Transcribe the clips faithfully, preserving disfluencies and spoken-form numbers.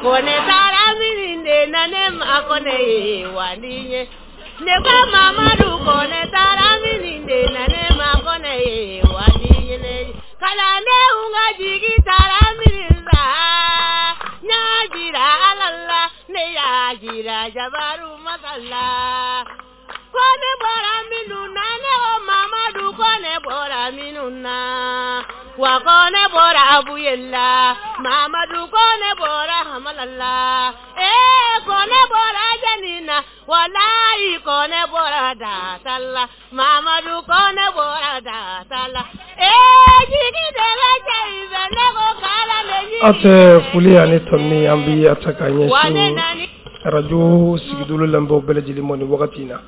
Ko ne taara min de na ne ma ko ne ye wali ye. Ne ko Mamadu ko ne taara min de na ne ma ko ne ye wali ye. Kalandenw ka jigi taara min sa. N y'a jira Ala la, ne y'a jira Jabaru Masala. Ko ne bɔra minnu na, ne ko Mamadu ko ne bɔra minnu na. Wa ko ne bɔra Abuyela, Mamadu ko ne bɔra Hamalala. Ee ko ne bɔra Janina, walayi ko ne bɔra Dasala, Mamadu ko ne bɔra Dasala. Ee jigi de bɛ cɛ in fɛ, ne ko k'ala ne jigi. Aw tɛ foli ani tɔnni an bi a ta k'a ɲɛsin arajo sigidolo lamɛnbaaw bɛɛ lajɛlen ma nin wagati in na.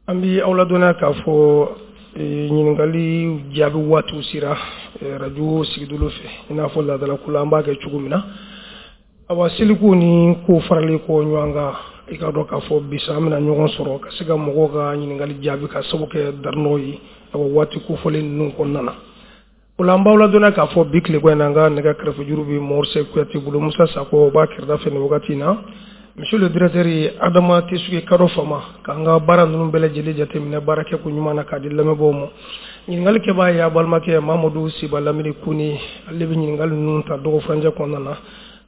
An bi aw ladɔnniya k'a fɔ ɲininkali jaabi waatiw sera arajo sigidolo fɛ, i n'a fɔ laadalako la an b'a kɛ cogo min na. Awa seliku ni ko faralen kɔ ɲɔgɔn kan, i ka dɔn k'a fɔ bi sa an bɛna ɲɔgɔn sɔrɔ ka se ka mɔgɔw ka ɲininkali jaabi ka sababu kɛ darinɔw ye awa waati kofɔlen ninnu kɔnɔna na. O la an b'aw ladɔnniya k'a fɔ bi tileko in na an ka nɛgɛ kɛrɛfɛjuru bɛ Mɔrise Kuyate bolo, Musa Sakɔ b'a kɛrɛda fɛ nin wagati in na. Monsieur le directeur Adama Tesuge Kado Fama k'an ka baara ninnu bɛɛ lajɛlen jateminɛ baara kɛ ko ɲuman na k'a di lamɛnbaaw ma. Ɲininkali kɛbaa ye a balimakɛ Mamadu Siba Lamini Kone, ale bɛ ɲininkali ninnu ta dɔgɔ furancɛ kɔnɔna na.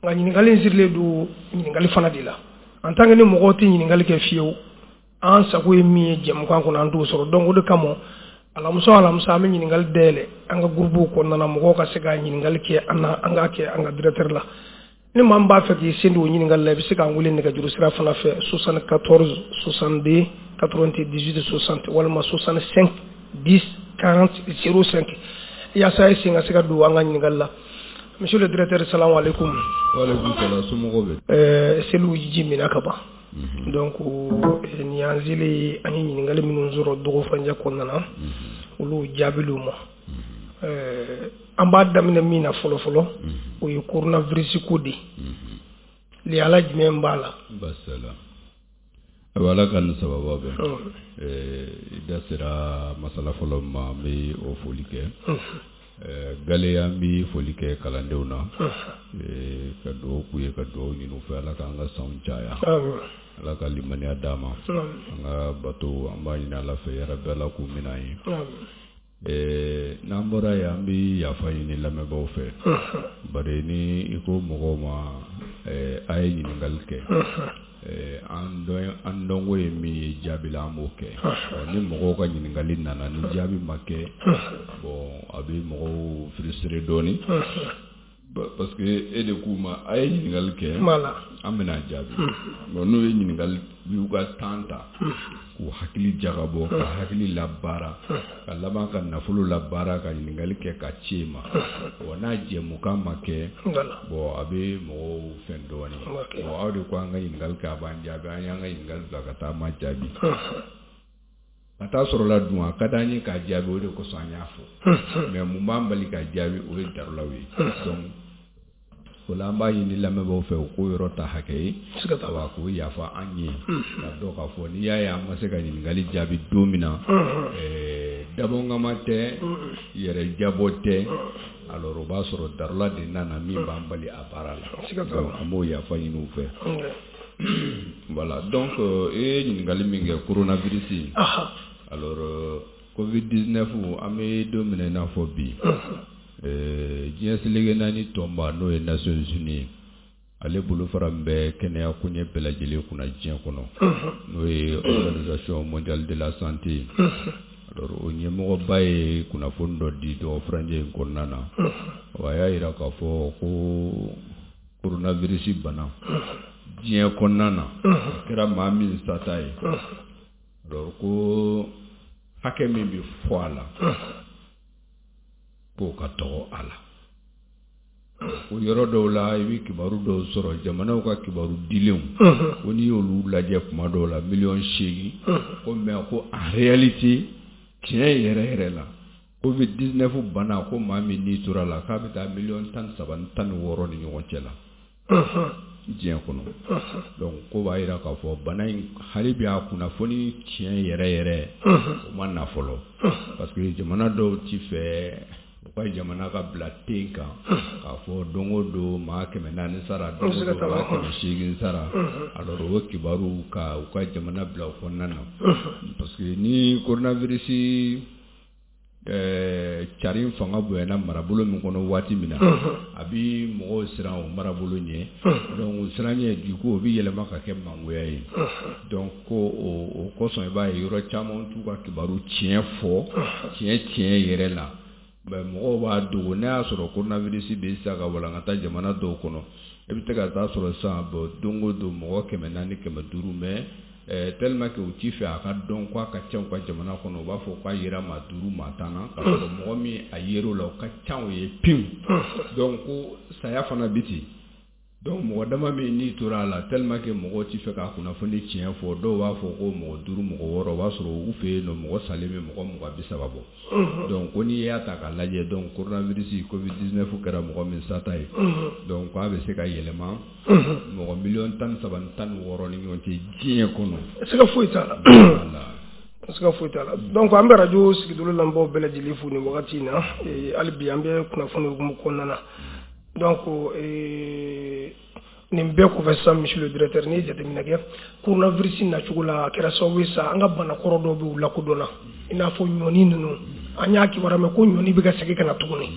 Nka ɲininkali in sirilen don ɲininkali fana de la. En tant que ni mɔgɔw tɛ ɲininkali kɛ fiyewu, an sago ye min ye jɛmukan kɔnɔ an t'o sɔrɔ. Donc o de kama alamisa alamisa an bɛ ɲininkali dayɛlɛ an ka groupe kɔnɔna na, mɔgɔw ka se ka ɲininkali kɛ an na, an k'a kɛ an ka directeur la. Ni maa min b'a fɛ k'i sen don o ɲininkali la, i bɛ se k'an wele nɛgɛjuru sira fana fɛ soixante-quatorze soixante-deux quatre-vingt-dix-huit soixante walima soixante-cinq dix quarante zéro cinq yaasa e sen ka se ka don an ka ɲininkali la. Monsieur le directeur, salamu alaikum. Wa alaikum salam, somɔgɔw bɛ? Ɛɛ seliw ji minɛ ka ban. Donc nin y'an selen an ye ɲininkali minnu sɔrɔ dɔgɔ furancɛ kɔnɔna na, olu jaabiliw ma. Ɛɛ an b'a daminɛ min na fɔlɔ fɔlɔ, o ye coronavirus ko de ye. Lihala jumɛn b'a la? Basala. Ayiwa, Ala ka nin sababa bɛn. I da sera masala fɔlɔ ma, an bɛ o foli kɛ. Gale an bɛ foli kɛ kalandenw na, ka dugawu k'u ye, ka dugawu ɲini u fɛ, Ala k'an ka sanw caya, Ala ka limaniya d'an ma, an ka bato an b'a ɲini Ala fɛ yarabi Ala k'u minɛ an ye. N'an bɔra yen, an bɛ yafa ɲini lamɛnbaaw fɛ, bari ni i ko mɔgɔw ma a ye ɲininkali kɛ, an an dɔnko ye min ye jaabi la, an b'o kɛ. Ni mɔgɔw ka ɲininkali nana ni jaabi ma kɛ, bon a bɛ mɔgɔw frustrer dɔɔnin, parce que e de k'u ma a ye ɲininkali kɛ, an bɛna jaabi. Bon n'u ye ɲininkali y'u ka temps ta k'u hakili jagabɔ, ka hakili labaara, ka laban ka nafolo labaara, ka ɲininkali kɛ ka ci e ma, bon n'a jɛmukan ma kɛ, bon a bɛ mɔgɔw fɛn dɔɔnin. Bon aw de ko an ka ɲininkali kɛ, a b'an jaabi, an y'an ka ɲininkali bila ka taa, ma jaabi. Ka taa sɔrɔ la dun, a ka d'an ye k'a jaabi, o de kosɔn an y'a fɔ. Mais mun b'an bali k'a jaabi, o ye darulaw ye. Donc o la an b'a ɲini lamɛnbaaw fɛ u k'o yɔrɔ ta hakɛ ye, wa k'o yafa an ye, ka dɔn k'a fɔ n'i y'a ye an ma se ka ɲininkali jaabi don min na, dabɔnkama tɛ, yɛrɛ jabɔ tɛ, alors o b'a sɔrɔ darula de nana min b'an bali a baara la. Donc an b'o yafa ɲini u fɛ. Voilà, donc e ye ɲininkali min kɛ coronavirus, alors covid dix-neuf, an bɛ don min na i n'a fɔ bi, diɲɛ seleke naani tɔnba n'o ye Nations Unies ye, ale bolofara min bɛ kɛnɛya koɲɛ bɛɛ lajɛlen kunna diɲɛ kɔnɔ, n'o ye Organisation mondiale de la santé, alors o ɲɛmɔgɔba ye kunnafoni dɔ di dɔgɔ furancɛ in kɔnɔna na. Wa a y'a jira k'a fɔ ko coronavirus bana diɲɛ kɔnɔna na, a kɛra maa min sata ye, alors ko hakɛ min bɛ fɔ a la, k'o ka dɔgɔ a la. O yɔrɔ dɔw la, i bɛ kibaru dɔw sɔrɔ, jamanaw ka kibaru dilenw, ko n'i y'olu lajɛ kuma dɔw la miliyɔn seegin, ko mais ko en réalité tiɲɛ yɛrɛ yɛrɛ la, covid dix-neuf bana, ko maa min n'i tora la, k'a bɛ taa miliyɔn tan ni saba ni tan ni wɔɔrɔ ni ɲɔgɔn cɛ la diɲɛ kɔnɔ. Donc ko b'a jira k'a fɔ bana in hali bi a kunnafoni tiɲɛ yɛrɛ yɛrɛ o ma na fɔlɔ, parce que jamana dɔw ti fɛ u ka jamana ka bila ten kan k'a fɔ don o don maa kɛmɛ naani sara, don o don maa kɛmɛ seegin sara. Alors o kibaru ka u ka jamana bila o kɔnɔna na, parce que ni coronavirus ɛɛ cari fanga bonyana marabolo min kɔnɔ waati min na, a bi mɔgɔw siran o marabolo ɲɛ. Donc siran ɲɛ, du coup o bi yɛlɛma ka kɛ mangoya ye. Donc ko o kosɔn i b'a ye yɔrɔ caman t'u ka kibaru tiɲɛ fɔ, tiɲɛ tiɲɛ yɛrɛ la, mais mɔgɔw b'a dogo. N'a y'a sɔrɔ coronavirus bɛ sisan ka walankata jamana dɔw kɔnɔ, i bɛ se ka taa sɔrɔ sisan bon don o don mɔgɔ kɛmɛ naani, kɛmɛ duuru, mais tellement que u t'i fɛ a ka dɔn k'a ka ca u ka jamana kɔnɔ, u b'a fɔ k'a yera maa duuru, maa tan na, k'a sɔrɔ mɔgɔ min a yer'o la o ka ca o ye pewu. Donc ko saya fana bi ten. Donc mɔgɔ dama min n'i tora a la, tellement que mɔgɔw t'i fɛ k'a kunnafoni tiɲɛ fɔ, dɔw b'a fɔ ko mɔgɔ duuru, mɔgɔ wɔɔrɔ, o b'a sɔrɔ u fɛ yen nɔ mɔgɔ salen bɛ mɔgɔ mugan bi saba bɔ. Donc ko n'i y'a ta k'a lajɛ, donc coronavirus covid dix-neuf kɛra mɔgɔ min sata ye, donc k'a bɛ se ka yɛlɛma mɔgɔ miliyɔn tan ni saba ni tan ni wɔɔrɔ ni ɲɔgɔn cɛ diɲɛ kɔnɔ. Siga foyi t'a la, siga foyi t'a la. Donc an bɛ radio Sigidolo lamɛnbaaw bɛɛ lajɛlen fo nin wagati in na. Hali bi an bɛ kunnafoni hukumu kɔnɔna na. Donc nin bɛɛ kɔfɛ sisan, monsieur le directeur, n'i ye jateminɛ kɛ coronavirus nacogo la, a kɛra sababu ye sa an ka banakɔrɔ dɔw bɛ u lakodɔnna, i n'a fɔ ɲɔni ninnu. An y'a kibaruya mɛn ko ɲɔni bɛ ka segin ka na tuguni.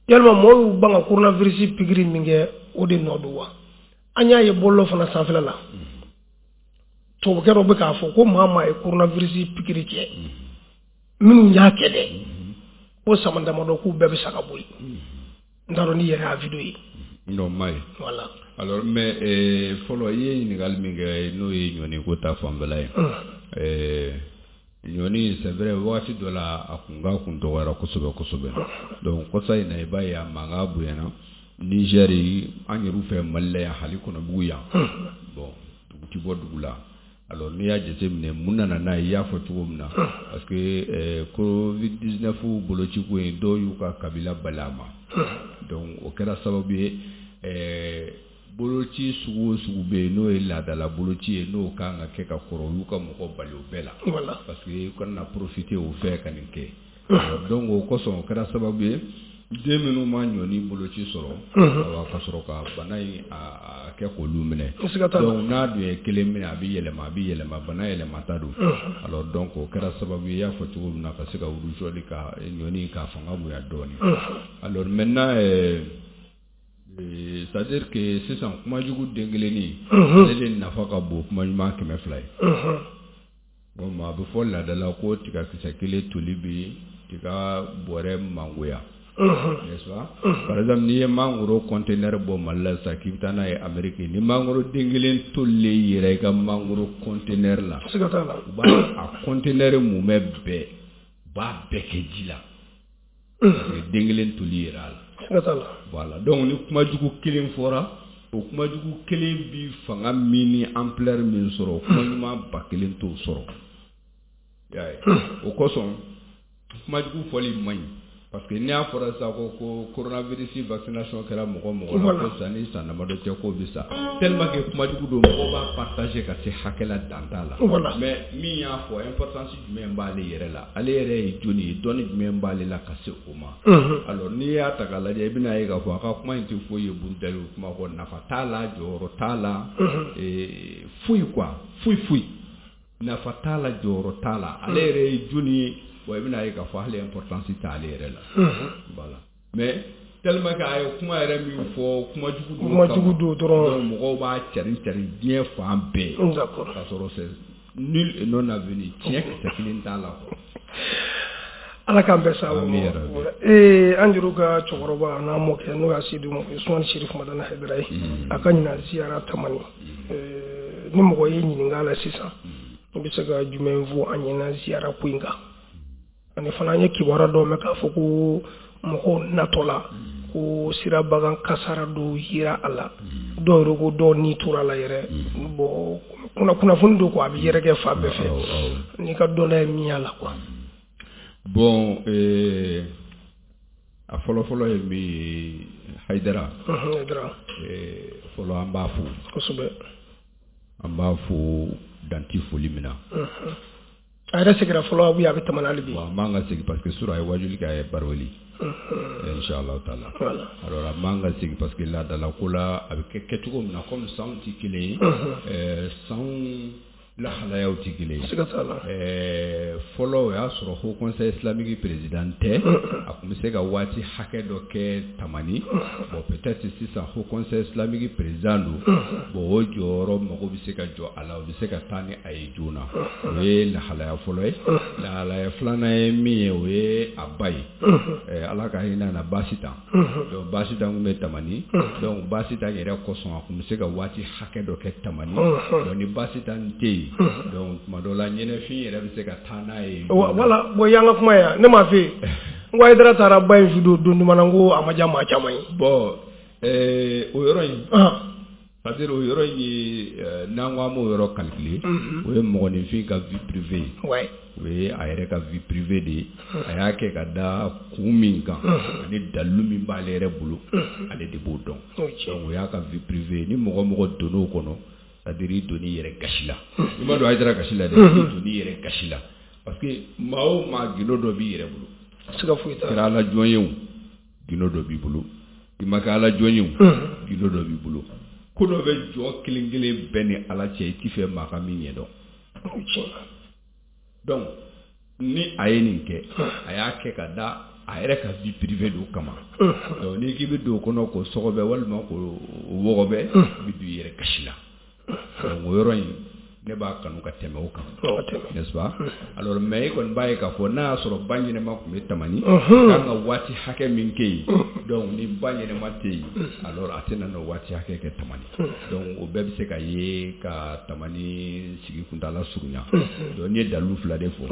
Yalima mɔgɔw y'u ban ka coronavirus pikiri min kɛ, o de nɔ don wa? An y'a ye bɔlɔlɔ fana sanfɛla la, tubabukɛ dɔ bɛ k'a fɔ ko maa maa ye coronavirus pikiri kɛ, minnu y'a kɛ dɛ, ko sama damadɔ k'u bɛɛ bɛ sa ka bɔ yen. N t'a dɔn n'i yɛrɛ y'a vidéo ye. Non, ma ye. Voilà. Alors mais fɔlɔ i ye ɲininkali min kɛ, n'o ye ɲɔni ko ta fanfɛla ye, ɛɛ ɲɔni, c'est vrai, wagati dɔ la a kun ka kun dɔgɔyara kosɛbɛ kosɛbɛ. Donc kɔsa in na, i b'a ye a mankan bonyana Niger, an yɛrɛ fɛ Mali la yan, hali Kɔnɔbugu yan, bon dugu ti bɔ dugu la. Alors n'i y'a jateminɛ mun nana n'a ye, i y'a fɔ cogo min na, parce que covid dix-neuf boloci ko in, dɔw y'u ka kabila bali a ma. Donc o kɛra sababu ye ɛɛ boloci sugu o sugu bɛ yen, n'o ye laadala boloci ye, n'o kan ka kɛ ka kɔrɔ, u y'u ka mɔgɔ bali o bɛɛ la, parce que u kana profiter o fɛ ka nin kɛ. Donc o kosɔn o kɛra sababu ye den minnu ma ɲɔni boloci sɔrɔ, awa ka sɔrɔ ka bana in a kɛ k'olu minɛ. Donc n'a dun ye kelen minɛ, a bɛ yɛlɛma, a bɛ yɛlɛma, bana yɛlɛmata don. Alors donc o kɛra sababu ye, i y'a fɔ cogo min na, ka se ka rougeole ka ɲɔni ka fanga bonya dɔɔnin. Alors maintenant euh, c'est-à-dire que sisan kumajugu den kelennin, ale de nafa ka bon kuma ɲuman kɛmɛ fila ye. Bon, a bɛ fɔ laadala ko tigakisɛ kelen toli bi tiga bɔrɛ mangoya, n'est-ce pas? Par exemple, n'i ye mangoro conteneur bɔ Mali la sisan k'i bɛ taa n'a ye Amérique, ni mangoro den kelen tolilen yɛrɛ i ka mangoro conteneur la, u b'a a conteneur mumɛ bɛɛ, u b'a bɛɛ kɛ ji la, parce que den kelen toli yɛrɛ a la. Voilà. Donc ni kumajugu kelen fɔra, o kumajugu kelen bi fanga min ni ampleur min sɔrɔ, kuma ɲuman ba kelen t'o sɔrɔ. I y'a ye? O kosɔn kumajugu fɔli man ɲi, parce que n'i y'a fɔra sisan ko ko coronavirus vaccination kɛra mɔgɔ mɔgɔ la, ko san ni san damadɔ cɛ k'o bɛ sa, tellement que kumajugu don, mɔgɔw b'a partager ka se hakɛ la dan t'a la. Mais min y'a fɔ, importance jumɛn b'ale yɛrɛ la, ale yɛrɛ ye jɔnni ye, dɔnni jumɛn b'ale la ka se o ma? Alors n'i y'a ta k'a lajɛ, i bɛna ye k'a fɔ a ka kuma in tɛ foyi ye burudali kuma kɔ, nafa t'a la, jɔyɔrɔ t'a la, foyi quoi, foyi foyi, nafa t'a la, jɔyɔrɔ t'a la, ale yɛrɛ ye jɔnni ye? Bon, i bɛna ye k'a fɔ hali importance t'ale yɛrɛ la. Voilà. Mais tellement que a ye kuma yɛrɛ min fɔ, kumajugu don, kumajugu don dɔrɔn, mɔgɔw b'a cari cari diɲɛ fan bɛɛ. D'accord. K'a sɔrɔ c'est nul et non avenu, tiɲɛ kisɛ kelen t'a la quoi. Ala k'an bɛɛ sa. Ee an juru ka cɛkɔrɔba n'a mɔkɛ, n'o y'a Seydou Usmani Cherif Madani Haidara ye, a ka ɲinan ziyara tamani, ni mɔgɔ y'i ɲininka a la sisan, i bɛ se ka jumɛn fɔ an ɲɛna ziyara ko in kan? Ani fana an ye kibaruya dɔw mɛn k'a fɔ ko mɔgɔw natɔ la, ko sirabagan kasara dɔw yera a la, dɔw yɛrɛ ko dɔw ni tora a la yɛrɛ. Bon, kunnafoni don quoi, a bɛ yɛrɛkɛ fan bɛɛ fɛ, n'i ka dɔnniya ye min y'a la quoi. Bon, euh, a fɔlɔ-fɔlɔ ye min ye, Haidara. Haidara. Fɔlɔ an b'a fo. Kosɛbɛ. An b'a fo danti foli min na. A yɛrɛ seginna fɔlɔ ou bien a bɛ Tamani hali bi? Bon, a man ka segin parce que surɔ a ye wajuli kɛ, a ye baroweli. Inchallah taala. Alors a man ka segin parce que laadala ko la a bɛ kɛ kɛcogo min na, comme sanw tɛ kelen ye, ɛɛ sanw lahalayaw tɛ kelen ye. Siga t'a la. Ɛɛ fɔlɔ o y'a sɔrɔ Haut Conseil islamique président tɛ, a tun bɛ se ka waati hakɛ dɔ kɛ Tamani. Bon, peut-être sisan Haut Conseil islamique président don, bon o jɔyɔrɔ mago bɛ se ka jɔ a la, o bɛ se ka taa ni a ye joona. O ye lahalaya fɔlɔ ye. Lahalaya filanan ye min ye, o ye a ba ye. Ɛɛ Ala ka hinɛ na Basitan. Donc Basitan tun bɛ Tamani. Donc Basitan yɛrɛ kosɔn a tun bɛ se ka waati hakɛ dɔ kɛ Tamani. Donc ni Basitan tɛ yen, donc tuma dɔ la ɲɛnɛfin yɛrɛ bɛ se ka taa n'a ye. Voilà, bon y'an ka kuma yan, ne m'a fɛ yen n ko Hayidara taara ba in su don don jumɛn na, n ko a ma diya maa caman ye. Bon, ɛɛ o yɔrɔ in, c'est à dire o yɔrɔ in ye, n'an ko an b'o yɔrɔ calculer, o ye mɔgɔninfin ka vie privée ye. O ye a yɛrɛ ka vie privée de ye. A y'a kɛ ka da kun min kan ani dalilu min b'ale yɛrɛ bolo, ale de b'o dɔn. Donc o y'a ka vie privée ye. Ni mɔgɔ mɔgɔ donn'o kɔnɔ, c'est-à-dire i donn'i yɛrɛ gasi la. I ma don Hayidara gasi la dɛ, i donn'i yɛrɛ gasi la. Parce que maa o maa gindo dɔ b'i yɛrɛ bolo. Siga foyi t'a la. Kɛra ala jɔn ye o, gindo dɔ b'i bolo. I ma kɛ ala jɔn ye o, gindo dɔ b'i bolo. Ko dɔ bɛ jɔ kelen kelen bɛɛ ni ala cɛ, i t'i fɛ maa ka min ɲɛdɔn. Donc ni a ye nin kɛ, a y'a kɛ ka da a yɛrɛ ka vie privée dɔ kama. Donc n'i k'i bɛ don o kɔnɔ k'o sɔgɔbɛ walima k'o wɔgɔbɛ, i bɛ don i yɛrɛ gasi la. Donc o yɔrɔ in ne b'a kanu ka tɛmɛ o kan, n'est-ce pas? Alors mais i kɔni b'a ye k'a fɔ n'a y'a sɔrɔ ba ɲɛnɛma tun bɛ Tamani, kan ka waati hakɛ min kɛ yen, donc ni ba ɲɛnɛma tɛ yen, alors a tɛna n'o waati hakɛ kɛ Tamani. Donc o bɛɛ bɛ se ka ye ka Tamani sigi kuntaala surunya. Donc n ye dalilu fila de fɔ.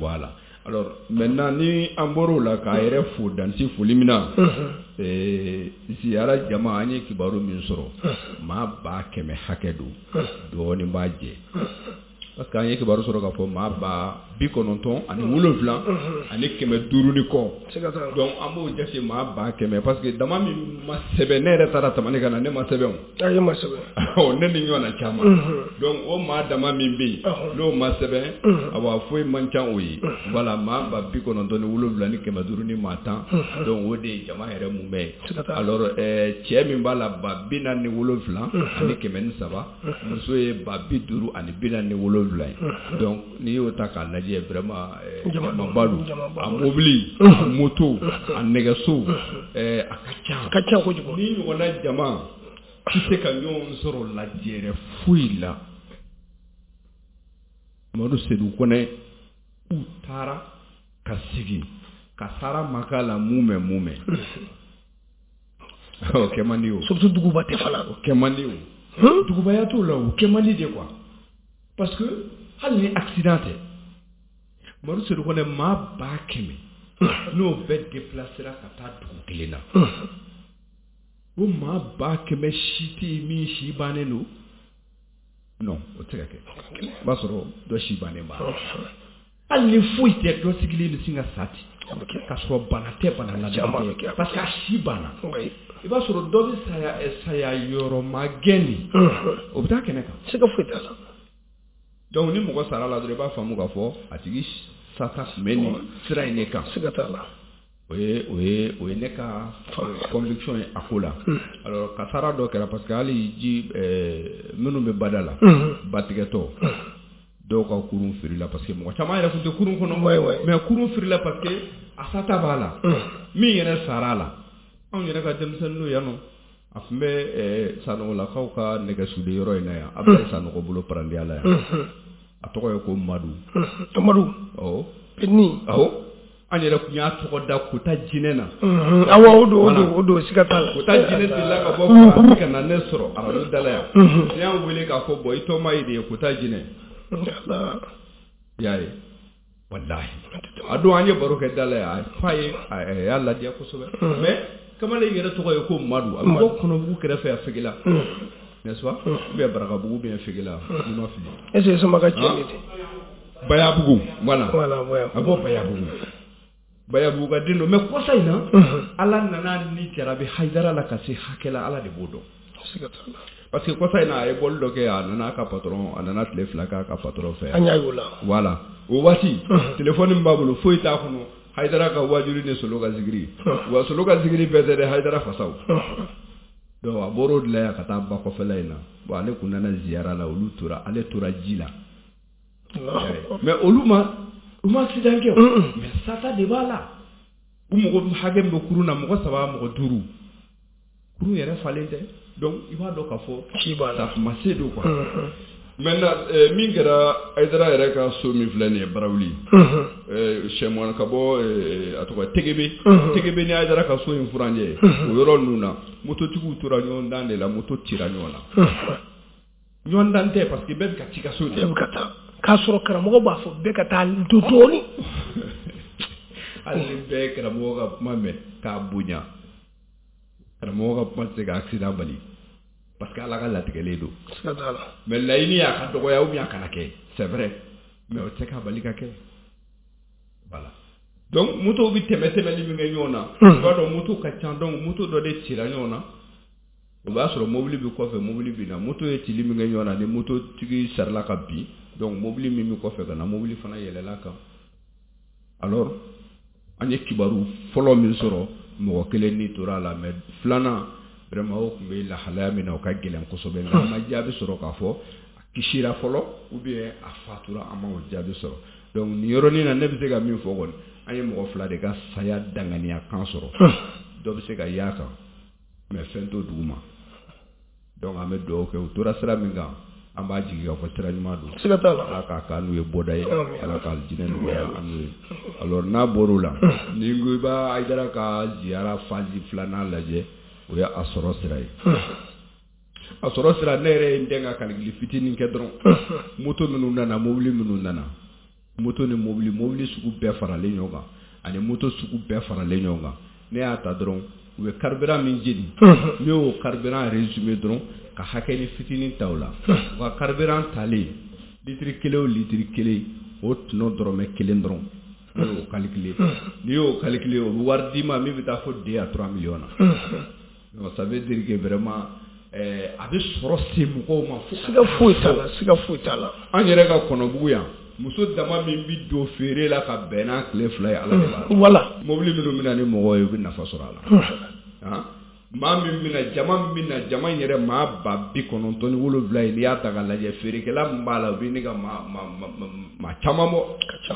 Voilà. Alors maintenant ni an bɔr'o la k'a yɛrɛ fo dansi foli min na, ziyara jama an ye kibaru min sɔrɔ, maa ba kɛmɛ hakɛ don, dɔɔnin b'a jɛ. Parce que an ye kibaru sɔrɔ k'a fɔ maa ba bi kɔnɔntɔn ani wolonwula ani kɛmɛ duuru ni kɔ. Donc an b'o jate maa ba kɛmɛ parce que dama min ma sɛbɛn, ne yɛrɛ taara Tamani ka na, ne ma sɛbɛn o. A ma sɛbɛn. Ne ni ɲɔgɔn na caman. Donc o maa dama min bɛ yen, n'o ma sɛbɛn, awa foyi man ca o ye. Voilà, maa ba bi kɔnɔntɔn ni wolonwula ni kɛmɛ duuru ni maa tan. Donc o de ye jama yɛrɛ mun bɛ ye. Alors cɛ min b'a la ba bi naani ni wolonwula ani kɛmɛ ni saba, muso ye ba bi duuru ani bi naani ni wolonwula ye. Donc n'i y'o ta k'a lajɛ, vraiment jamaba don. A mobili, a moto, a nɛgɛso, a ka ca. A ka ca kojugu. Ni ɲɔgɔnna jama tɛ se ka ɲɔgɔn sɔrɔ lajɛrɛ foyi la. Mamadu Sedu Kɔnɛ u taara ka segin kasara ma k'a la mun mɛ mun mɛ. O kɛ man di o. Surtout duguba tɛ fana. O kɛ man di o. Dugubaya t'o la, o kɛ man di de quoi. Parce que hali ni accident tɛ, Mamadu Sedu Kɔnɛ maa ba kɛmɛ n'o bɛɛ déplacera ka taa dugu kelen na, o maa ba kɛmɛ si tɛ yen min si bannen don. Non, o tɛ se ka kɛ. O b'a sɔrɔ dɔ si bannen b'a la. Hali ni foyi tɛ, dɔ sigilen bɛ sin ka sa ten k'a sɔrɔ bana tɛ, bana la tɛ, parce que a si banna. I b'a sɔrɔ dɔ bɛ saya saya yɔrɔ ma gɛn de, o bɛ taa kɛnɛ kan. Siga foyi t'a la. Donc ni mɔgɔ sara la dɔrɔn, i b'a faamu k'a fɔ a tigi sata tun bɛ nin sira in de kan. Siga t'a la. O ye o ye o ye ne ka conviction ye a ko la. Alors kasara dɔ kɛra parce que hali ji minnu bɛ bada la, batigɛtɔ dɔw ka kurun firila parce que mɔgɔ caman yɛrɛ tun tɛ kurun kɔnɔ, mais kurun firila parce que a sata b'a la. Min yɛrɛ sara a la, anw yɛrɛ ka denmisɛnninw yan nɔ, a tun bɛ Sanɔgɔlakaw ka nɛgɛsuden yɔrɔ in na yan, Abulayi Sanɔgɔ bolo parandiya la yan. A tɔgɔ ye ko Madu. Madu. Awɔ. Ni. Awɔ. An yɛrɛ tun y'a tɔgɔ da Kota Jinɛ na. Awɔ, o don, o don, o don, siga t'a la. Kota Jinɛ delila ka bɔ Faransi ka na ne sɔrɔ arajo da la yan. Ne y'an wele k'a fɔ bɔn i tɔma ye de ye Kota Jinɛ. I y'a ye. Walahi. A don an ye baro kɛ da la yan, a fa ye a y'a ladiya kosɛbɛ. Mais kamalen yɛrɛ tɔgɔ ye ko Madu. A bɛ bɔ Kɔnɔbugu kɛrɛfɛ a Fegela. N'est-ce pas? Ou bien Barakabugu bien Fegela, ni ma fili. Est-ce que sama ka cɛ de tɛ? Bayabugu, voilà. Voilà, Bayabugu. A bɔ Bayabugu. Bayabugu ka den don, mais kɔsa in na, Ala nana ni jarabi Hayidara la ka se hakɛ la, Ala de b'o dɔn. Parce que kɔsa in na a ye bɔli dɔ kɛ, a nana a ka patron, a nana tile fila k'a ka patron fɛ. An y'a y'o la. Voilà, o waati téléphone min b'a bolo foyi t'a kɔnɔ, Hayidara ka wajuli ni Solo ka zikiri. Wa Solo ka zikiri bɛɛ tɛ dɛ, Hayidara fasaw. Donc a bɔr'o de la yan ka taa ba kɔfɛla in na. Bon, ale kun nana ziyara la, olu tora, ale tora ji la. Mais olu ma u ma accident kɛ, mais sata de b'a la. U mɔgɔ hakɛ min bɛ kurun na, mɔgɔ saba, mɔgɔ duuru, kurun yɛrɛ falen tɛ. Donc i b'a dɔn k'a fɔ ci b'a la, ma se don quoi. Maintenant, min kɛra Hayidara yɛrɛ ka so min filɛ nin ye Barawuli, sɛmɔn ka bɔ, a tɔgɔ Tegebe, Tegebe ni Hayidara ka so in furancɛ, o yɔrɔ ninnu na, mototigiw tora ɲɔgɔn dan de la, moto cira ɲɔgɔn na. Ɲɔgɔn dan tɛ, parce que bɛɛ bɛ ka ci ka so de. Bɛɛ bɛ ka taa, k'a sɔrɔ karamɔgɔ b'a fɔ bɛɛ ka taa dɔɔni. Hali ni bɛɛ ye karamɔgɔ ka kuma mɛn k'a bonya, karamɔgɔ ka kuma tɛ se ka accident bali, parce que Ala ka latigɛlen don. Siga t'a la. Mais laɲini y'a ka dɔgɔya ou bien a kana kɛ, c'est vrai, mais o tɛ se k'a bali ka kɛ. Voilà, donc moto bɛ tɛmɛ tɛmɛli min kɛ ɲɔgɔn na, i b'a dɔn moto ka ca. Donc moto dɔ de cira ɲɔgɔn na, o b'a sɔrɔ mobili bɛ kɔfɛ, mobili bɛ na. Moto ye cili min kɛ ɲɔgɔn na, ni mototigi sarila ka bin, donc mobili min bɛ kɔfɛ ka na, mobili fana yɛlɛla kan. Alors an ye kibaru fɔlɔ min sɔrɔ, mɔgɔ kelen ni tora a la, mais filanan vraiment o tun bɛ lahalaya min na, o ka gɛlɛn kosɛbɛ. Nka an ma jaabi sɔrɔ k'a fɔ a kisira fɔlɔ ou bien a fatura, an ma o jaabi sɔrɔ. Donc nin yɔrɔnin na, ne bɛ se ka min fɔ kɔni, an ye mɔgɔ fila de ka saya danganiya kan sɔrɔ. Dɔ bɛ se ka y'a kan, mais fɛn t'o dugu ma. Donc an bɛ dugawu kɛ, u tora sira min kan, an b'a jigi k'a fɔ sira ɲuman don. Siga t'a la. Ala k'a k'an n'u ye bɔda ye, Ala ka alijinɛ nɔgɔya an n'u ye. Alors n'a bɔr'o la, ni n ko i b'a Hayidara ka ziyara phase filanan lajɛ, o ye a sɔrɔ sira ye. A sɔrɔ sira, ne yɛrɛ ye n den ka calcul fitinin kɛ dɔrɔn. Moto minnu nana, mobili minnu nana, moto ni mobili, mobili sugu bɛɛ faralen ɲɔgɔn kan ani moto sugu bɛɛ faralen ɲɔgɔn kan, ne y'a ta dɔrɔn, u bɛ carburant min jeni, ne y'o carburant résumé dɔrɔn ka hakɛ ni fitinin ta o la. U ka carburant talen, litiri kelen o litiri kelen, o tɔnɔ dɔrɔmɛ kelen dɔrɔn, ne y'o calculer. N'i y'o calculer, o bɛ wari d'i ma min bɛ taa fo deux à trois millions na. Donc ça veut dire que vraiment a bɛ sɔrɔ se mɔgɔw ma fo. Siga foyi t'a la, siga foyi t'a la. An yɛrɛ ka Kɔnɔbugu yan, muso dama min bɛ don feere la ka bɛn n'a tile fila ye, Ala de b'a dɔn. Voilà. Mobili minnu bɛ na ni mɔgɔw ye, u bɛ nafa sɔrɔ a la. Maa min bɛna, jama min bɛna, jama in yɛrɛ maa ba bi kɔnɔntɔn ni wolonwula ye, n'i y'a ta k'a lajɛ, feerekɛla min b'a la, o bɛ ne ka maa maa caman bɔ. Ka ca.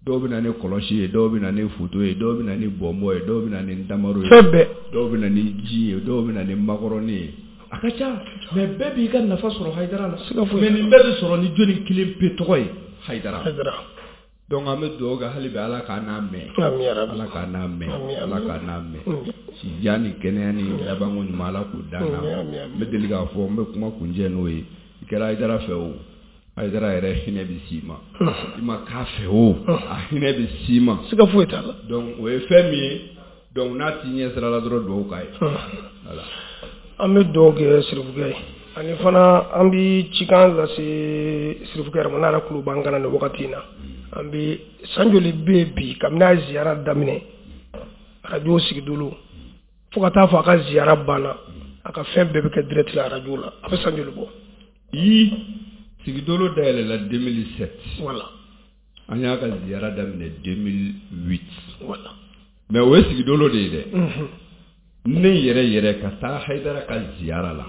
Dɔw bɛ na ni kɔlɔsi ye, dɔw bɛ na ni foto ye, dɔw bɛ na ni bɔnbɔn ye, dɔw bɛ na ni damaro ye. Fɛn bɛɛ. Dɔw bɛ na ni ji ye, dɔw bɛ na ni makɔrɔni ye. A ka ca, mais bɛɛ b'i ka nafa sɔrɔ Hayidara la. Siga foyi mais nin bɛɛ bɛ sɔrɔ ni jɔnni kelen pe tɔgɔ ye? Hayidara. Hayidara. Donc an bɛ dugawu kɛ hali bi, Ala k'a n'a mɛn. Ami ya Rabi. Ala k'a n'a mɛn. Ami. Ala k'a n'a mɛn. Sijan ni kɛnɛya ni labanko ɲuman, Ala k'o d'an na. N bɛ deli k'a fɔ, n bɛ kuma kuncɛ n'o ye. I kɛra Hayidara fɛ o, Hayidara yɛrɛ hinɛ bɛ s'i ma. I ma k'a fɛ o, a hinɛ bɛ s'i ma. Siga foyi t'a la. Donc o ye fɛn min ye, donc n'a t'i ɲɛ sira la dɔrɔn, dugawu k'a ye. Voilà. An bɛ dugawu kɛ Sirifukɛ ye, ani fana an bɛ cikan lase Sirifukɛ yɛrɛ ma, n'a yɛrɛ tulo b'an kan na nin wagati in na. An bɛ san joli bɛ yen bi kabini a ye ziyara daminɛ arajo Sigidolo fo ka taa fɔ a ka ziyara banna, a ka fɛn bɛɛ bɛ kɛ direct la arajo la, a bɛ san joli bɔ? I Sigidolo dayɛlɛla deux mille sept. Voilà. An y'a ka ziyara daminɛ deux mille huit. Voilà. Mais o ye Sigidolo de ye dɛ. Ne yɛrɛ yɛrɛ ka taa Hayidara ka ziyara la,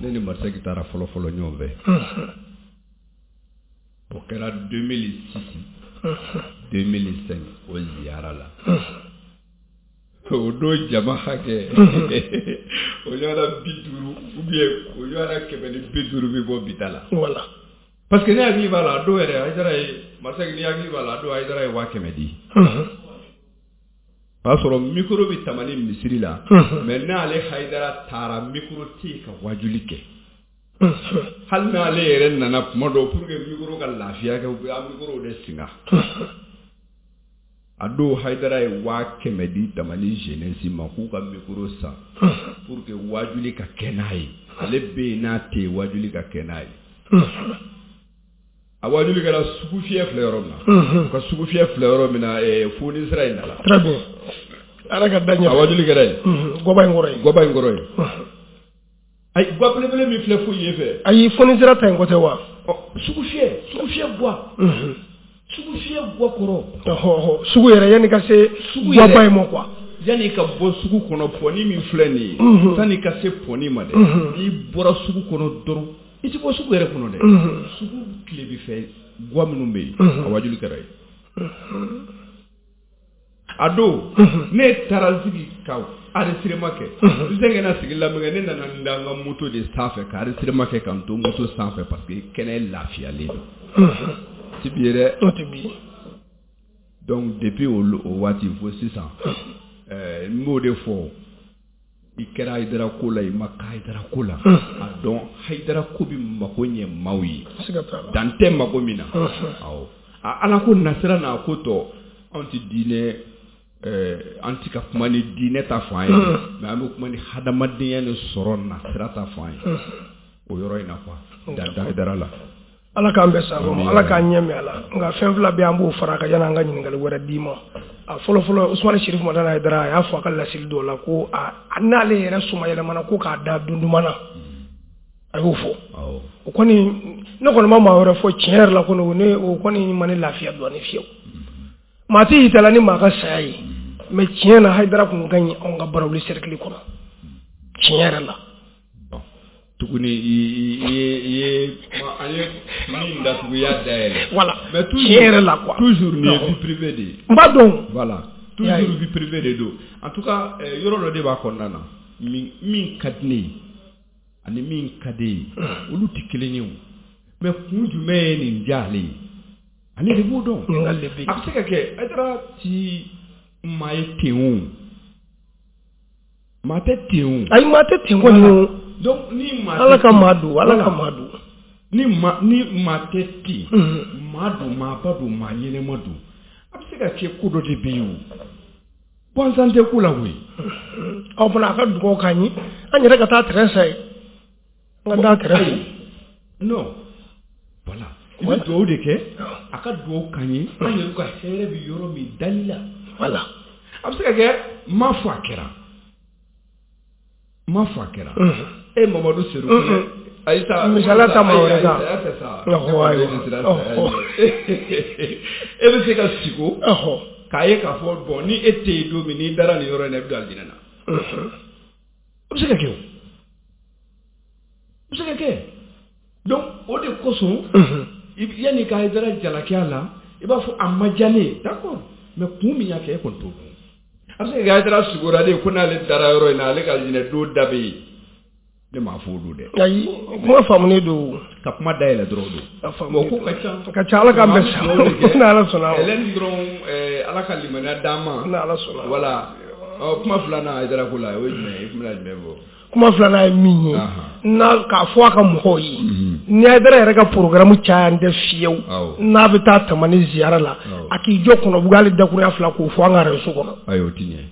ne ni Marisaki taara fɔlɔ fɔlɔ ɲɔgɔn fɛ, o kɛra deux mille six, deux mille cinq. O ziyara la, o don jama hakɛ, o ɲɔgɔnna bi duuru ou bien o ɲɔgɔnna kɛmɛ ni bi duuru bɛ bɔ bi ta la. Voilà. Parce que ne hakili b'a la, a don yɛrɛ Hayidara ye, Marisaki, ni hakili b'a la, a don Hayidara ye waa kɛmɛ di. O y'a sɔrɔ micro bɛ Tamani misiri la, mais n'ale Hayidara taara, micro tɛ yen ka wajuli kɛ. Hali n'ale yɛrɛ nana kuma dɔw, pour que micro ka lafiya kɛ, u bɛ micro de singa. A don Hayidara ye waa kɛmɛ di Tamani jeunesse ma k'u ka micro san pour que wajuli ka kɛ n'a ye. Ale bɛ yen, n'a tɛ yen, wajuli ka kɛ n'a ye. A wajuli kɛra sugu fiyɛ filɛ yɔrɔ min na, u ka sugu fiyɛ filɛ yɔrɔ min na, foni sira in na la. Très bien. Ala ka da ɲɛ. A wajuli kɛra yen. Gɔba in kɔrɔ yen. Gɔba in kɔrɔ yen. Ayi, gwa belebele min filɛ fo yen fɛ. Ayi, foni sira ta in kɔ tɛ wa? Ɔ, sugu fiyɛ, sugu fiyɛ gwa. Sugu fiyɛ gwa kɔrɔ. Ɔhɔ ɔhɔ, sugu yɛrɛ yanni ka se guwaba in ma quoi. Yanni ka bɔ sugu kɔnɔ, pɔni min filɛ nin ye, sanni ka se pɔni ma dɛ, n'i bɔra sugu kɔnɔ dɔrɔn, i ti bɔ sugu yɛrɛ kɔnɔ dɛ. Sugu tilebi fɛ gwa minnu bɛ yen, a wajuli kɛra yen. A don ne taara sigi ka enregistrement kɛ, n sɛgɛnna sigi la min kɛ, ne nana n da n ka moto de sanfɛ ka enregistrement kɛ ka n to moto sanfɛ parce que kɛnɛ lafiyalen don. Ti bi ye dɛ. O ti bi. Donc depuis o waati fo sisan, ɛɛ n b'o de fɔ, i kɛra Hayidara ko la, i ma kɛ Hayidara ko la, a dɔn Hayidara ko bɛ mako ɲɛ maaw ye, dan tɛ mako min na. Awɔ, a Ala ko nasira n'a ko tɔ, anw tɛ diinɛ, ɛɛ an tɛ ka kuma ni diinɛ ta fan ye, mais an bɛ kuma ni hadamadenya ni sɔrɔ nasira ta fan ye o yɔrɔ in na quoi, dan tɛ Hayidara la. Ala k'an bɛn sago ma, Ala k'an ɲɛ mɛn a la. Nka fɛn fila bɛ an b'o fara kan yanni an ka ɲininkali wɛrɛ d'i ma. A fɔlɔ fɔlɔ, Usumani Sirifu Madani Hayidara a y'a fɔ a ka laseli dɔw la ko a n'ale yɛrɛ somayɛlɛmana ko k'a da dunduman na, a y'o fɔ. O kɔni ne kɔni ma maa wɛrɛ fɔ tiɲɛ yɛrɛ la kɔni, ne o kɔni ma ne lafiya dɔɔni fiyewu. Maa tɛ y'i ta la ni maa ka saya ye, mais tiɲɛ na Hayidara kun ka ɲi anw ka Barawuli cercle kɔnɔ tiɲɛ yɛrɛ la. Tuguni i ye i ye an ye min datugu i y'a dayɛlɛ. Voilà, mais toujours tiɲɛ yɛrɛ la quoi. Toujours nin ye vie privée de ye. N b'a dɔn. Voilà, toujours vie privée de don. En tout cas yɔrɔ dɔ de b'a kɔnɔna na, min min ka di ne ye ani min ka di e ye, olu tɛ kelen ye o. Mais kun jumɛn ye nin diya ale ye? Ale de b'o dɔn. Ɲininkali de bɛ yen. A bɛ se ka kɛ Hayidara ti maa ye ten o. Maa tɛ ten o. Ayi, maa tɛ ten kɔni o. Donc ni maa Ala ka maa don, Ala ka maa don. Ni maa ni maa tɛ ten, maa don, maaba don, maa ɲɛnɛma don. A bɛ se ka kɛ ko dɔ de bɛ yen o. Gansan tɛ ko la koyi. Aw fana a ka dugawu k'an ye, an yɛrɛ ka taa terrain san yen. An ka taa terrain san. Non, voilà. I bɛ dugawu de kɛ, a ka dugawu k'an ye, an yɛrɛ ka hɛrɛ bɛ yɔrɔ min dali la. Voilà. A bɛ se ka kɛ n m'a fɔ a kɛra. N m'a fɔ a kɛra. E Mamadu Seru ayi sa, misaliya ta maa wɛrɛ kan. E bɛ se ka siko k'a ye k'a fɔ bon ni e tɛ yen don min, n'i dara nin yɔrɔ in na, i bɛ don alijinɛ na. O bɛ se ka kɛ o. O bɛ se ka kɛ. Donc o de kosɔn, yanni ka Hayidara jalaki a la, i b'a fɔ a ma diya ne ye, d'accord, mais kun min y'a kɛ e kɔni t'o dɔn. A bɛ se ka kɛ Hayidara sigora de ko n'ale dara yɔrɔ in na, ale ka alijinɛ don da bɛ yen. Ne m'a fɔ o don dɛ. Ayi, kuma faamunen don. Ka kuma dayɛlɛ dɔrɔn don. Bon, ko ka ca. Ka ca, Ala k'an bɛn sa. N'Ala sɔnna. Hɛlɛni dɔrɔn, Ala ka limaniya d'an ma. N'Ala sɔnna. Voilà. Ɔ, kuma filanan Hayidara ko la, o ye jumɛn ye? I tun bɛna jumɛn fɔ? Kuma filanan ye min ye, n'a k'a fɔ a ka mɔgɔw ye, ni Hayidara yɛrɛ ka programme caya n tɛ fiyewu, n'a bɛ taa Tamani ziyara la, a k'i jɔ Kɔnɔbugu hali dakurunya fila k'o fɔ an ka arajo kɔnɔ. Ayi, o ti ɲɛ.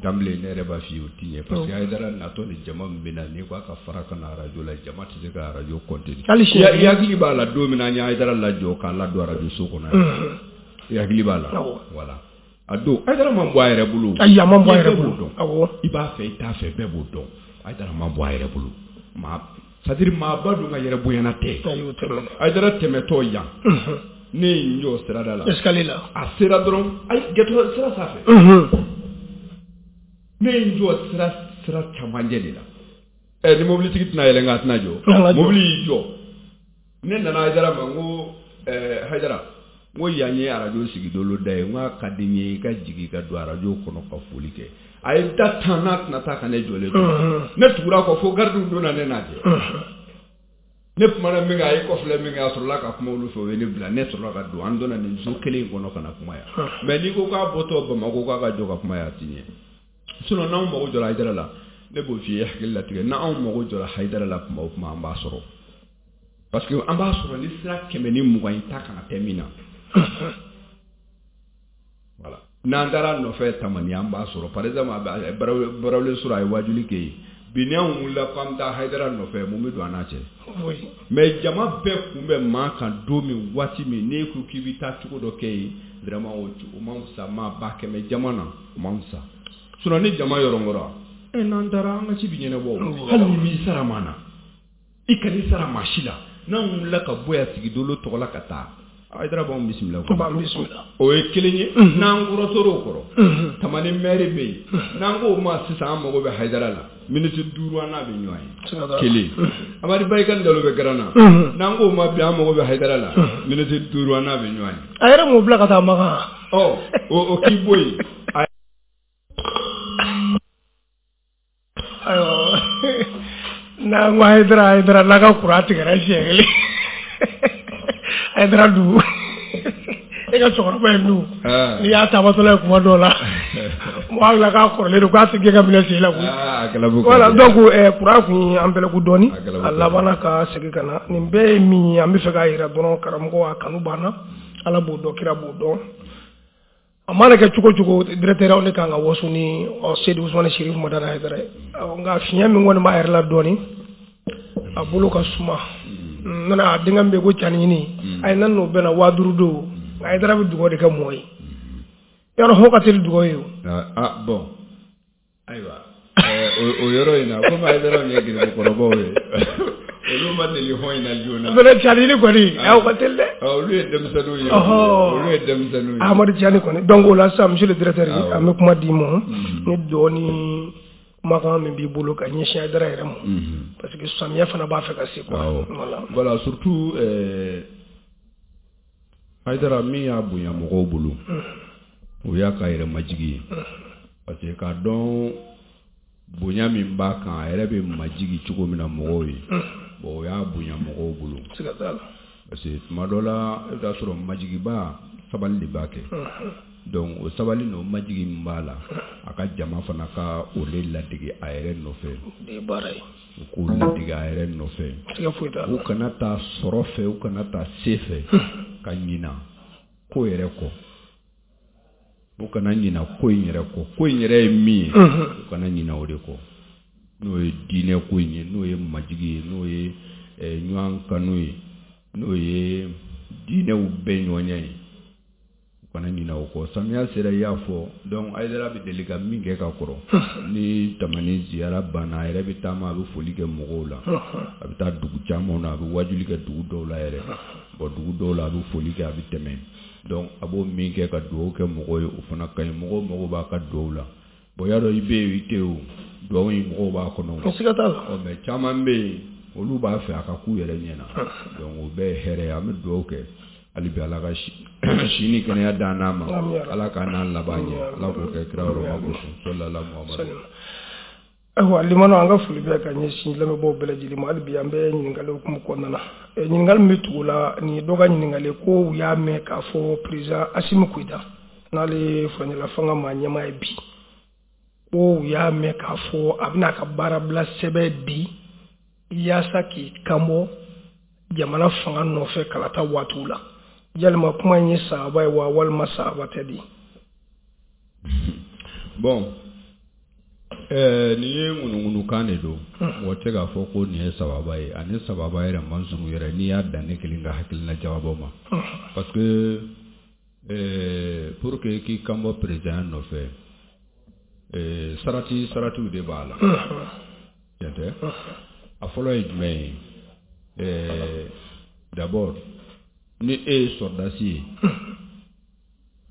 Danbile ne yɛrɛ b'a f'i ye o ti ɲɛ parce que Hayidara natɔ ni jama min bɛ na, n'i ko a ka fara ka na arajo la, jama tɛ se ka arajo contenir. Hali i hakili b'a la don min na an ye Hayidara lajɔ k'a ladon arajo so kɔnɔ yan. I hakili b'a la. Voilà. A don Hayidara man bɔ a yɛrɛ bolo. Ayi, a man bɔ a yɛrɛ bolo. Awɔ. I b'a fɛ i t'a fɛ, bɛɛ b'o dɔn. Hayidara man bɔ a yɛrɛ bolo. Maa c'est à dire maaba dun ka yɛrɛ bonyana tɛ. Ayi, o tɛ. Hayidara tɛmɛtɔ yan. Ne ye n jɔ sirada la. Escalier la. A sera dɔrɔn, ayi, gɛtɔ sira sanfɛ. Ne ye n jɔ sira sira camancɛ de la. Ɛ, ni mobilitigi tɛna yɛlɛ nka a tɛna jɔ. Mobili y'i jɔ. Ne nana Hayidara ma, n ko ɛɛ Hayidara, n ko yan ye arajo sigidolo da ye, n k'a ka di n ye i ka jigin ka don arajo kɔnɔ ka foli kɛ. A ye da tan n'a tɛna taa ka ne jɔlen to. Ne tugura a kɔ fo garidiw donna ne n'a cɛ. Ne kumana min kan, a ye kɔfilɛ min kɛ, a sɔrɔla ka kuma olu fɛ, o ye ne bila. Ne sɔrɔla ka don, an donna nin so kelen in kɔnɔ ka na kuma yan. Mais n'i ko k'a bɔtɔ Bamakɔ k'a ka jɔ ka kuma yan, a ti ɲɛ. Sinon n'anw mago jɔra Hayidara la, ne b'o f'i ye hakili latigɛ, n'anw mago jɔra Hayidara la kuma o kuma, an b'a sɔrɔ. Parce que an b'a sɔrɔ ni sira kɛmɛ ni mugan in ta kana tɛ min na. Voilà. N'an taara nɔfɛ Tamani, an b'a sɔrɔ. Par exemple, Barawuli sɔrɔ a ye wajuli kɛ yen. Bi n'anw wulila k'an bɛ taa Hayidara nɔfɛ, mun bɛ don an n'a cɛ? Mais jama bɛɛ kun bɛ maa kan don min, waati min, n'e ko k'i bɛ taa cogo dɔ kɛ yen, vraiment o man fisa, maa ba kɛmɛ jama na, o man fisa. Sinon ni jama yɔrɔngɔra e n'an taara an ka ci bi ɲɛnabɔ hali ni m'i sara maa na i kan'i sara maa si la n'an wulila ka bɔ yan Sigidolo tɔgɔ la ka taa Hayidara b'anw bisimila b'an bisimila o ye kelen ye n'an kɔrɔtɔr'o kɔrɔ Tamani maire bɛ yen n'an k'o ma sisan an mago bɛ Hayidara la miniti duuru an n'a bɛ ɲɔgɔn ye kelen Amadu Bayikali Jalo bɛ garan na n'an k'o ma bi an mago bɛ Hayidara la miniti duuru an n'a bɛ ɲɔgɔn ye a yɛrɛ m'o bila ka taa Makan ɔ o k'i bɔ yen ayiwa n'an ko Hayidara Hayidara n'a ka kuran tigɛra siɲɛ kelen Hayidara dun e ka cɛkɔrɔba in dun n'i y'a taamatɔla ye kuma dɔw la mɔgɔ hakili k'a kɔrɔlen don k'a tɛ ka minɛ sen la koyi voilà donc kuran kun ye an bɛlɛku dɔɔni a labanna ka segin ka na nin bɛɛ ye min ye an bɛ fɛ k'a jira dɔrɔn karamɔgɔ a kanu banna Ala b'o dɔn kira b'o dɔn a mana kɛ cogo cogo directeur aw ne kan ka waso ni Seyidi Usumani Sirifu Madani Hayidara ye nka fiɲɛ min kɔni b'a yɛrɛ la dɔɔni a bolo ka suma n nana a denkɛ min bɛ ko Cani a ye nan n'o bɛnna waa duuru don nka Hayidara bɛ dugawu de kɛ mɔgɔ ye yɔrɔ hɔ ka teli dugawu ye o. Ah bon ayiwa o yɔrɔ in na komi Hayidara ye gɛrɛkɔrɔbaw ye olu ma deli hɔn in na joona. Fɛnɛ Cani kɔni aw ka teli dɛ. Olu ye denmisɛnninw ye. Olu ye denmisɛnninw ye. Amadu Cani kɔni donc o la sisan monsieur le directeur an bɛ kuma d'i ma ni dɔɔni kumakan min b'i bolo ka ɲɛsin Hayidara yɛrɛ ma parce que samiya fana b'a fɛ ka se quoi. Voilà voilà surtout euh, Hayidara min y'a bonya mɔgɔw bolo o y'a ka yɛrɛ majigi ye parce que k'a dɔn bonya min b'a kan a yɛrɛ bɛ majigi cogo min na mɔgɔw ye bon o y'a bonya mɔgɔw bolo parce que tuma dɔ la i bɛ taa sɔrɔ majigiba sabali de b'a kɛ donc o sabali n'o majigi min b'a la a ka jama fana ka o de ladege a yɛrɛ nɔfɛ u k'o ladege a yɛrɛ nɔfɛ u kana taa sɔrɔ fɛ u kana taa se fɛ ka ɲina ko yɛrɛ kɔ u kana ɲina ko in yɛrɛ kɔ ko in yɛrɛ ye min ye u kana ɲina o de kɔ n'o ye diinɛ ko in ye n'o ye majigi ye n'o ye ɲɔgɔn kanu ye n'o ye diinɛw bɛɛ ɲɔgɔnya ye u kana ɲina o kɔ samiya sera i y'a fɔ donc Hayidara bɛ deli ka min kɛ ka kɔrɔ ni Tamani ziyara banna a yɛrɛ bɛ taama a bɛ foli kɛ mɔgɔw la a bɛ taa dugu caman na a bɛ wajuli kɛ dugu dɔw la yɛrɛ bon dugu dɔw la a bɛ foli kɛ a bɛ tɛmɛ donc a b'o min kɛ ka dugawu kɛ mɔgɔw ye o fana ka ɲi mɔgɔw mago b'a ka dugawu la bon y'a dɔn i bɛ yen i tɛ yen o dugawu in mɔgɔw b'a kɔnɔ siga t'a la mais caman bɛ yen olu b'a fɛ a ka k'u yɛrɛ ɲɛna donc o bɛɛ ye hɛrɛ ye an bɛ dugawu kɛ hali bi Ala ka si ni kɛnɛya d'an n'a ma Ala k'an n'an laban ɲɛ Ala k'o kɛ kira yɔrɔ kosɔn sallallahu Muhammadu. Ayiwa limano an ka foli bɛ ka ɲɛsin lamɛnbaaw bɛɛ lajɛlen ma hali bi an bɛ ɲininkali hukumu kɔnɔna na ɲininkali min bɛ tugu la nin ye dɔ ka ɲininkali ko u y'a mɛn k'a fɔ président Assimi Goïta n'ale ye furancɛla fanga maa ɲɛmaa ye bi ko u y'a mɛn k'a fɔ a bɛna a ka baarabila sɛbɛn di yaasa k'i kanbɔ jamana fanga nɔfɛ kalata waatiw la yalima kuma in ye sahaba ye wa walima sahaba tɛ di. Bon ɛɛ nin ye ŋunuŋunukan de don mɔgɔ tɛ k'a fɔ ko nin ye sababa ye ani sababa yɛrɛ man surun yɛrɛ n'i y'a dan ne kelen ka hakilina jagabɔ ma parce que ɛɛ pour que k'i kan bɔ président nɔfɛ ɛɛ sarati saratiw de b'a la tiɲɛ tɛ a fɔlɔ ye jumɛn ye ɛɛ d'abord ni e ye sɔrɔdasi ye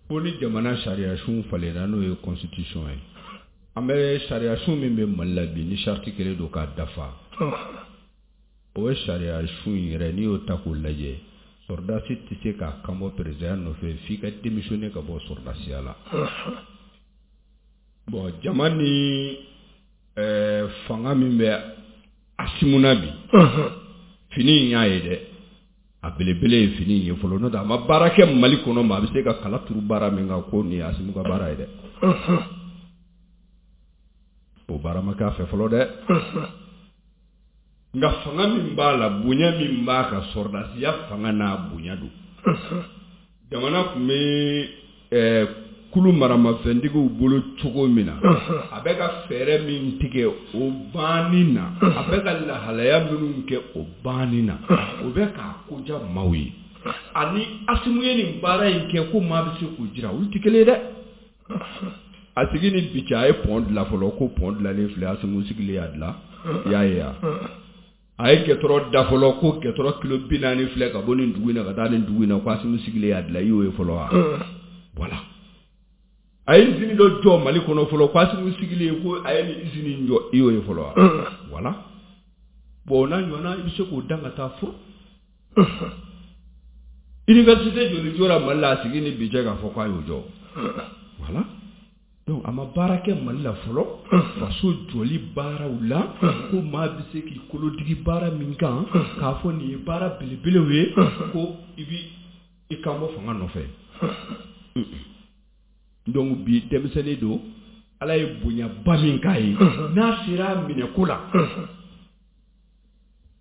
ko ni jamana sariya sun falenna n'o ye constitution ye an bɛ sariya sun min bɛ Mali la bi ni charte kelen don k'a dafa o sariya sun in yɛrɛ n'i y'o ta k'o lajɛ sɔrɔdasi tɛ se k'a kan bɔ président nɔfɛ f'i ka démissionner ka bɔ sɔrɔdasiya la bon jama ni ɛɛ fanga min bɛ Assimi na bi fini in y'a ye dɛ a belebele ye fini in ye fɔlɔ n'o tɛ a ma baara kɛ Mali kɔnɔ ma a bɛ se ka kala turu baara min kan ko nin ye Assimi ka baara ye dɛ o baara ma k'a fɛ fɔlɔ dɛ nka fanga min b'a la bonya min b'a kan sɔrɔdasiya fanga n'a bonya don jamana tun bɛ ɛɛ kulu maramafɛntigiw bolo cogo min na a bɛ ka fɛɛrɛ min tigɛ o banni na a bɛ ka lahalaya minnu kɛ o banni na o bɛ k'a koja maaw ye ani Assimi ye nin baara in kɛ ko maa bɛ se k'o jira olu tɛ kelen ye dɛ. A sigi ni bi cɛ, a ye pont dilan fɔlɔ, ko pont dilanlen filɛ, Asimu sigilen y'a dilan, i y'a ye wa? A ye goudron da fɔlɔ, ko goudron kilo bi naani filɛ ka bɔ nin dugu in na ka taa nin dugu in na, ko Asimu sigilen y'a dilan, i y'o ye fɔlɔ wa? Voilà. A ye usine dɔ jɔ Mali kɔnɔ fɔlɔ, ko Asimu sigilen ko a ye nin usine in jɔ, i y'o ye fɔlɔ wa? Voilà. Bon, o n'a ɲɔgɔnna, i bɛ se k'o dan ka taa fo université joli jɔra Mali la a sigi ni bi cɛ k'a fɔ k'a y'o jɔ? Voilà. Donc a ma baara kɛ Mali la fɔlɔ, faso jɔli baaraw la, ko maa bɛ se k'i kolodigi baara min kan k'a fɔ nin ye baara belebelew ye, ko i bi i kan bɔ fanga nɔfɛ. Donc bi denmisɛnnin don, Ala ye bonyaba min k'a ye, n'a sera a minɛko la,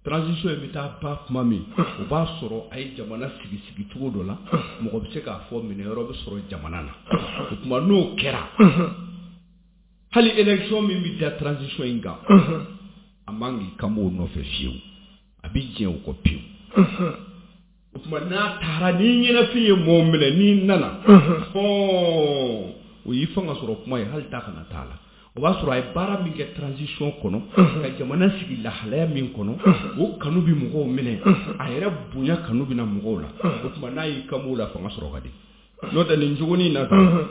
transition in bɛ taa ba tuma min, o b'a sɔrɔ a ye jamana sigi sigi cogo dɔ la, mɔgɔ bɛ se k'a fɔ minɛyɔrɔ bɛ sɔrɔ jamana na. O tuma n'o kɛra, hali élection min bɛ da transition in kan, a man k'i kan b'o nɔfɛ fiyewu, a bɛ jɛn o kɔ pewu. O tuma n'a taara, ni ɲɛnafin ye mɔgɔw minɛ, n'i nana hɔn, o y'i fanga sɔrɔ kuma ye, hali taa kana t'a la. O b'a sɔrɔ a ye baara min kɛ transition kɔnɔ, ka jamana sigi lahalaya min kɔnɔ, o kanu bɛ mɔgɔw minɛ, a yɛrɛ bonya kanu bɛ na mɔgɔw la. O tuma n'a y'i kan b'o la, fanga sɔrɔ ka di. N'o tɛ nin jogonin na tan,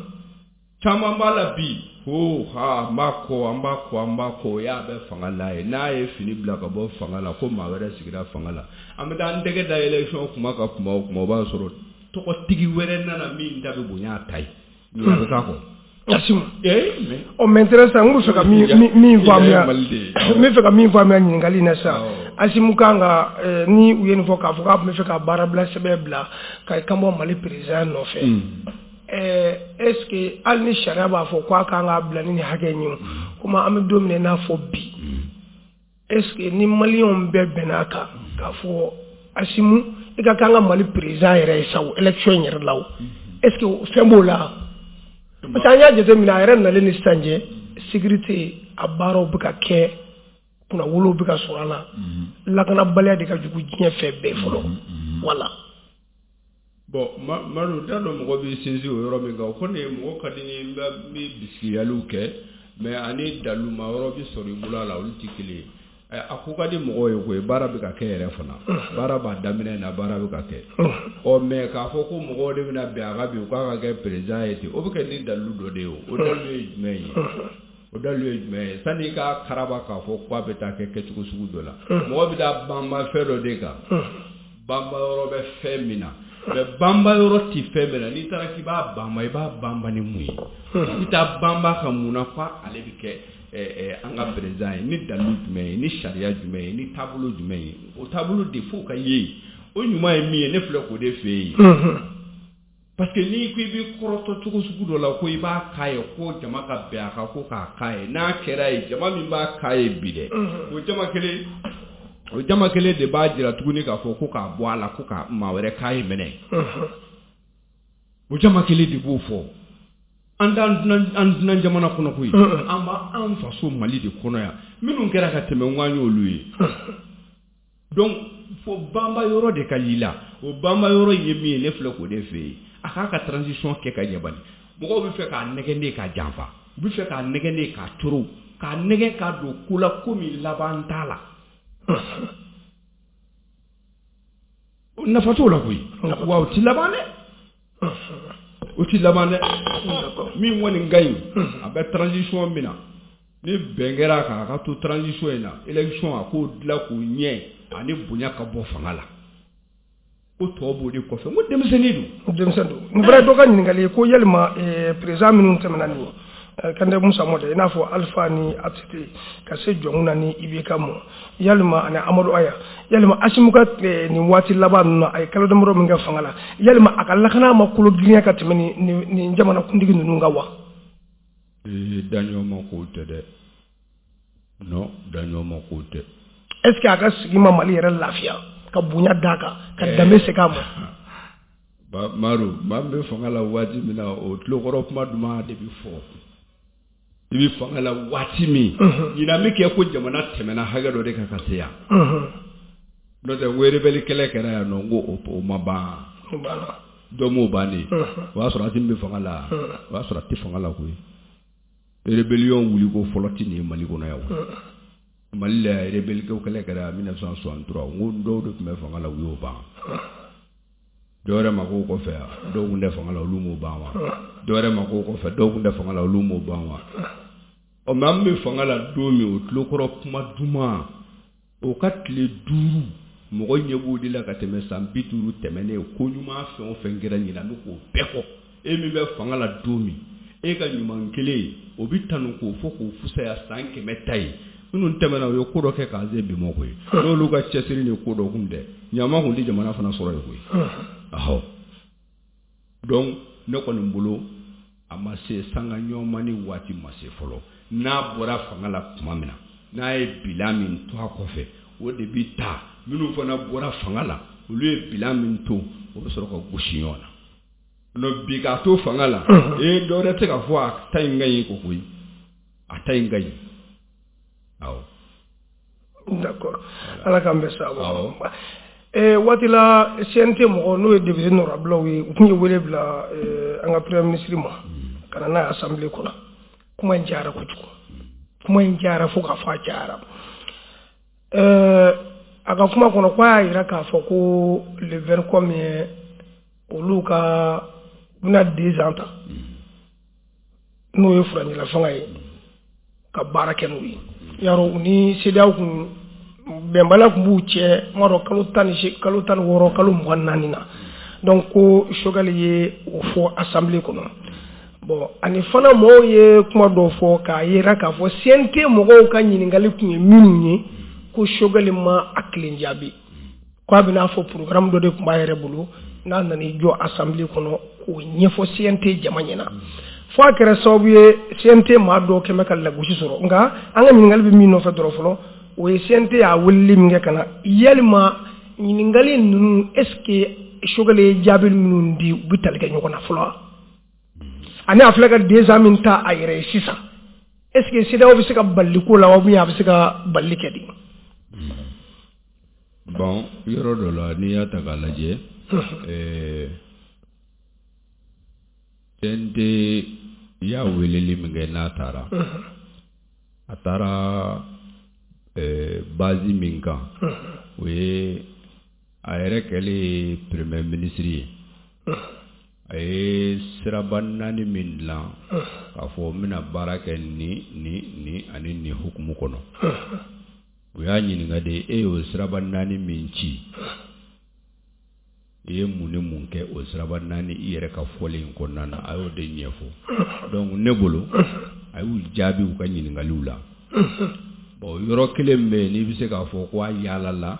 caman b'a la bi ko ha, an b'a kɔ, an b'a kɔ, an b'a kɔ, o y'a bɛ fanga la ye. N'a ye fini bila ka bɔ fanga la, ko maa wɛrɛ sigira fanga la, an bɛ taa an tɛgɛ da élection kuma ka kuma o kuma, o b'a sɔrɔ tɔgɔtigi wɛrɛ nana min da bɛ bonya a ta ye, ɲinɛ bɛ k'a kɔ. Asimu. Ɔ, maintenant sisan, n bɛ fɛ ka min min faamuya, n bɛ fɛ ka min faamuya ɲininkali in na sisan, Asimu kan ka, ni u ye nin fɔ k'a fɔ k'a tun bɛ fɛ ka baarabila sɛbɛn bila ka kan bɔ Mali président nɔfɛ, est ce que hali ni sariya b'a fɔ k'a kan k'a bila ni nin hakɛ in ye, komi an bɛ don min na i n'a fɔ bi, est ce que ni maliyɛnw bɛɛ bɛn'a kan k'a fɔ Asimu i ka kan ka Mali président yɛrɛ ye sa o élection in yɛrɛ la o, est ce que fɛn b'o la? Parce que an y'a jateminɛ, a yɛrɛ nalen ni sisan cɛ, sécurité a baaraw bɛ ka kɛ, kunnawolow bɛ ka sɔrɔ a la, lakanabaliya de ka jugu diɲɛ fɛn bɛɛ fɔlɔ. Voilà. Bon, Madu, t'a dɔn mɔgɔ b'i sinsin o yɔrɔ min kan, o kɔni mɔgɔ ka di n ye, n bɛ bisigiyaliw kɛ, mais ani daluma yɔrɔ bɛ sɔrɔ i bolo a la, olu tɛ kelen ye. A ko ka di mɔgɔw ye koyi, baara bɛ ka kɛ yɛrɛ fana, baara b'a daminɛ na, baara bɛ ka kɛ. Ɔ, mais k'a fɔ ko mɔgɔw de bɛna bɛn a kan bi k'a ka kɛ président ye ten, o bɛ kɛ ni dalilu dɔ de ye. O o dalilu ye jumɛn ye? O dalilu ye jumɛn ye? Sanni i ka karaba k'a fɔ k'a bɛ taa kɛ kɛcogo sugu dɔ la, mɔgɔ bɛ taa banba fɛn dɔ de kan, banba yɔrɔ bɛ fɛn min na, mais banba yɔrɔ tɛ fɛn min na. N'i taara k'i b'a banba, i b'a banba ni mun ye? I bɛ taa banba ka mun na k'ale bɛ kɛ an ka président ye? Ni dalilu jumɛn ye, ni sariya jumɛn ye, ni taabolo jumɛn ye? O taabolo de f'o ka ye. O ɲuman ye min ye, ne filɛ k'o de fɛ yen. Parce que n'i ko i bɛ kɔrɔtɔ cogo sugu dɔ la, ko i b'a k'a ye, ko jama ka bɛn a kan ko k'a k'a ye, n'a kɛra ye, jama min b'a k'a ye bi dɛ, o jama kelen, o jama kelen de b'a jira tuguni k'a fɔ ko k'a bɔ a la, ko ka maa wɛrɛ k'a ye minɛ. O jama kelen de b'o fɔ. An t'an dunan dunan jamana kɔnɔ koyi, an b'an faso Mali de kɔnɔ yan. Minnu kɛra ka tɛmɛ, n k'an y'olu ye. Donc fo banba yɔrɔ de ka y'i la. O banba yɔrɔ ye min ye, ne filɛ k'o de fɛ yen. A k'a ka transition kɛ ka ɲɛ bani. Mɔgɔw bɛ fɛ k'a nɛgɛn de k'a janfa, u bɛ fɛ k'a nɛgɛn de k'a toro, k'a nɛgɛn k'a don ko la, ko min laban t'a la. Nafa t'o la koyi, wa o ti laban dɛ, o ti laban dɛ. Min kɔni ka ɲi, a bɛ transition min na, ni bɛn kɛra a kan, a ka to transition in na, élection a k'o dilan k'o ɲɛ, ani bonya ka bɔ fanga la. Ko tɔ b'o de kɔfɛ. N ko denmisɛnnin don. Denmisɛnnin don. Nin fana ye dɔ ka ɲininkali ye, ko yalima président minnu tɛmɛna nin ye, Kante Musa Mɔdɛ, i n'a fɔ Alpha ni A T T, ka se Jɔnkuna ni I B K ma, yalima ani Amadu Aya, yalima Asimu ka nin waati laban ninnu na, a ye kalo damadɔ min kɛ fanga la, yalima a ka lakana ma kolo girinya ka tɛmɛ nin nin jamana kuntigi ninnu kan wa? Ee, daɲɔgɔn ko tɛ dɛ. Non, daɲɔgɔn ko tɛ. Est ce que a ka sigi ma Mali yɛrɛ lafiya, ka bonya d'a kan, ka danbe segin a ma? Ba Madu, maa min bɛ fanga la waati min na, o tulokɔrɔ kuma duman de bɛ fɔ. I bɛ fanga la waati min, ɲinan bɛ kɛ ko jamana tɛmɛna hakɛ dɔ de kan ka se yan. N'o tɛ, n ko rebelle kɛlɛ kɛra yan nɔ, n ko o ma ban. Dɔ m'o ban de. O y'a sɔrɔ Asimi bɛ fanga la, o y'a sɔrɔ a tɛ fanga la koyi. Rébellion wuliko fɔlɔ tɛ nin ye Mali kɔnɔ yan o. Mali la rebelle ko kɛlɛ kɛra mille neuf cent soixante-trois, n ko dɔw de tun bɛ fanga la, u y'o ban. Dɔw wɛrɛ ma k'o kɔfɛ yan, dɔw tun tɛ fanga la, olu m'o ban wa. Dɔw wɛrɛ ma k'o kɔfɛ, dɔw tun tɛ fanga la, olu m'o ban wa. Ɔ mais an bɛ fanga la don min, o tulokɔrɔ kuma duman, o ka tile duuru mɔgɔ ɲɛ b'o de la ka tɛmɛ san bi duuru tɛmɛnen. Ko ɲuman fɛn o fɛn kɛra ɲinan, an bɛ k'o bɛɛ fɔ. E min bɛ fanga la don min, e ka ɲuman kelen o bɛ tanu k'o fɔ k'o fusaya san kɛmɛ ta ye. Minnu tɛmɛna, u ye ko dɔ kɛ k'an se bi ma koyi. N'olu ka cɛsiri ni ko dɔ kun tɛ, ɲama kun tɛ jamana fana sɔrɔ yen koyi. Ahɔ, donc ne kɔni bolo, a ma se sanga ɲɔgɔnmani waati ma se fɔlɔ. N'a bɔra fanga la tuma min na, n'a ye bilan min to a kɔfɛ, o de bi ta. Minnu fana bɔra fanga la, olu ye bilan min to, o bɛ sɔrɔ ka gosi ɲɔgɔn na. Non, bi k'a to fanga la, ee, dɔ wɛrɛ tɛ ka fɔ a ta in ka ɲi ko koyi, a ta in ka ɲi, awɔ. D'accord, Ala k'an bɛn sababu ma. Eh, waati la C N T mɔgɔ, n'o ye député nɔrabilaw ye, u tun ye wele bila eh, an ka premier ministre ma ka na n'a ye assemblée kɔnɔ. Kuma in cayara kojugu, kuma in cayara fo k'a fɔ a cayara. Eh, a ka kuma kɔnɔ, ko a y'a yira k'a fɔ ko le vingt combien olu ka u bɛna deux ans ta, n'o ye furancɛla fanga ye, ka baara kɛ n'u ye. Yarɔ, u ni CEDEAO kun bɛnbaliya tun b'u cɛ, n b'a dɔn kalo tan ni se kalo tan ni wɔɔrɔ, kalo mugan ni naani na. Donc ko Choguel ye o fɔ assemblée kɔnɔ. Bon, ani fana mɔgɔw ye kuma dɔw fɔ k'a yira k'a fɔ C N T mɔgɔw ka ɲininkali tun ye minnu ye, ko Choguel ma a kelen jaabi, k'a bɛna fɔ programme dɔ de tun b'a yɛrɛ bolo, n'a nana i jɔ assemblée kɔnɔ k'o ɲɛfɔ C N T jama ɲɛna, fo a kɛra sababu ye C N T maa dɔw kɛmɛ ka lagosi sɔrɔ. Nka an ka ɲininkali bɛ min nɔfɛ dɔrɔn fɔlɔ, o ye C N T y'a weleli min kɛ ka na, yalima ɲininkali ninnu, est ce que Choguel ye jaabi minnu di, u bɛ tali kɛ ɲɔgɔn na fɔlɔ wa? Ani a filɛ ka deux ans min ta a yɛrɛ ye sisan, est ce que CEDEAO bɛ se ka balili ko la wa, ou bien a bɛ se ka balili kɛ di? Bon, yɔrɔ dɔ la, n'i y'a ta k'a lajɛ, ɛɛ C N T y'a weleli min kɛ, n'a taara, a taara ɛɛ base min kan, o ye a yɛrɛ kɛlen premier ministre ye, a ye siraba naani min dilan k'a fɔ n bɛna baara kɛ ni ni ni ani nin hukumu kɔnɔ. U y'a ɲininka de, e y'o siraba naani min ci, i ye mun ni mun kɛ o siraba naani i yɛrɛ ka fɔlen in kɔnɔna na? A y'o de ɲɛfɔ. Donc ne bolo, a y'u jaabi u ka ɲininkaliw la. Bon, yɔrɔ kelen bɛ yen n'i bɛ se k'a fɔ ko a yaala la,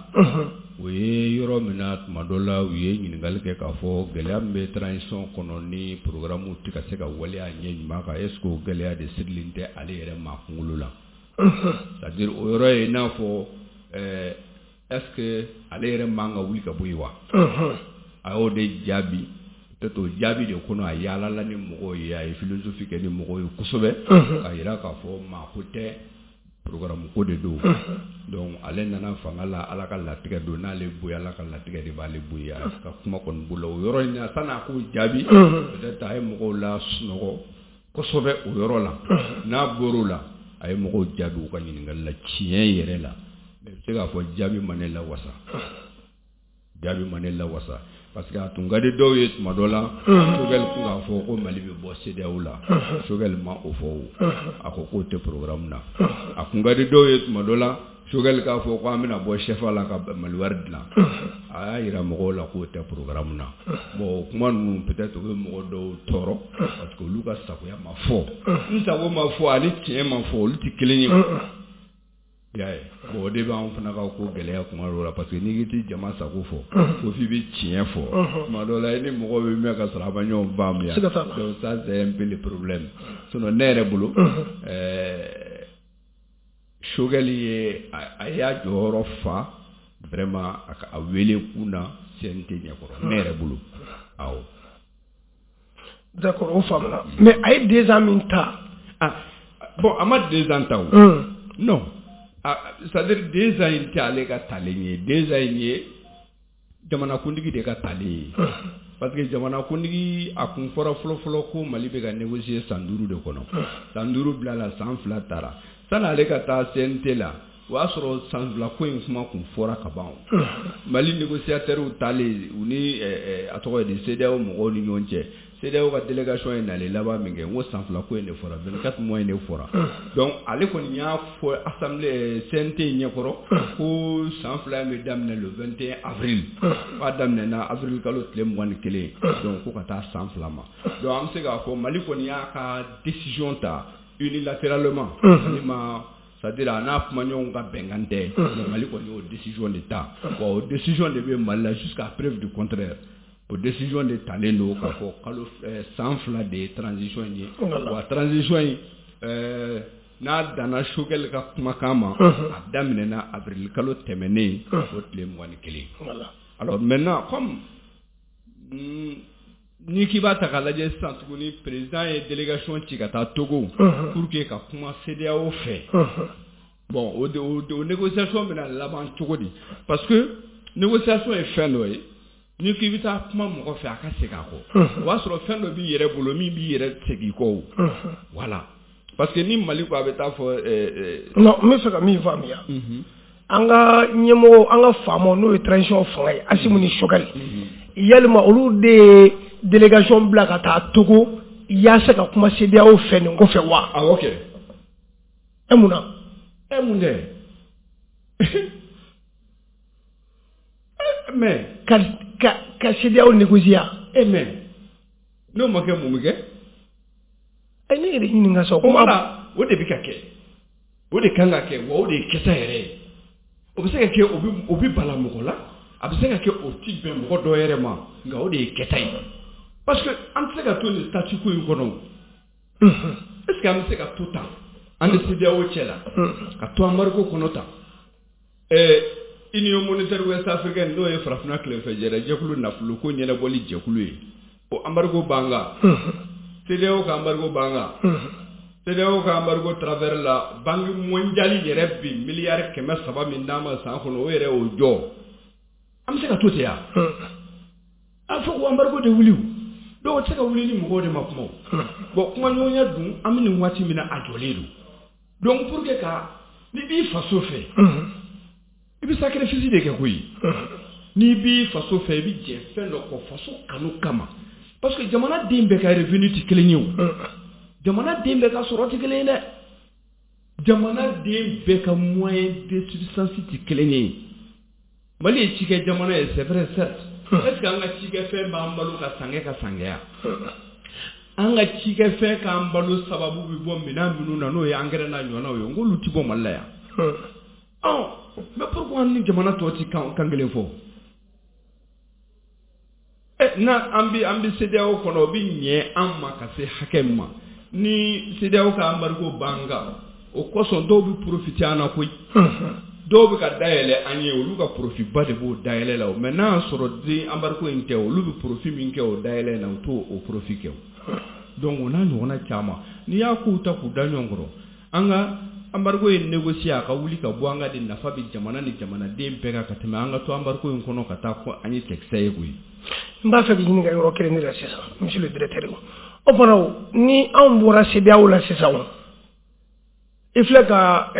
o ye yɔrɔ min na, tuma dɔ la u ye ɲininkali kɛ k'a fɔ gɛlɛya min bɛ transition kɔnɔ ni programme tɛ ka se ka waleya ɲɛ ɲuman kan, est ce que o gɛlɛya de sirilen tɛ ale yɛrɛ maa kunkolo la? C'est à dire, o yɔrɔ ye i n'a fɔ ɛɛ est ce que ale yɛrɛ man ka wuli ka bɔ yen wa? A y'o de jaabi. Peut-être o jaabi de kɔnɔ, a yaalala ni mɔgɔw ye, a ye philosophie kɛ ni mɔgɔw ye kosɛbɛ, k'a jira k'a fɔ maa ko tɛ, programme ko de don. Donc ale nana fanga la, Ala ka latigɛ don, n'ale bɔ yen, Ala ka latigɛ de b'ale bɔ yen. A ka kuma kɔni bolo o yɔrɔ in na, san'a k'o jaabi, peut-être a ye mɔgɔw la sunɔgɔ kosɛbɛ o yɔrɔ la. N'a bɔr'o la, a ye mɔgɔw jaabi u ka ɲininkali la tiɲɛ yɛrɛ la. Mais i bɛ se k'a fɔ jaabi ma ne lawasa, jaabi ma ne lawasa, parce que a tun ka di dɔw ye tuma dɔ la Choguel tun k'a fɔ ko Mali bɛ bɔ CEDEAO la. Choguel ma o fɔ o, a ko k'o tɛ programme na. A tun ka di dɔw ye tuma dɔ la Choguel k'a fɔ ko an bɛna bɔ C F A la ka Mali wari dilan. A y'a jira mɔgɔw la k'o tɛ programme na. Bon, o kuma ninnu, peut-être u bɛ mɔgɔ dɔw tɔɔrɔ, parce que olu ka sagoya ma fɔ. N sago ma fɔ ani tiɲɛ ma fɔ, olu tɛ kelen ye. I y'a ye, bon, o de b'anw fana ka ko gɛlɛya kuma dɔw la, parce que n'i k'i tɛ jama sago fɔ, ko f'i bɛ tiɲɛ fɔ, tuma dɔw la i ni mɔgɔw bɛ mɛn ka sɔrɔ a ma ɲɔgɔn faamuya. Donc ça, c'est un peu le problème. Sinon ne yɛrɛ bolo, ɛɛ Choguel ye a y'a jɔyɔrɔ fa vraiment a ka a wele kun na C N T ɲɛkɔrɔ, ne yɛrɛ bolo, awɔ. D'accord, o faamuna. Mais a ye deux ans min ta. Ah bon, a ma deux ans ta o. Non, ah, c'est-à-dire deux ans in tɛ ale ka talen ye, deux ans in ye jamanakuntigi de ka talen ye. Parce que jamanakuntigi a kun fɔra fɔlɔ-fɔlɔ ko Mali bɛ ka négocier san duuru de kɔnɔ. San duuru bilala, san fila taara. Sani ale ka taa C N T la, o y'a sɔrɔ san fila ko in kuma kun fɔra ka ban. Mali négociateurs taalen, u ni a tɔgɔ ye di, CEDEAO mɔgɔw ni ɲɔgɔn cɛ, CEDEAO ka délégation ye nalen laban min kɛ, n ko san fila ko in de fɔra, vingt-quatre mois in de fɔra. Donc ale kɔni y'a fɔ assemblée C N T ɲɛkɔrɔ ko san fila in bɛ daminɛ le vingt et un avril, k'a daminɛna avril kalo tile mugan ni kelen, donc ko ka taa san fila ma. Donc an bɛ se k'a fɔ Mali kɔni y'a ka décision ta unilatéralement, Mali ma, c'est-à-dire a n'a kumaɲɔgɔnw ka bɛnkan tɛ, mais Mali kɔni y'o décision de ta. Wa o décision de bɛ Mali la jusqu'à preuve du contraire. O décision de talen don k'a fɔ kalo san fila de ye transition in ye. Wa transition in, ɛɛ n'a danna Choguel ka kumakan ma, a daminɛna avril kalo tɛmɛnen, o tile mugan ni kelen. Alors maintenant, comme n'i k'i b'a ta k'a lajɛ sisan tuguni, président ye délégation ci ka taa Togo pour que ka kuma CEDEAO fɛ. Bon, o o négociation bɛna laban cogo di? Parce que négociation ye fɛn dɔ ye, n'i k'i bɛ taa kuma mɔgɔ fɛ, a ka segin a kɔ, o b'a sɔrɔ fɛn dɔ b'i yɛrɛ bolo min b'i yɛrɛ segin i kɔ o. Voilà, parce que ni Mali ko a bɛ taa fɔ. Non, n bɛ fɛ ka min faamuya, an ka ɲɛmɔgɔ, an ka faamaw, n'o ye transition fanga ye, Assimi ni Choguel, yalima olu de ye délégation bila ka taa Togo yaasa ka kuma CEDEAO fɛ nin kɔfɛ wa? Awɔ kɛ. E mun na? E mun dɛ, mais ka ka ka CEDEAO négocier. E mais n'o ma kɛ, mun bɛ kɛ? Ɛ, ne yɛrɛ ɲininka sa. O la, o de bɛ ka kɛ, o de kan ka kɛ, wa o de ye kɛta yɛrɛ ye. O bɛ se ka kɛ, o bɛ o bɛ bala mɔgɔ la, a bɛ se ka kɛ o ti bɛn mɔgɔ dɔ yɛrɛ ma, nka o de ye kɛta ye. Parce que an tɛ se ka to nin statu quo in kɔnɔ. Est ce que an bɛ se ka to tan an ni CEDEAO cɛ la, ka to embargo kɔnɔ tan? Ɛɛ Union monétaire ouest africaine, n'o ye farafinna tilefɛjɛrɛ jɛkulu nafolo ko ɲɛnabɔli jɛkulu ye, o embargo b'an kan, CEDEAO ka embargo b'an kan. CEDEAO ka embargo travers la, Banque mondiale yɛrɛ bi miliyari kɛmɛ saba min d'an ma san kɔnɔ, o yɛrɛ y'o jɔ. An bɛ se ka to ten ya? A fɔ ko embargo de wuli o. Donc o tɛ se ka wuli ni mɔgɔw de ma kuma o. Bon, kumaɲɔgɔnya dun, an bɛ nin waati min na, a jɔlen don. Donc pour que ka n'i b'i faso fɛ, i bɛ sacrifice de kɛ koyi. N'i b'i faso fɛ, i bɛ jɛ fɛn dɔ kɔ faso kanu kama, parce que jamana den bɛɛ ka revenu tɛ kelen ye o, jamana den bɛɛ ka sɔrɔ tɛ kelen ye dɛ, jamana den bɛɛ ka moyen de subsistance tɛ kelen ye. Mali ye cikɛ jamana ye, c'est vrai, certes. Est ce que an ka cikɛfɛn b'an balo ka san kɛ ka san kɛ yan? An ka cikɛfɛn k'an balo sababu bɛ bɔ minɛn minnu na, n'o ye engrais n'a ɲɔgɔnnaw ye, n k'olu ti bɔ Mali la yan. Ɔ mais pourquoi an ni jamana tɔw ti kan kan kelen fɔ? Ɛ na an bi an bi CEDEAO kɔnɔ, o bi ɲɛ an ma ka se hakɛ min ma, ni CEDEAO ka embargo b'an kan, o kosɔn dɔw bɛ profiter an na koyi. Dɔw bɛ ka dayɛlɛ an ye, olu ka profit ba de b'o dayɛlɛ la o. Mais n'a y'a sɔrɔ den embargo in tɛ, olu bɛ profit min kɛ o dayɛlɛ in na, u t'o o profit kɛ o. Donc o n'a ɲɔgɔnna caman, n'i y'a kow ta k'u da ɲɔgɔn kɔrɔ, an ka embargo in négocier, a ka wuli ka bɔ an ka de nafa bɛ jamana ni jamanaden bɛɛ kan ka tɛmɛ an ka to embargo in kɔnɔ ka taa ko an ye cɛkisɛ ye koyi. N b'a fɛ k'i ɲininka yɔrɔ kelen de la sisan, monsieur le directeur. O fana o, ni anw bɔra CEDEAO la sisan o, i filɛ ka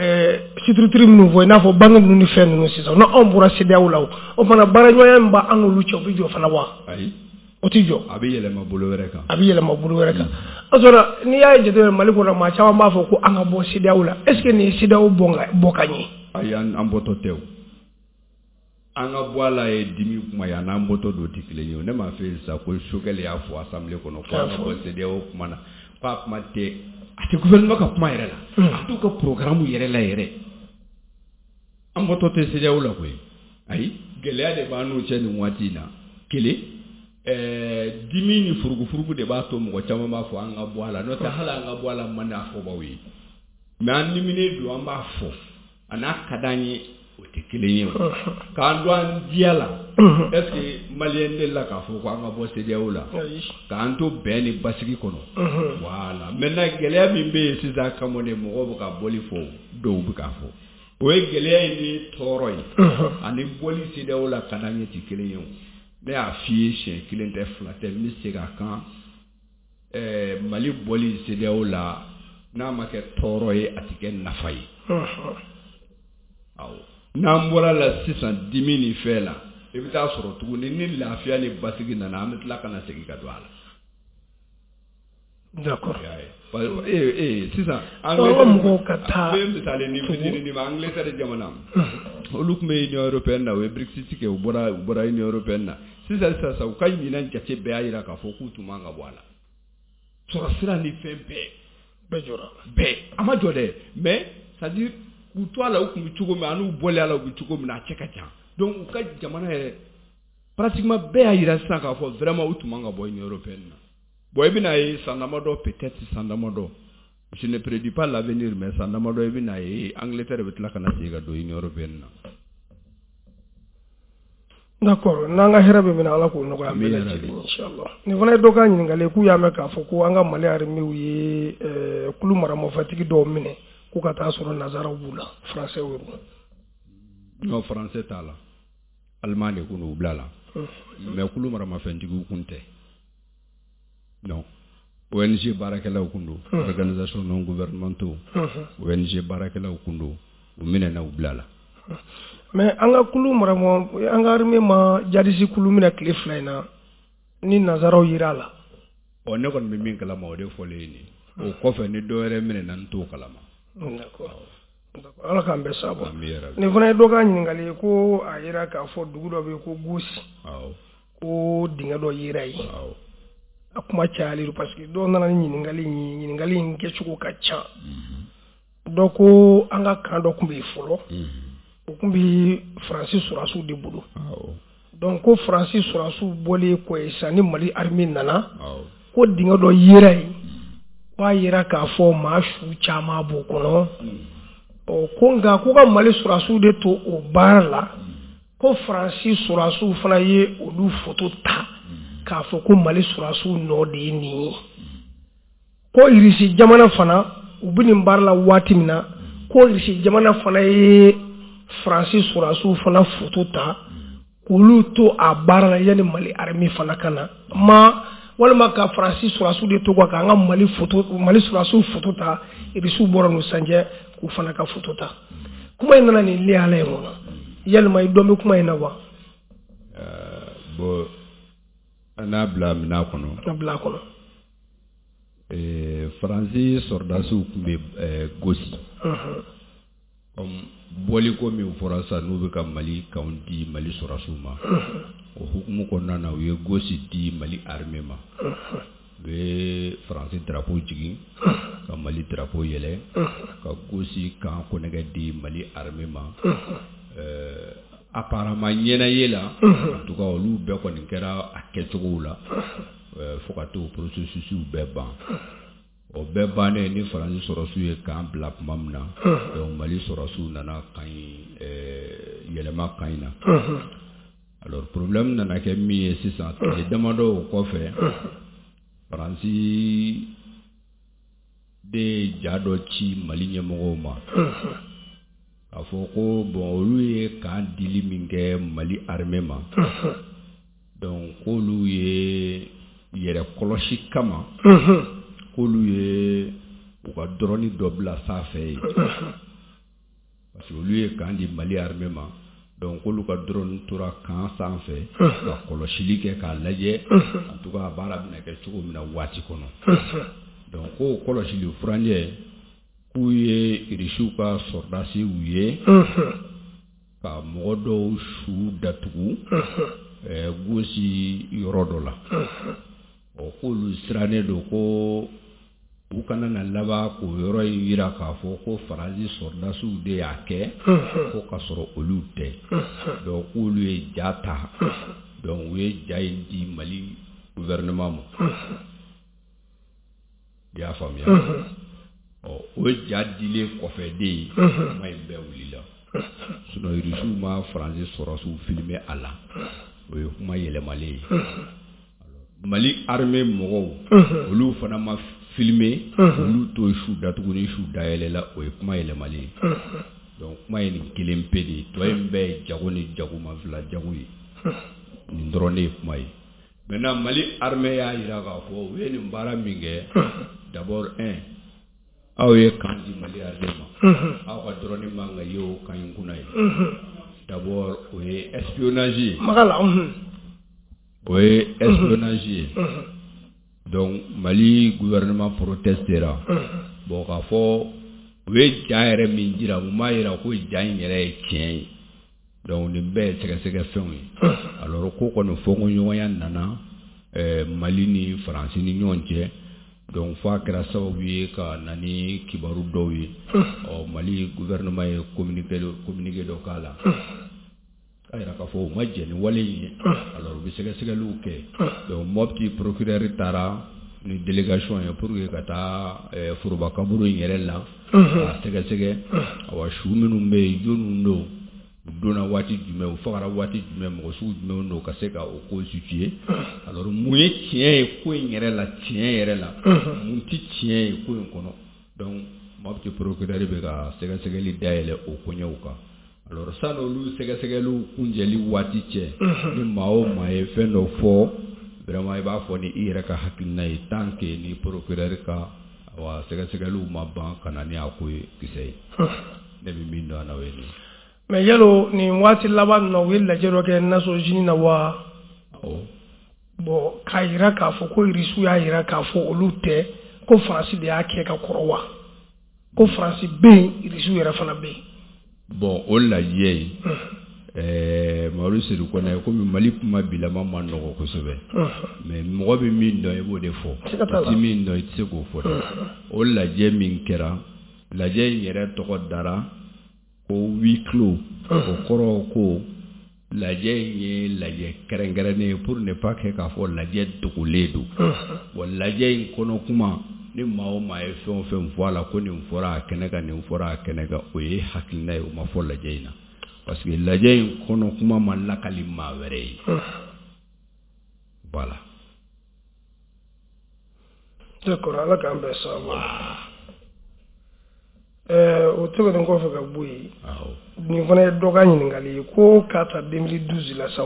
structure minnu fɔ, i n'a fɔ banque ninnu ni fɛn ninnu, sisan n'anw bɔra CEDEAO la o, o fana baaraɲɔgɔnya min b'an n'olu cɛ, o bɛ jɔ fana wa? Ayi. O tɛ jɔ. A bɛ yɛlɛma bolo wɛrɛ kan. A bɛ yɛlɛma bolo wɛrɛ kan. O sɔrɔ n'i y'a jateminɛ Mali kɔnɔ, maa caman b'a fɔ ko an ka bɔ CEDEAO la. Est ce que nin ye CEDEAO bɔ ka ɲɛ? Ayi, an bɔtɔ tɛ o. An ka bɔ a la ye dimi kuma ye, a n'an bɔtɔ don tɛ kelen ye o. Ne m'a fɔ e sisan ko Choguel y'a fɔ assemblée kɔnɔ ko an ka bɔ CEDEAO kuma na, k'a kuma tɛ, a tɛ gouvernement ka kuma yɛrɛ la, a t'u ka programme yɛrɛ la yɛrɛ. An bɔtɔ tɛ CEDEAO la koyi. Ayi, gɛlɛya de b'an n'u cɛ nin waati in na. Kelen, ɛɛ dimi ni furugufurugu de b'a to mɔgɔ caman b'a fɔ an ka bɔ a la. N'o tɛ, hali an ka bɔ a la man di a fɔbaw ye, mais an diminen don, an b'a fɔ, a n'a ka d'an ye, o tɛ kelen ye o. K'an to an diya la, est ce que maliyɛn delila k'a fɔ ko an ka bɔ CEDEAO la k'an to bɛn ni basigi kɔnɔ? Voilà. Maintenant, gɛlɛya min bɛ yen sisan kama de, mɔgɔw bɛ ka bɔli fɔ, dɔw bɛ k'a fɔ, o ye gɛlɛya in ni tɔɔrɔ ye ani bɔli CEDEAO la ka d'an ye tɛ kelen ye o. Ne y'a f'i ye siɲɛ kelen tɛ, fila tɛ, n bɛ segin a kan. Ɛɛ Mali bɔli CEDEAO la, n'a ma kɛ tɔɔrɔ ye, a tɛ kɛ nafa ye. Awɔ, n'an bɔra la sisan, dimi ni fɛn la, i bɛ taa sɔrɔ tuguni ni lafiya ni basigi nana, an bɛ tila ka na segin ka don a la. D'accord. Ee ee sisan Angleterre mɔgɔw ka taa n bɛ misali ni fitinin d'i ma. Angleterre jamana, olu tun bɛ Union européenne na, u ye Brexit kɛ, u bɔra u bɔra Union européenne na. Sisan sisan u ka ɲinan jate bɛɛ y'a jira k'a fɔ k'u tun man ka bɔ a la. Sɔrɔ sira ni fɛn bɛɛ bɛɛ jɔra. Bɛɛ a ma jɔ dɛ, mais c'est à dire k'u to a la, u tun bɛ cogo min, ani u bɔlen a la, u bɛ cogo min na, a cɛ ka jan. Donc u ka jamana yɛrɛ, pratiquement bɛɛ y'a jira sisan k'a fɔ vraiment u tun man ka bɔ Union européenne na. Bon, i bɛna ye san damadɔ, peut-être san damadɔ, je ne prédis pas l'avenir, mais san damadɔ, i bɛna ye Angleterre bɛ tila ka na segin ka don Union européenne na. D'accord, n'an ka hɛrɛ bɛ min na, Ala k'o nɔgɔya an bɛɛ lajɛlen, inchallah. Nin fana ye dɔ ka ɲininkali ye, k'u y'a mɛn k'a fɔ ko an ka Mali armée ye kulu maramafɛntigi dɔw minɛ, k'u ka taa sɔrɔ nanzaraw b'u la, français y'u. Non, français t'a la, allemand de kun u bila la, mais kulu maramafɛntigiw kun tɛ. Non, O N G baarakɛlaw kun don, organisation non gouvernementaux, O N G baarakɛlaw kun don, u minɛna, u bila la. Mais an ka kulu marama, an ka armée ma djihadiste kulu minɛ tile fila in na ni nanzaraw yera a la. Ɔ, ne kɔni bɛ min kalama, o de fɔlen ye nin ye. O kɔfɛ, ni dɔ wɛrɛ minɛna, n t'o kalama. D'accord, Ala k'an bɛɛ sababu. Nin fana ye dɔ ka ɲininkali ye, ko a yera k'a fɔ dugu dɔ bɛ yen ko Gosi, ko dingɛ dɔ yera yen. A kuma cayalen don, parce que dɔw nana ni ɲininkali in ye, ɲininkali in kɛcogo ka ca. Dɔ ko an ka camp dɔ tun bɛ yen fɔlɔ, o tun bɛ Faransi sɔrɔdasiw de bolo. Donc ko Faransi sɔrɔdasiw bɔlen kɔ yen sisan, ni Mali armée nana, ko dingɛ dɔ yera yen, k'a yera k'a fɔ maa su caman b'o kɔnɔ. Ɔ, ko nka k'u ka Mali sɔrɔdasiw de to o baara la, ko Faransi sɔrɔdasiw fana ye olu photo ta k'a fɔ ko Mali sɔrɔdasiw nɔ de ye nin ye. Ko Irisi jamana fana, u bɛ nin baara la waati min na, ko Irisi jamana fana ye Faransi sɔrɔdasiw fana photo ta k'olu to a baara la yanni Mali armée fana ka na, ma walima ka Faransi sɔrɔdasiw de to k'an ka Mali photo, Mali sɔrɔdasiw photo ta, Irisiw bɔra n'u sanjɛ k'u fana ka photo ta. Kuma in nana nin lihala in kɔnɔ, yalima i dɔn bɛ kuma in na wa? Bon, an n'a bila minɛn kɔnɔ. A bila a kɔnɔ. Faransi sɔrɔdasiw tun bɛ Gosi. Comme bɔliko min fɔra sisan, n'u bɛ ka Mali kanw di Mali sɔrɔdasiw ma, o hukumu kɔnɔna na, u ye Gosi di Mali armée ma. U ye Faransi drapeau jigin ka Mali drapeau yɛlɛ, ka Gosi camp kɔnɛgɛ di Mali armée ma. Apparemment, ɲɛnaye la, en tout cas, olu bɛɛ kɔni kɛra a kɛcogow la fo ka t'o processus bɛɛ ban. O bɛɛ bannen, ni Faransi sɔrɔdasiw ye camp bila tuma min na, donc Mali sɔrɔdasiw nana camp in yɛlɛma camp in na. Alors problème nana kɛ min ye sisan, tile damadɔ o kɔfɛ, Faransi de ye ja dɔ ci Mali ɲɛmɔgɔw ma k'a fɔ ko bon, olu ye camp dili min kɛ Mali armée ma, donc k'olu ye yɛrɛ kɔlɔsi kama, k'olu ye u ka drone dɔ bila sanfɛ yen, parce que olu ye camp di Mali armée ma, donc k'olu ka drone tora camp sanfɛ ka kɔlɔsili kɛ k'a lajɛ, en tout cas a baara bɛna kɛ cogo min na waati kɔnɔ. Donc k'o kɔlɔsili furancɛ, k'u ye Irisiw ka sɔrɔdasiw ye ka mɔgɔ dɔw su datugu Gosi yɔrɔ dɔ la. Ɔ, k'olu sirannen don ko u kana na laban k'o yɔrɔ in yira k'a fɔ ko Faransi sɔrɔdasiw de y'a kɛ, ko k'a sɔrɔ olu tɛ. Donc k'olu ye ja ta, donc u ye ja in di Mali gouvernement ma. I y'a faamuya? Ɔ, o ja dilen kɔfɛ de, kuma in bɛɛ wulila. Sinon Irisiw ma Faransi sɔrɔdasiw filmer a la, o ye kuma yɛlɛmalen ye. Mali armée mɔgɔw, olu fana ma filmer, olu t'o su datugu ni su dayɛlɛla, o ye kuma yɛlɛmalen ye. Donc kuma ye nin kelen pe de ye, tɔ in bɛɛ ye jago ni jagoma fila jago ye. Nin dɔrɔn de ye kuma ye. Maintenant, Mali armée y'a jira k'a fɔ u ye nin baara min kɛ, d'abord un, aw ye camp di Mali armée ma, aw ka drone man ka ye o camp in kunna ye. D'abord o ye espionnage ye. Magala. O ye espionnage ye. Donc Mali gouvernement protestera. Bon, k'a fɔ u ye ja yɛrɛ min jira, u m'a jira ko ja in yɛrɛ ye tiɲɛ ye. Donc nin bɛɛ ye sɛgɛsɛgɛ fɛnw ye. Alors ko kɔni fɔnkɔɲɔgɔnya nana ɛɛ Mali ni Faransi ni ɲɔgɔn cɛ. Donc f'a kɛra sababu ye ka na ni kibaru dɔw ye. Ɔ, Mali gouvernement ye communiqué communiqué dɔ k'a la, k'a jira k'a fɔ u ma jɛn ni wale in ye. Alors u bɛ sɛgɛsɛgɛliw kɛ. Donc Mopti procureur taara ni délégation ye pour que ka taa foroba kaburu in yɛrɛ la k'a sɛgɛsɛgɛ. Awa, su minnu bɛ yen, jɔnniw don, u donna waati jumɛn, u fagara waati jumɛn, mɔgɔ sugu jumɛn don, ka se ka o ko situer. Alors mun ye tiɲɛ ye ko in yɛrɛ la, tiɲɛ yɛrɛ la, mun tɛ tiɲɛ ye ko in kɔnɔ? Donc Mopti procureur bɛ ka sɛgɛsɛgɛli dayɛlɛ o koɲɛw kan. Alors sani olu sɛgɛsɛgɛliw kunjɛli waati cɛ, ni maa o maa ye fɛn dɔ fɔ, vraiment i b'a fɔ ni i yɛrɛ ka hakilina ye, tant que ni procureur ka awa sɛgɛsɛgɛliw ma ban ka na ni a ko ye kisɛ ye. Ne bɛ min dɔn a la, o ye nin ye. Mais yalo nin waati laban ninnu na, u ye lajɛ dɔ kɛ Nations Unies na wa? Awɔ. Bon, k'a jira k'a fɔ ko Irisiw y'a jira k'a fɔ olu tɛ, ko Faransi de y'a kɛ ka kɔrɔ wa? Ko Faransi bɛ yen, Irisiw yɛrɛ fana bɛ yen. Bon, o lajɛ in, ɛɛ Mamadu Sedu Kɔnɛ, komi Mali kuma bilama ma nɔgɔ kosɛbɛ, mais mɔgɔ bɛ min dɔn, i b'o de fɔ. Siga t'a la. I tɛ min dɔn, i tɛ se k'o fɔ dɛ. O lajɛ min kɛra, lajɛ in yɛrɛ tɔgɔ dara ko huis clos. O kɔrɔ ko lajɛ in ye lajɛ kɛrɛnkɛrɛnnen ye, pour ne pas que k'a fɔ lajɛ dogolen don. Bon, lajɛ in kɔnɔ kuma, ni maa o maa ye fɛn o fɛn fɔ a la, ko nin fɔra a kɛnɛ kan, nin fɔra a kɛnɛ kan, o ye hakilina ye, o ma fɔ lajɛ in na, parce que lajɛ in kɔnɔ kuma ma lakali maa wɛrɛ ye. Voilà. D'accord, Ala k'an bɛn sababu ma. Ɛɛ o tɛmɛnen kɔfɛ ka bɔ yen, awɔ nin fana ye dɔ ka ɲininkali ye, ko k'a ta deux mille douze la sa,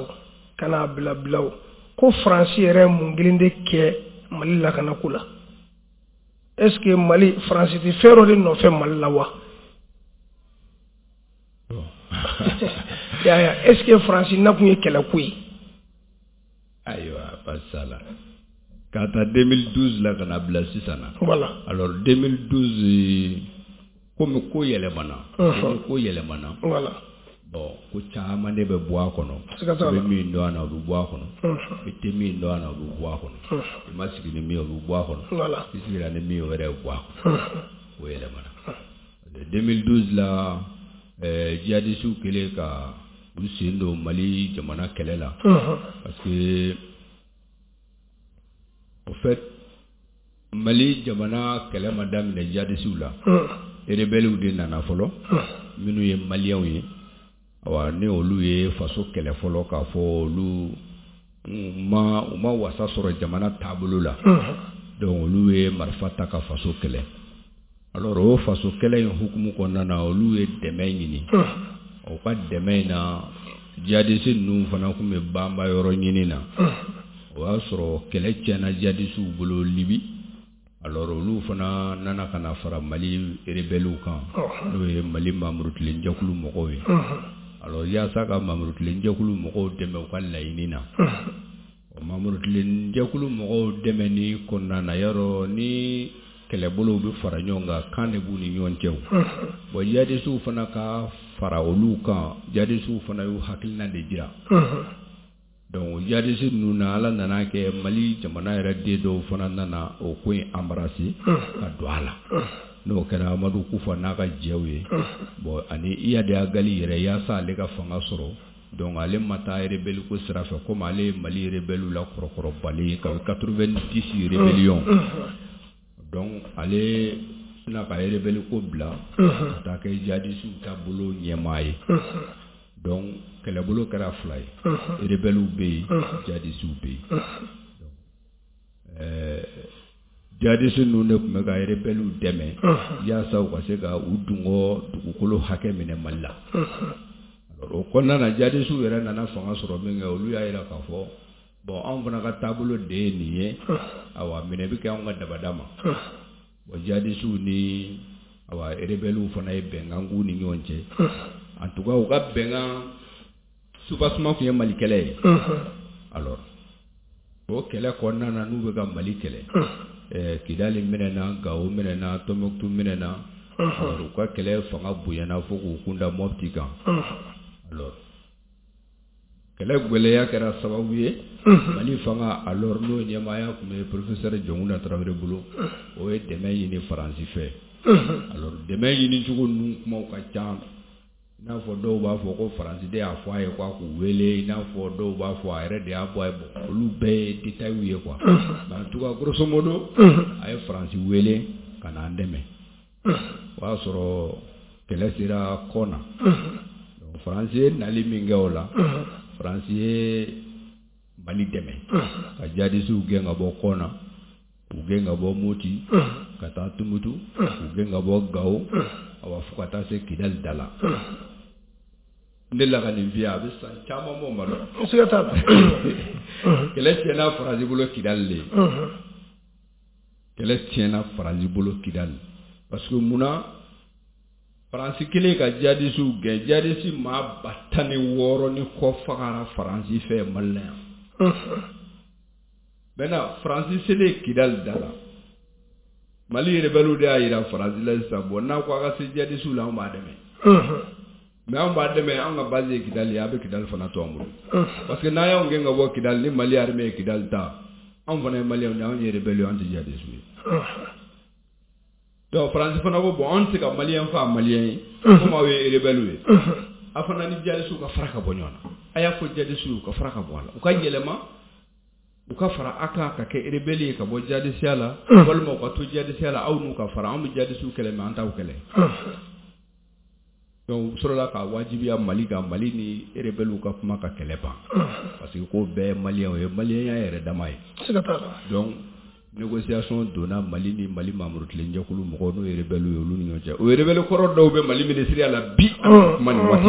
ka n'a bila bila o, ko Faransi yɛrɛ ye mun kelen de kɛ Mali lakanako la? Est ce que Mali, Faransi tɛ fɛn dɔ de nɔfɛ Mali la wa? Ya ya, est ce que Faransi nakun ye kɛlɛko ye? Ayiwa, baasi t'a la. K'a ta deux mille douze la ka na bila sisan na. Voilà. Alors deux mille douze, komi ko yɛlɛmana, Mhm. ko yɛlɛmana. Voilà. Bon, ko caman de bɛ bɔ a kɔnɔ. Siga t'a I la. bɛ min dɔn a na, o bɛ bɔ a kɔnɔ. Mhm. I tɛ min dɔn a na, o bɛ bɔ a kɔnɔ. Mhm. I ma sigi ni min ye, o bɛ bɔ a kɔnɔ. Voilà. I sigira ni min ye, o yɛrɛ bɛ bɔ a kɔnɔ. Mhm. O yɛlɛmana deux mille douze la. ɛɛ jihadisiw kɛlen ka u sen don Mali jamana kɛlɛ la, Mhm. parce que au fait, Mali jamana kɛlɛ ma daminɛ jihadisiw la. Mhm. Rebelles de nana fɔlɔ, Mhm. minnu ye Maliyɛnw ye. Awa, ni olu ye faso kɛlɛ fɔlɔ, k'a fɔ olu ma u ma wasa sɔrɔ jamana taabolo la. Mhm. Donc olu ye marifa ta ka faso kɛlɛ. Alors o faso kɛlɛ in hukumu kɔnɔna na, olu ye dɛmɛ ɲini. Mhm. O ka dɛmɛ in na, jihadisi ninnu fana tun bɛ banba yɔrɔ ɲini na. Mhm. O y'a sɔrɔ kɛlɛ tiɲɛna jihadisiw bolo Libi. Alors olu fana nana ka na fara Mali rebelles kan, Mhm. n'o ye Mali Mamurutilen jɛkulu mɔgɔw ye. Mhm. Alors yaasa ka Mamurutilen jɛkulu mɔgɔw dɛmɛ u ka laɲini na, Mhm. o Mamurutilen jɛkulu mɔgɔw dɛmɛni kɔnɔna na, yarɔ ni kɛlɛbolow bɛ fara ɲɔgɔn kan, kan de b'u ni ɲɔgɔn cɛ o. Mhm. Bon, jihadisiw fana ka fara olu kan, jihadisiw fana y'u hakilina de jira. Mhm. Donc jihadisi ninnu na, Ala nana kɛ Mali jamana yɛrɛ den dɔw fana nana o ko in embrasser ka don a la, n'o kɛra Amadu Kufa n'a ka jɛw ye. Bon, ani Iyad Ag Ghali yɛrɛ, yaasa ale ka fanga sɔrɔ, donc ale ma taa rebelle ko sira fɛ, komi ale ye Mali rebelle la kɔrɔkɔrɔbali ye kabi quatre-vingt-dix rébellion. Donc ale sina ka rebelle ko bila ka taa kɛ jihadisiw ta bolo ɲɛmaa ye. Donc kɛlɛbolo kɛra fila ye, rebelle bɛ yen, jihadisiw bɛ yen. Ɛɛ jihadisi ninnu de tun bɛ ka rebelle dɛmɛ yaasa u ka se ka u dungɔ dugukolo hakɛ minɛ Mali la. Alors O kɔnɔna na, jadisiw yɛrɛ nana fanga sɔrɔ min kɛ, olu y'a jira k'a fɔ bon, anw fana ka taabolo de ye nin ye, awa, minɛ bɛ kɛ anw ka dabada ma. Bon, jadisiw ni, awa, rebelles fana ye bɛnkan k'u ni ɲɔgɔn cɛ. En tout cas, u ka bɛnkan soubassement tun ye Mali kɛlɛ ye. Alors, o kɛlɛ kɔnɔna na, n'u bɛ ka Mali kɛlɛ, ɛɛ Kidali minɛna, Gawo minɛna, Tɔnbukutu minɛna. Alors, u ka kɛlɛ fanga bonyana fo k'u kunda Mopti kan. Alors, kɛlɛ gwɛlɛya kɛra sababu ye, Mali fanga alors, n'o ɲɛmaaya tun bɛ professeur Jɔnkunda Tarawele bolo, o ye dɛmɛ ɲini Faransi fɛ. Alors, dɛmɛ ɲini cogo ninnu kumaw ka ca, i n'a fɔ dɔw b'a fɔ ko Faransi de y'a fɔ a ye k'a k'u wele, i n'a fɔ dɔw b'a fɔ a yɛrɛ de y'a bɔ a ye. Bon, olu bɛɛ ye détails ye quoi. Mais en tout cas, grosso modo, a ye Faransi wele ka na an dɛmɛ. O y'a sɔrɔ kɛlɛ sera kɔ na. Donc Faransi ye nali min kɛ o la, Faransi ye Mali dɛmɛ ka jadisiw gɛn ka bɔ kɔ na, k'u gɛn ka bɔ Moti ka taa Tumutu, k'u gɛn ka bɔ Gawo, awa, fo ka taa se Kidali da la. N delila ka nin f'i ye, a bɛ san caman bɔ, ma dɔn. Siga t'a la. Kɛlɛ tiɲɛna Faransi bolo Kidali de. Kɛlɛ tiɲɛna Faransi bolo Kidali, parce que munna? Faransi kelen ka jadisiw gɛn, jadisi maa ba tan ni wɔɔrɔ ni kɔ fagara Faransi fɛ Mali la yan. Maintenant, Faransi selen Kidali da la, Mali rebelles de y'a yira Faransi la sisan, bon, n'a ko a ka se jadisiw la, anw b'a dɛmɛ, mais anw b'a dɛmɛ, anw ka base ye Kidali ye, a bɛ Kidali fana to an bolo, parce que n'a y'anw gɛn ka bɔ Kidali, ni Mali armée ye Kidali ta, anw fana ye Maliyɛnw de ye, anw ye rebelles ye, anw tɛ jadisiw ye. Donc Faransi fana ko bon, anw tɛ se ka Maliyɛn faa Maliyɛn ye, komi aw ye rebelles ye, a fana ni jadisiw ka fara ka bɔ ɲɔgɔn na. A y'a fɔ jadisiw ka fara ka bɔ a la, u ka yɛlɛma, u ka fara a kan ka kɛ rebelle ye ka bɔ jadisiya la, walima u ka to jadisiya la, aw n'u ka fara. Anw bɛ jadisiw kɛlɛ, mais an t'aw kɛlɛ. Donc u sɔrɔla ka wajibiya Mali kan, Mali ni rebelles ka kuma ka kɛlɛ ban, parce que ko bɛɛ ye Maliyɛnw ye, Maliyɛnya yɛrɛ dama ye. Siga t'a la. Donc négociation donna Mali ni Mali Mamurutilenjɛkulu mɔgɔw, n'o ye rebelles ye, olu ni ɲɔgɔn cɛ. O rebelle kɔrɔ dɔw bɛ Mali ministériya la bi, an bɛ kuma nin waati,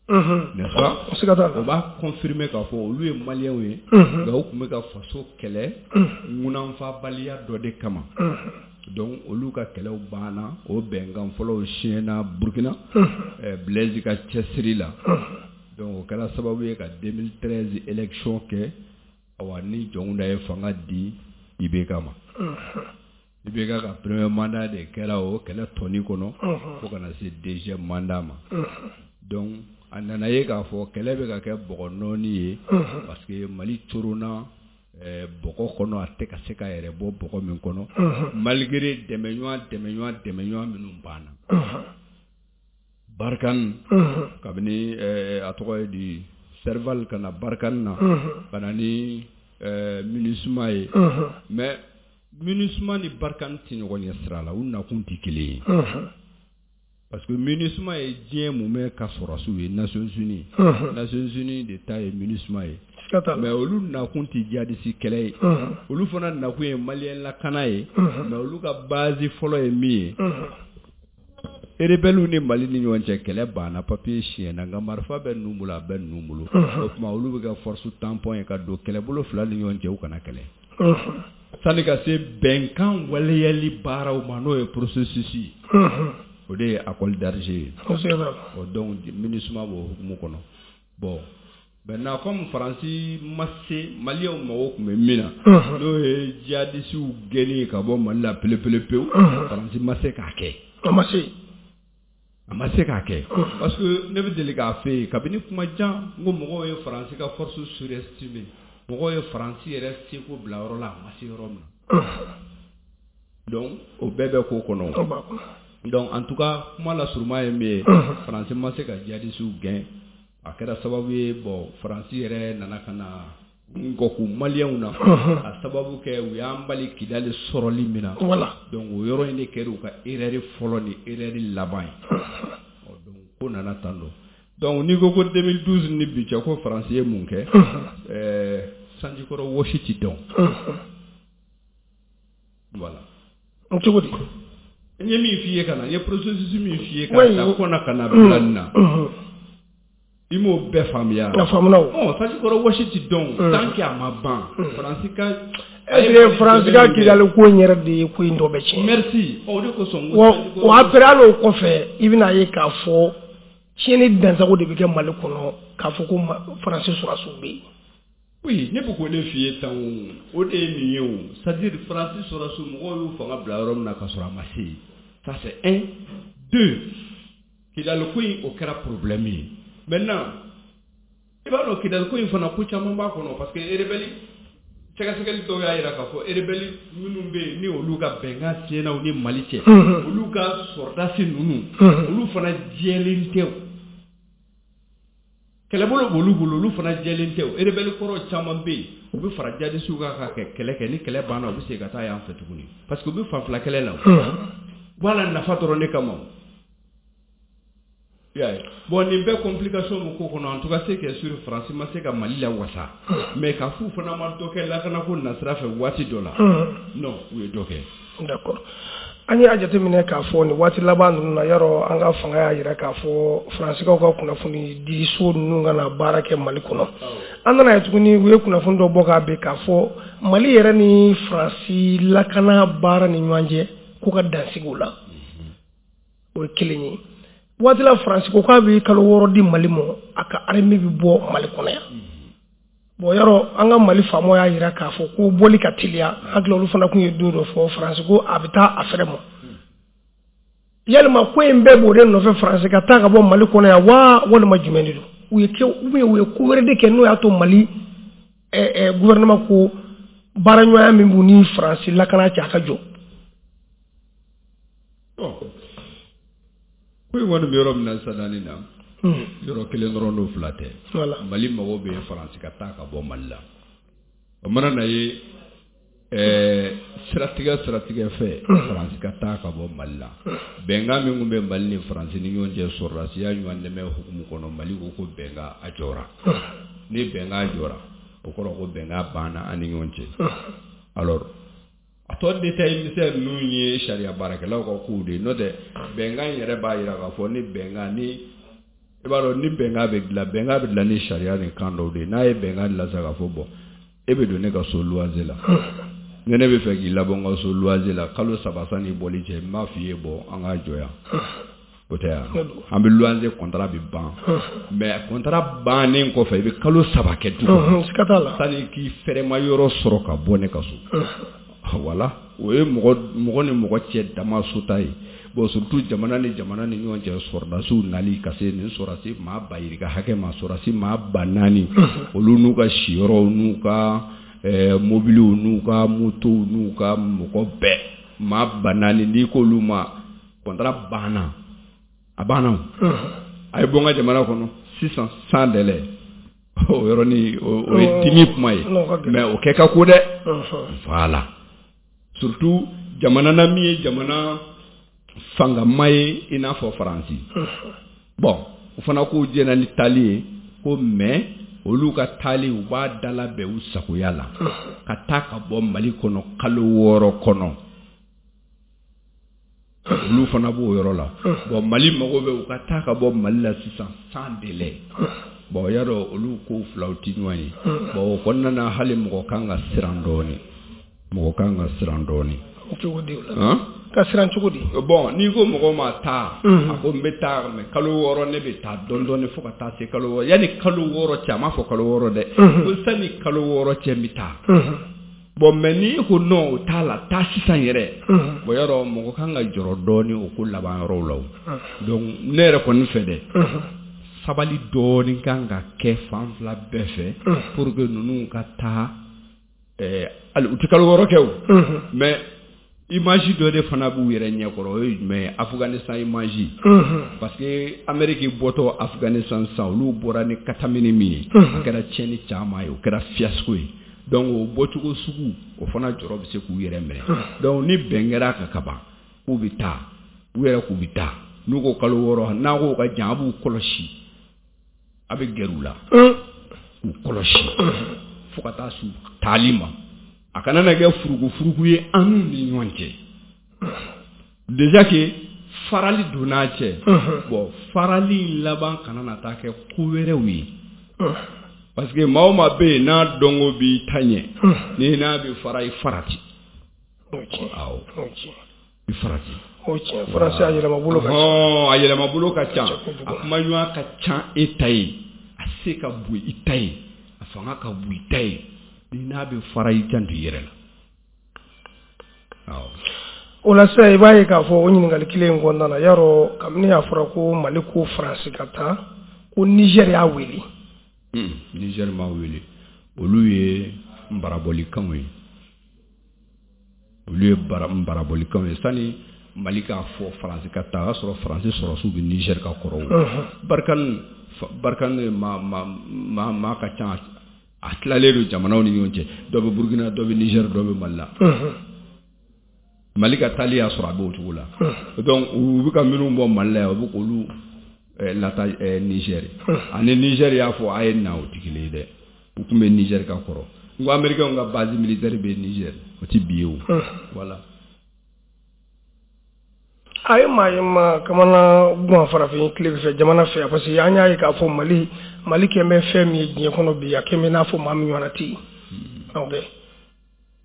n'est-ce pas? Siga t'a la. O b'a confirmer k'a fɔ olu ye Maliyɛnw ye, nka u tun bɛ ka faso kɛlɛ ŋunanfabaliya dɔ de kama. Donc olu ka kɛlɛw banna, o bɛnkan fɔlɔw siɲɛna Burukina, Blaise ka cɛsiri la. Donc o kɛra sababu ye ka deux mille treize élection kɛ, awa, ni Jɔnkunda ye fanga di I B K ma. I B K ka premier mandat de kɛra o kɛlɛ tɔni kɔnɔ fo ka na se deuxième mandat ma. Donc a nana ye k'a fɔ kɛlɛ bɛ ka kɛ bɔgɔ nɔɔni ye, parce que Mali coronna bɔgɔ kɔnɔ, a tɛ ka se ka yɛrɛ bɔ bɔgɔ min kɔnɔ, malgré dɛmɛɲɔgɔn dɛmɛɲɔgɔn dɛmɛɲɔgɔn minnu banna. Barkhane, kabini a tɔgɔ ye di, Serval ka na Barkhane na ka na ni MINUSMA ye, mais MINUSMA ni Barkhane tɛ ɲɔgɔn ɲɛ sira la, u nakun tɛ kelen ye, parce que MINUSMA ye diɲɛ mumɛ ka sɔrɔdasiw ye, Nations Unies Nations Unies de ta ye MINUSMA ye, mais olu nakun tɛ jihadiste kɛlɛ ye, olu fana nakun ye Maliyɛn lakana ye. Mais olu ka base fɔlɔ ye min ye, rebelles ni Mali ni ɲɔgɔn cɛ kɛlɛ banna, papier siɲɛna, nka marifa bɛ ninnu bolo, a bɛ ninnu bolo. O tuma olu bɛ kɛ force tampon ye ka don kɛlɛbolo fila ni ɲɔgɔn cɛ, u kana kɛlɛ sani ka se bɛnkan waleyali baaraw ma, n'o ye processus ye, o de ye accord d'Alger ye. O donc MINUSMA b'o hukumu kɔnɔ. Bon, maintenant, comme Faransi ma se Maliyɛnw mago tun bɛ min na, n'o ye jihadisiw gɛnni ye ka bɔ Mali la pewu pewu, Faransi ma se k'a kɛ. A ma se. A ma se k'a kɛ, parce que ne bɛ deli k'a fɛ yen kabini kuma jan, n ko mɔgɔw ye Faransi ka force surestimer, mɔgɔw ye Faransi yɛrɛ seko bila yɔrɔ la, a ma se yɔrɔ min na. Donc o bɛɛ bɛ ko kɔnɔ. Donc en tout cas, kuma la suruma ye min ye, Faransi ma se ka jihadisiw gɛn. A kɛra sababu ye, bon, Faransi yɛrɛ nana ka na ngɔku Maliyɛnw na, a sababu kɛ u y'an bali Kidali sɔrɔli min na. Donc o yɔrɔ in de kɛra u ka erreur fɔlɔ ni erreur laban ye. Donc ko nana tan dɔ. Donc n'i ko ko deux mille douze ni bi cɛ, ko Faransi ye mun kɛ? Ɛɛ sanjikɔrɔ wɔsi ti dɔn, voilà. Cogo di? N ye min f'i ye ka na, n ye processus min f'i ye ka taa kɔna ka na bila nin na. I m'o bɛɛ faamuya. A faamuna o. Ɔ, sanjikɔrɔ wɔsi ti dɔn tant que a ma ban. Faransi ka Est-ce que Faransi ka Kidali ko in yɛrɛ de ye ko in tɔ bɛɛ tiɲɛ? Merci. O de kosɔn. Wa o après, hali o kɔfɛ, i bɛna ye k'a fɔ tiɲɛni dansago de bɛ kɛ Mali kɔnɔ, k'a fɔ ko Faransi sɔrɔdasiw bɛ yen. Oui, ne bɛ k'o de f'i ye tan o. O de ye nin ye o. C'est-à-dire Faransi sɔrɔdasiw, mɔgɔw y'u fanga bila yɔrɔ min na ka sɔrɔ a ma se yen. Ça c'est un. Deux, Kidali ko in, o kɛra problème ye. Maintenant, i b'a dɔn, Kidali ko in fana, ko caman b'a kɔnɔ, parce que rebelle sɛgɛsɛgɛli dɔw y'a jira k'a fɔ rebelle minnu bɛ yen, ni olu ka bɛnkan tiɲɛna u ni Mali cɛ, olu ka sɔrɔdasi ninnu, olu fana jɛlen tɛ o. Kɛlɛbolo b'olu bolo, olu fana jɛlen tɛ o. Rebelle kɔrɔ caman bɛ yen, u bɛ fara jadisiw kan ka kɛlɛ kɛ. Ni kɛlɛ banna, u bɛ segin ka taa yan fɛ tuguni, parce que u bɛ fan fila kɛlɛ la o. Voilà, nafa dɔrɔn de kama o. I y'a ye, bon, nin bɛɛ complication bɛ ko kɔnɔ. En tout cas, ce qui est sûr, Faransi ma se ka Mali lawasa, mais ka f'u fana ma dɔ kɛ lakanako nasira fɛ waati dɔ la, non, u ye dɔ kɛ. D'accord. An y'a jateminɛ k'a fɔ nin waati laban ninnu na, yarɔ, an ka fanga y'a jira k'a fɔ Faransikaw ka kunnafoni di so ninnu ka na baara kɛ Mali kɔnɔ. An nana ye tuguni, u ye kunnafoni dɔ bɔ k'a bin k'a fɔ Mali yɛrɛ ni Faransi lakana baara ni ɲɔgɔn cɛ k'u ka dansigi o la. O ye kelen ye. Waati la, Faransi ko k'a bɛ kalo wɔɔrɔ di Mali ma, a ka armée bɛ bɔ Mali kɔnɔ yan. Bon, yarɔ, an ka Mali faamaw y'a jira k'a fɔ ko bɔli ka teliya. Hakili, olu fana tun ye don dɔ fɔ, Faransi ko a bɛ taa a fɛrɛ ma. Yalima ko in bɛɛ b'o de nɔfɛ, Faransi ka taa ka bɔ Mali kɔnɔ yan wa, walima jumɛn de don? U ye kɛ ou bien u ye ko wɛrɛ de kɛ n'o y'a to Mali ɛɛ gouvernement ko baaraɲɔgɔnya min b'u ni Faransi lakana cɛ, a ka jɔ? Bon, ko in kɔni bɛ yɔrɔ min na sisan nin na, yɔrɔ kelen dɔrɔn n'o fila tɛ. Mali mago bɛ Faransi ka taa ka bɔ Mali la. O mana na ye ɛɛ siratigɛ siratigɛ fɛ, Faransi ka taa ka bɔ Mali la. Bɛnkan min tun bɛ Mali ni Faransi ni ɲɔgɔn cɛ sɔrɔdasiya ɲɔgɔn dɛmɛ hukumu kɔnɔ, Mali ko ko bɛnkan a jɔra. Ni bɛnkan jɔra, o kɔrɔ ko bɛnkan banna an ni ɲɔgɔn cɛ. Alors, a tɔ détail misɛn ninnu ye sariya baarakɛlaw ka kow de ye. N'o tɛ, bɛnkan in yɛrɛ b'a jira k'a fɔ ni bɛnkan ni, i b'a dɔn, ni bɛnkan bɛ dilan, bɛnkan bɛ dilan ni sariya ni kan dɔw de ye. N'a ye bɛnkan dilan sisan k'a fɔ bon, e bɛ don ne ka so luwanse la, ni ne bɛ fɛ k'i labɔ n ka so luwanse la kalo saba sanni bɔli cɛ, n b'a f'i ye, bɔn, an k'a jɔ yan. O tɛ yan, an bɛ luwanse contrat bɛ ban, mais contrat bannen kɔfɛ, i bɛ kalo saba kɛ du kɔnɔ sanni k'i fɛrɛma yɔrɔ sɔrɔ ka bɔ ne ka so. Voilà, o ye mɔgɔ mɔgɔ ni mɔgɔ cɛ dama sota ye. Bon, surtout jamana ni jamana ni ɲɔgɔn cɛ, sɔrɔdasiw nali ka se nin sɔrɔdasi maa ba yirika hakɛ ma, sɔrɔdasi maa ba naani, olu n'u ka siyɔrɔw n'u ka ɛɛ mobiliw n'u ka motow n'u ka mɔgɔ bɛɛ, maa ba naani, n'i k'olu ma contrat banna, a banna o, a ye bɔ n ka jamana kɔnɔ sisan sans délai, o yɔrɔnin o ye dimi kuma ye, mais o kɛ ka ko dɛ. Voilà, surtout jamana na min ye jamana fangama ye i n'a fɔ Faransi. Bon, o fana k'u jɛna ni taali ye ko, mais olu ka taali, u b'a dala bɛn u sagoya la ka taa ka bɔ Mali kɔnɔ kalo wɔɔrɔ kɔnɔ. Olu fana b'o yɔrɔ la. Bon, Mali mago bɛ u ka taa ka bɔ Mali la sisan sans délai. Bon, y'a dɔn, olu ko filaw tɛ ɲɔgɔn ye. Bon, o kɔnɔna na, hali mɔgɔ kan ka siran dɔɔnin, mɔgɔ kan ka siran dɔɔnin. Cogo di o la? Ka siran cogo di? Bon, n'i ko mɔgɔ ma taa, a ko n bɛ taa, mais kalo wɔɔrɔ, ne bɛ taa dɔɔnin dɔɔnin fo ka taa se kalo wɔɔrɔ. Yanni kalo wɔɔrɔ cɛ, a m'a fɔ kalo wɔɔrɔ dɛ, ko sanni kalo wɔɔrɔ cɛ, n bɛ taa. Bon, mais n'i ko non, o t'a la, taa sisan yɛrɛ. Bon, yɔrɔ mɔgɔ kan ka jɔrɔ dɔɔnin o ko laban yɔrɔw la o. Donc ne yɛrɛ kɔni fɛ dɛ, sabali dɔɔnin kan ka kɛ fan fila bɛɛ fɛ pour que ninnu ka taa. Ɛɛ hali u tɛ kalo wɔɔrɔ kɛ o, mais image dɔ de fana b'u yɛrɛ ɲɛkɔrɔ. O ye jumɛn ye? Afghanistan image, parce que Amérique bɔtɔ Afghanistan sisan, olu bɔra ni katamini min ye, a kɛra tiɲɛni caman ye, o kɛra fiasco ye. Donc o bɔcogo sugu, o fana jɔrɔ bɛ se k'u yɛrɛ minɛ. Donc ni bɛn kɛra a kan kaban k'u bɛ taa, u yɛrɛ k'u bɛ taa, n'u ko kalo wɔɔrɔ, n'a ko ka jan, a b'u kɔlɔsi, a bɛ gɛrɛ u la k'u kɔlɔsi fo ka taa s'u taali ma. A kana na kɛ furuku furuku ye an n'u ni ɲɔgɔn cɛ. Déjà que Farali donn'a cɛ. Bon, farali in laban kana na taa kɛ ko wɛrɛw ye, parce que maa o maa bɛ yen n'a dɔnko b'i ta ɲɛ, ni n'a bɛ fara, i farati. Awɔ, i farati. O tiɲɛ, faransi a yɛlɛmabolo ka ca. A yɛlɛmabolo ka ca, a kumaɲɔgɔnya ka ca e ta ye, a se ka bon i ta ye, a fanga ka bon i ta ye. Ni n'a bɛ fara, i janto i yɛrɛ la. Awɔ. O la sisan, i b'a ye k'a fɔ o ɲininkali kelen in kɔnɔna na, yarɔ kabini a fɔra ko Mali ko Faransi ka taa, ko Niger y'a wele. Niger m'a wele, olu ye nbarabɔlikanw ye, olu ye nbarabɔlikanw ye. Sani Mali k'a fɔ Faransi ka taa, o y'a sɔrɔ Faransi sɔrɔsiw bɛ Niger ka kɔrɔ. Barkhane Barkhane ma ma ma maa ka ca, a tilalen don jamanaw ni ɲɔgɔn cɛ, dɔ bɛ Burukina, dɔ bɛ Niger, dɔ bɛ Mali la. Mali ka taali y'a sɔrɔ a b'o cogo la. Donc u bɛ ka minnu bɔ Mali la yan, u bɛ k'olu lata Niger. Ani Niger y'a fɔ a ye na, o tɛ kelen ye dɛ. U tun bɛ Niger ka kɔrɔ. N ko Américains ka base militaire bɛ Niger, o tɛ bi ye o. Voilà. A ye maa ye ma kamana gan farafin tile fɛ jamana fɛ, parce que an y'a ye k'a fɔ Mali Mali kɛn bɛ fɛn min ye diɲɛ kɔnɔ bi, a kɛn bɛ n'a fɔ maa min ɲɔgɔnna tɛ yen. Ok,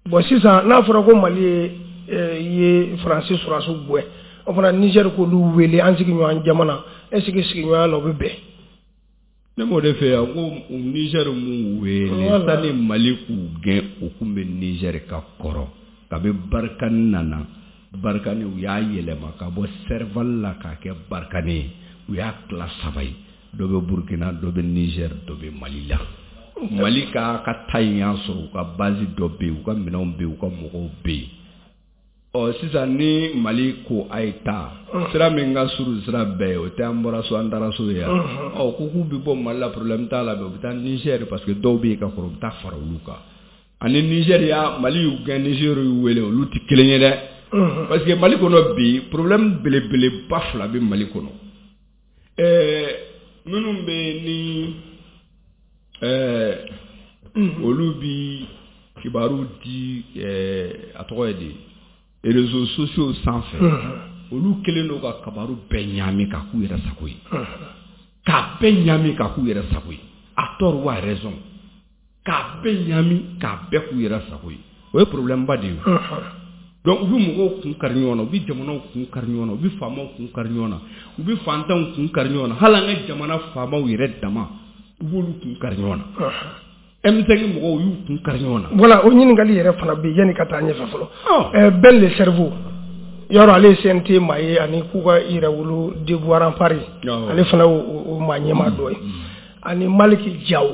bon, sisan n'a fɔra ko Mali ye ye Faransi sɔrɔsiw gɛn, o fana Niger k'olu wele an sigiɲɔgɔn jamana, est ce que sigiɲɔgɔnya la o bɛ bɛn? Ne m'o de fɛ yan ko Niger m'u wele. Sani Mali k'u gɛn, u kun bɛ Niger ka kɔrɔ. Kabi Barkhane nana, Barkhane u y'a yɛlɛma ka bɔ Serval la k'a kɛ Barkhane ye, u y'a tila saba ye: dɔ bɛ Burukina, dɔ bɛ Niger, dɔ bɛ Mali la. Mali ka ka ta in y'a sɔrɔ u ka base dɔ bɛ yen, u ka minɛnw bɛ yen, u ka mɔgɔw bɛ yen. Ɔ sisan ni Mali ko a ye taa, sira min ka surun sira bɛɛ ye, o tɛ an bɔra so an taara so ye yan. Ɔ ko k'u bɛ bɔ Mali la, problème t'a la, mais u bɛ taa Niger, parce que dɔw bɛ yen ka kɔrɔ, u bɛ taa fara olu kan. Ani Niger y'a Mali y'u gɛn, Niger y'u wele, olu tɛ kelen ye dɛ. Parce que Mali kɔnɔ bi, problème belebeleba fila bɛ Mali kɔnɔ. Ɛɛ minnu bɛ ni ɛɛ olu bi kibaru di, ɛɛ a tɔgɔ ye di, réseaux sociaux sanfɛ, olu kɛlen don ka kibaru bɛɛ ɲaami k'a k'u yɛrɛ sago ye, k'a bɛɛ ɲaami k'a k'u yɛrɛ sago ye, à tort ou à raison, k'a bɛɛ ɲaami k'a bɛɛ k'u yɛrɛ sago ye. O ye problème ba de ye. Donc u bɛ mɔgɔw kun kari ɲɔgɔn na, u bɛ jamanaw kun kari ɲɔgɔn na, u bɛ faamaw kun kari ɲɔgɔn na, u bɛ fantanw kun kari ɲɔgɔn na, hali an ka jamana faamaw yɛrɛ dama, u b'olu kun kari ɲɔgɔn na. M cinq mɔgɔw y'u kun kari ɲɔgɔn na. Voilà, o ɲininkali yɛrɛ fana bɛ yen yanni ka taa ɲɛfɛ fɔlɔ. Ɛɛ Ben le cerveau, yɔrɔ ale ye C N T maa ye, ani k'u ka yɛrɛwolo Debout Rempart, ale fana y'o maa ɲɛmaa dɔ ye. Ani Malick Diaw,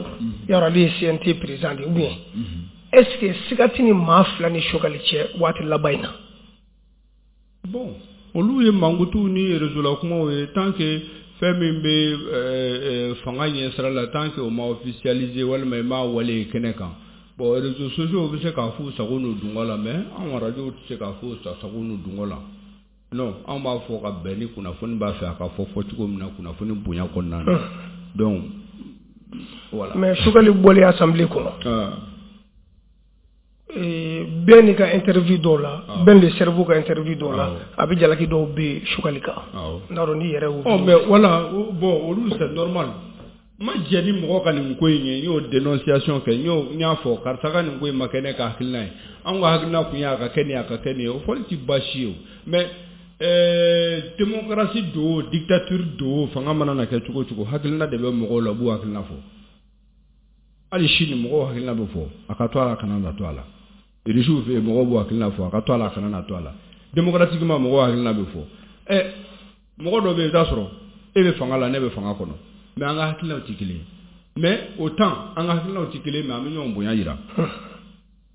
yɔrɔ ale ye C N T président de ye, ou bien est ce que siga tɛ ni maa fila ni Choguel cɛ waati laban in na? Bon, olu ye mankutuw ni réseau la kumaw ye. Tant que fɛn min bɛ fanga ɲɛ sira la, tant que o ma officialiser walima i m'a wale kɛnɛ kan, bon, réseaux sociaux bɛ se k'a f'u sago n'u dungɔ la, mais anw radio tɛ se k'a f'u sago n'u dungɔ la. Non, anw b'a fɔ ka bɛn ni kunnafoni b'a fɛ a ka fɔ fɔ cogo min na, kunnafoni bonya kɔnɔna na. Donc voilà. Mais Choguel bɔlen assemblée kɔnɔ, bɛɛ n'i ka interview dɔw la, Ben le cerveau ka interview dɔw la, a bɛ jalaki dɔw bɛ Choguel kan. N t'a dɔn n'i yɛrɛ y'o. Ɔ mais voilà, bon, olu c'est normal. N ma jɛ ni mɔgɔ ka nin ko in ye, n y'o dénonciation kɛ, n y'o n y'a fɔ karisa ka nin ko in ma kɛ ne ka hakilina ye, anw ka hakilina kun ye a ka kɛ nin ye, a ka kɛ nin ye, o fɔli tɛ baasi ye o. Mais ɛɛ démocratie don o, dictature don o, fanga mana na kɛ cogo o cogo, hakilina de bɛ mɔgɔw la, u b'u hakilina fɔ. Hali sini mɔgɔw hakilina bɛ fɔ, a ka to a la, a kana na to a la. Irisiw fɛ yen, mɔgɔw b'u hakilina fɔ, a ka to a la, a kana na to a la. Démocratiquement, mɔgɔw hakilina bɛ fɔ. Ɛ mɔgɔ dɔ bɛ yen, i bɛ taa sɔrɔ e bɛ fanga la, ne bɛ fanga kɔnɔ, mais an ka hakilinaw tɛ kelen ye. Mais autant an ka hakilinaw tɛ kelen ye, mais an bɛ ɲɔgɔn bonya yira.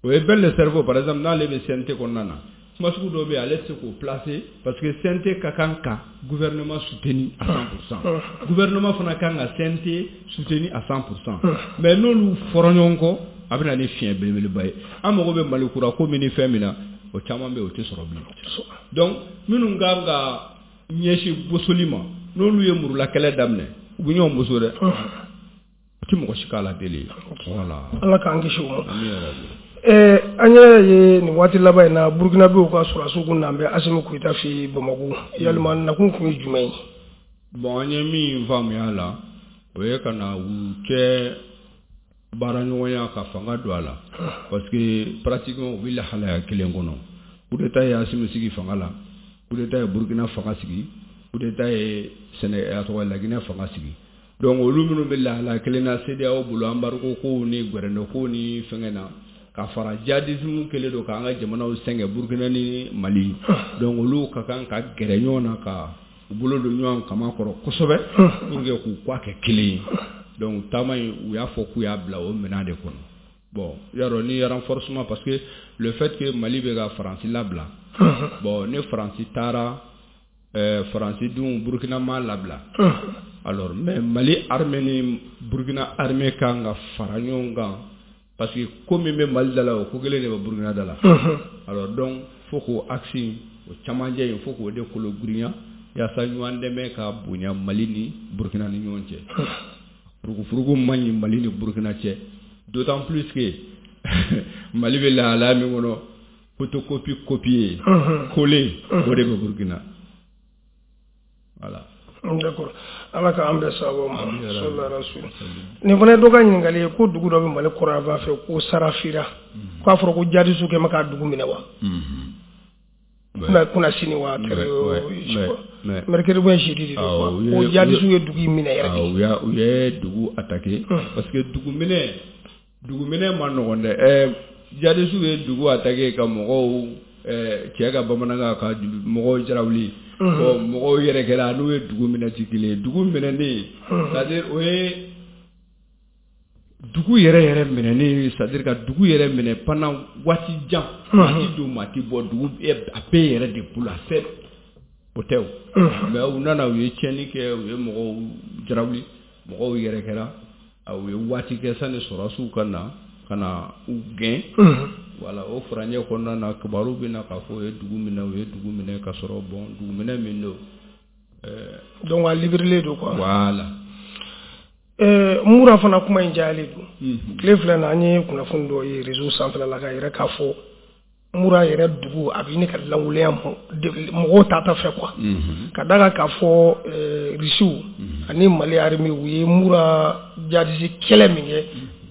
O ye Ben le cerveau par exemple, n'ale bɛ C N T kɔnɔna na, kuma sugu dɔw bɛ yen, ale tɛ se k'o placer, parce que C N T ka kan ka gouvernement soutenir à cent pour cent, gouvernement fana kan ka C N T soutenir à cent pour cent. Mais n'olu fɔra ɲɔgɔn kɔ, a bɛ na ni fiɲɛ belebeleba ye. An mago bɛ Mali kura ko min ni fɛn min na, o caman bɛ yen, o tɛ sɔrɔ bilen. Donc minnu kan ka ɲɛsin bosoli ma, n'olu ye murulakɛlɛ daminɛ, u bɛ ɲɔgɔn boso dɛ, o tɛ mɔgɔ si k'a la deli. Voilà. Ala k'an kisi o ma. Ami yarabi. Eh, an yɛrɛ ye nin waati laban in na, Burukinabew ka sɔrɔdasiw kun n'an bɛ Asimi Goyita fɛ Bamakɔ. Yalima nakun kun ye jumɛn ye? Bon, an ye min faamuya a la, o ye ka na u cɛ baaraɲɔgɔnya ka fanga don a la, parce que pratiquement u bɛ lahalaya kelen kɔnɔ. Coup d'état ye Asimi sigi fanga la, coup d'état ye Burukina fanga sigi, coup d'état ye Sɛnɛ a tɔgɔ Laginɛ fanga sigi. Donc olu minnu bɛ lahalaya kelen na, CEDEAO bolo embargo kow ni gɛrɛndɛ kow ni fɛngɛ na, ka fara djihadisme kɛlen don k'an ka jamanaw sɛgɛn, Burukina ni Mali. Donc olu ka kan ka gɛrɛ ɲɔgɔn na, ka u bolo don ɲɔgɔn kama kɔrɔ kosɛbɛ pour que k'u kɔ kɛ kelen ye. Donc taama in, u y'a fɔ k'u y'a bila o minɛn de kɔnɔ. Bon, yarɔ ni renforcement, parce que le fait que Mali bɛ ka Faransi labila, bon, ni Faransi taara, euh, Faransi dun Burukina ma labila. Alors mais Mali armée ni Burukina armée kan ka fara ɲɔgɔn kan, parce que ko min bɛ Mali da la, o ko kelen de bɛ Burukina da la. Alors donc fo k'o axe o camancɛ in, fo k'o de kolo girinya yaasa ɲɔgɔn dɛmɛ ka bonya Mali ni Burukina ni ɲɔgɔn cɛ. Furugufurugu man ɲi Mali ni Burukina cɛ, d'autant plus que Mali bɛ lahalaya min kɔnɔ, photocopie copier coller, o de bɛ Burukina, voilà. D'accord, Ala k'an bɛn sababu ma, sallallahu rasul. Nin fana ye dɔ ka ɲininkali ye ko dugu dɔ bɛ Mali kɔrɔnyanfan fɛ ko Sarafira, k'a fɔra ko jihadisiw kɛ ma k'a dugu minɛ wa kunna sini wa mercredi ou jeudi de don, ko jihadisiw ye dugu in minɛ yɛrɛ de. U y'a u ye dugu attaqué, parce que dugu minɛ dugu minɛ ma nɔgɔn dɛ. Ɛɛ jihadisiw ye dugu attaqué ka mɔgɔw cɛ ka bamanankan ka mɔgɔw jarawuli. Bon, mɔgɔw yɛrɛ kɛra n'u ye dugu minɛ ti kelen ye. Dugu minɛnen, c'est à dire o ye dugu yɛrɛ yɛrɛ minɛnen, c'est à dire ka dugu yɛrɛ minɛ pendant waati jan, maa ti don, maa ti bɔ, dugu a bɛɛ yɛrɛ de bolo a fɛ, o tɛ o. Mais u nana, u ye tiɲɛni kɛ, u ye mɔgɔw jarawuli, mɔgɔw yɛrɛ kɛra, u ye waati kɛ sani sɔrɔdasiw ka na ka na u gɛn. Voilà, o furancɛ kɔnɔna na, kibaru bɛ na k'a fɔ u ye dugu minɛ, u ye dugu minɛ ka sɔrɔ, bon, dugu minɛ min don. Donc a libéré don quoi. Voilà. ɛɛ Mura fana kuma in jayalen don. Tile filɛ na, an ye kunnafoni dɔ ye réseau sanfɛla la k'a yɛrɛ k'a fɔ Mura yɛrɛ dugu a bɛ ɲini ka lankolenya, mɔgɔw ta ta fɛ quoi, ka da kan k'a fɔ Risiw ani Mali armée u ye Mura jihadiste kɛlɛ min kɛ.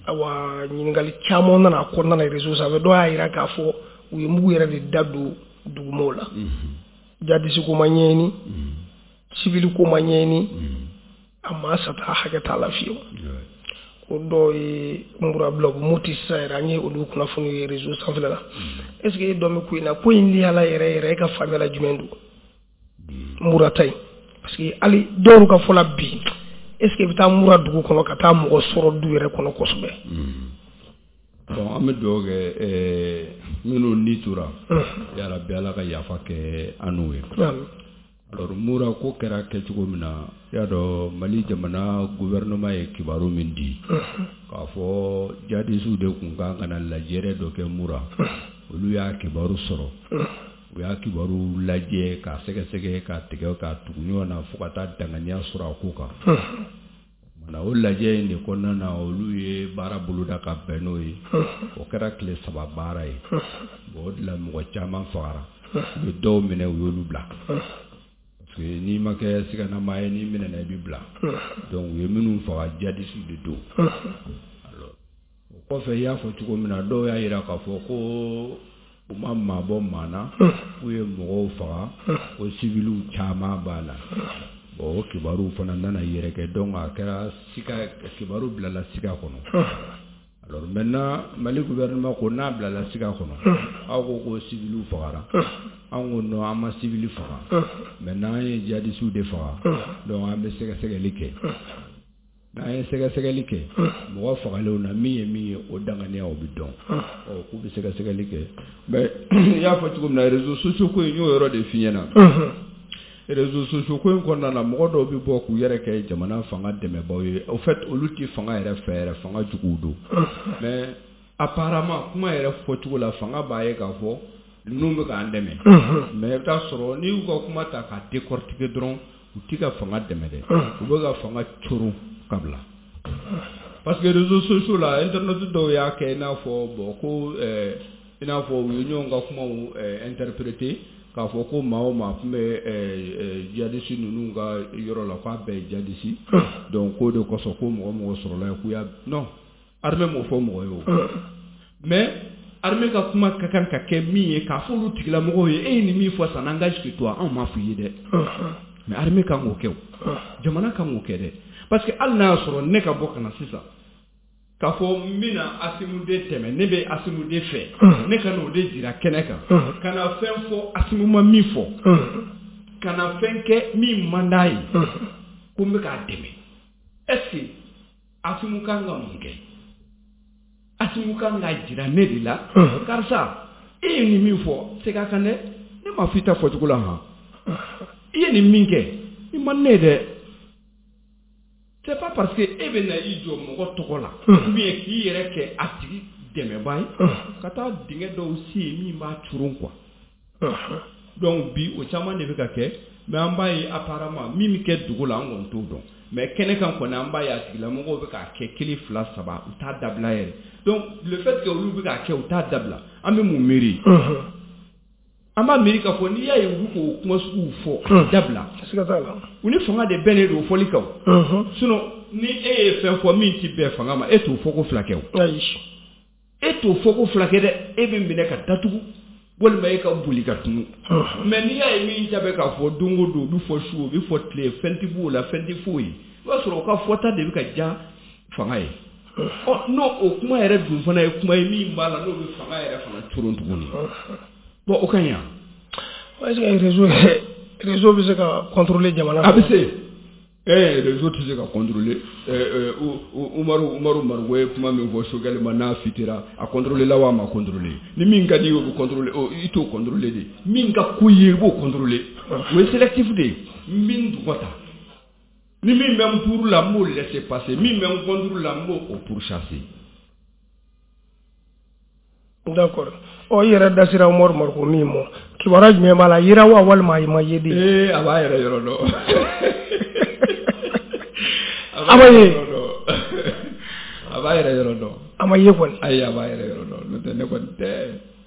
Awa, ɲininkali caman nana a kɔnɔna na réseau sanfɛ. Dɔw y'a jira k'a fɔ u ye mugu yɛrɛ de da don dugumɔw la, jihadiste ko ma ɲɛɲini, civil ko ma ɲɛɲini, a maa sata hakɛ t'a la fiyewu. Ko dɔw ye Mura bila u bɛ Moti sisan yɛrɛ, an ye olu kunnafoni ye réseau sanfɛla la. Est ce que e dɔn bɛ ko in na, ko in lihala yɛrɛ yɛrɛ, e ka faamuya la jumɛn don Mura ta in? Parce que hali dɔw ka fɔ la bi, est ce que i bɛ taa Mura dugu kɔnɔ ka taa mɔgɔ sɔrɔ du yɛrɛ kɔnɔ kosɛbɛ? Bon, an bɛ dugawu kɛ minnu ni tora, yarabi Ala ka yafa kɛ an n'u ye. Alors Mura ko kɛra kɛcogo min na, i y'a dɔn Mali jamana gouvernement ye kibaru min di k'a fɔ jihadisiw de tun kan ka na lajɛrɛ dɔ kɛ Mura, olu y'a kibaru sɔrɔ, u y'a kibaru lajɛ k'a sɛgɛsɛgɛ, k'a tigɛ k'a tugu ɲɔgɔn na fo ka taa danganiya sɔrɔ a ko kan. Mana o lajɛ in de kɔnɔna na, olu ye baara boloda ka bɛn n'o ye. O kɛra tile saba baara ye. Bon, o de la mɔgɔ caman fagara, u ye dɔw minɛ, u y'olu bila, parce que n'i ma kɛ siganama ye, n'i minɛna i bɛ bila. Donc u ye minnu faga, jihadisiw de don. Alors o kɔfɛ, i y'a fɔ cogo min na, dɔw y'a jira k'a fɔ ko u ma maa bɔ maa na, k'u ye mɔgɔw faga, ko civiliw caman b'a la. Bon, o kibaru fana nana yɛrɛkɛ, donc a kɛra sika, kibaru bilala sika kɔnɔ. Alors maintenant Mali gouvernement ko n'a bilala sika kɔnɔ, aw ko ko civiliw fagara, an ko non, an ma civil faga. Maintenant an ye jihadisiw de faga. Donc an bɛ sɛgɛsɛgɛli kɛ. N'an ye sɛgɛsɛgɛli kɛ mɔgɔ fagalenw na, min ye min ye, o danganiya o bɛ dɔn. Ɔ, k'u bɛ sɛgɛsɛgɛli kɛ. Mais i y'a fɔ cogo min na, réseaux sociaux ko in, n y'o yɔrɔ de f'i ɲɛna. Réseaux sociaux ko in kɔnɔna na, mɔgɔ dɔw bɛ bɔ k'u yɛrɛ kɛ jamana fanga dɛmɛbaaw ye. Au fait, olu tɛ fanga yɛrɛ fɛ yɛrɛ, fanga juguw don. Mais apparemment, kuma yɛrɛ fɔcogo la, fanga b'a ye k'a fɔ ninnu bɛ k'an dɛmɛ. Mais i bɛ taa sɔrɔ n'i y'u ka kuma ta k'a décortiquer dɔrɔn, u tɛ ka fanga dɛmɛ dɛ, u bɛ ka fanga coron ka bila. Parce que réseaux sociaux la, internet dɔw y'a kɛ i n'a fɔ bon ko ɛɛ i n'a fɔ u ye ɲɔgɔn ka kumaw interpréter k'a fɔ ko maa o maa tun bɛ djihadiste ninnu ka yɔrɔ la k'a bɛɛ ye djihadiste, donc k'o de kosɔn ko mɔgɔ mɔgɔ sɔrɔla yen k'u y'a non, armée m'o fɔ mɔgɔ ye o. Mais armée ka kuma ka kan ka kɛ min ye k'a fɔ olu tigilamɔgɔw ye, e ye nin min fɔ, ça n'engage que toi, anw m'a f'i ye dɛ. Mais armée kan k'o kɛ o, jamana kan k'o kɛ dɛ, parce que hali n'a y'a sɔrɔ ne ka bɔ ka na sisan k'a fɔ n bɛna Assimi de tɛmɛ, ne bɛ Assimi de fɛ, ne ka n'o de jira kɛnɛ kan, ka na fɛn fɔ Assimi ma min fɔ, ka na fɛn kɛ min man d'a ye, ko n bɛ k'a dɛmɛ, est-ce que Assimi kan ka mun kɛ? Assimi kan k'a jira ne de la, karisa e ye nin min fɔ, segin a kan dɛ, ne m'a fɔ i ta fɔcogo la han, i ye nin min kɛ i man ne ye dɛ. C'est pas parce que e bɛ na i jɔ mɔgɔ tɔgɔ la ou bien k'i yɛrɛ kɛ a tigi dɛmɛbaa ye ka taa dingɛ dɔw sen min b'a coron quoi. Donc bi o caman de bɛ ka kɛ, mais an b'a ye apparemment min bɛ kɛ dugu la an kɔni t'o dɔn, mais kɛnɛ kan kɔni an b'a ye a tigilamɔgɔw bɛ k'a kɛ kelen fila saba, u t'a dabila yɛrɛ. Donc le fait que olu bɛ k'a kɛ u t'a dabila, an bɛ mun miiri? An b'a miiri k'a fɔ n'i y'a ye u k'o kuma suguw fɔ dabila, u ni fanga de bɛnnen don fɔli kan o. Sinon ni e ye fɛn fɔ min ti bɛn fanga ma, e t'o fɔ ko fila kɛ o. E t'o fɔ ko fila kɛ dɛ, e bɛ minɛ ka datugu walima e ka boli ka tunu. Mais n'i y'a ye min ta bɛ k'a fɔ don o don, o bɛ fɔ su, o bɛ fɔ tile, fɛn tɛ b'o la, fɛn tɛ foyi ye, i b'a sɔrɔ o ka fɔta de bɛ ka diya fanga ye. Ɔ n'o o kuma yɛrɛ dun fana ye kuma ye min b'a la n'o bɛ fanga yɛrɛ fana coron tuguni. Bon o ka ɲi wa? Est-ce que réseau réseau bɛ se ka contrôler jamana? A bɛ se. Eh réseau tɛ se ka contrôler. Eh Umaru Umaru Mariko ye kuma min fɔ Sogɛli ma n'a fitira, a contrôler la wa a ma contrôler? Ni min ka di ye o bɛ contrôler, i t'o contrôler de. Min ka ko ye i b'o contrôler. O ye sélectif de ye. N bɛ n tɔgɔ ta. Ni min bɛ n pour la, n b'o laisser passer. Min bɛ n contre la, n b'o o pourchasser. D'accord. Ɔ i yɛrɛ da sera Umaru Mariko min ma, kibaruya jumɛn b'a la, yera wa walima a ma ye de? Ee a b'a yɛrɛ yɔrɔ dɔn. A ma ye. A b'a yɛrɛ yɔrɔ dɔn. A ma ye kɔni. Ayi a b'a yɛrɛ yɔrɔ dɔn, n'o tɛ ne kɔni tɛ.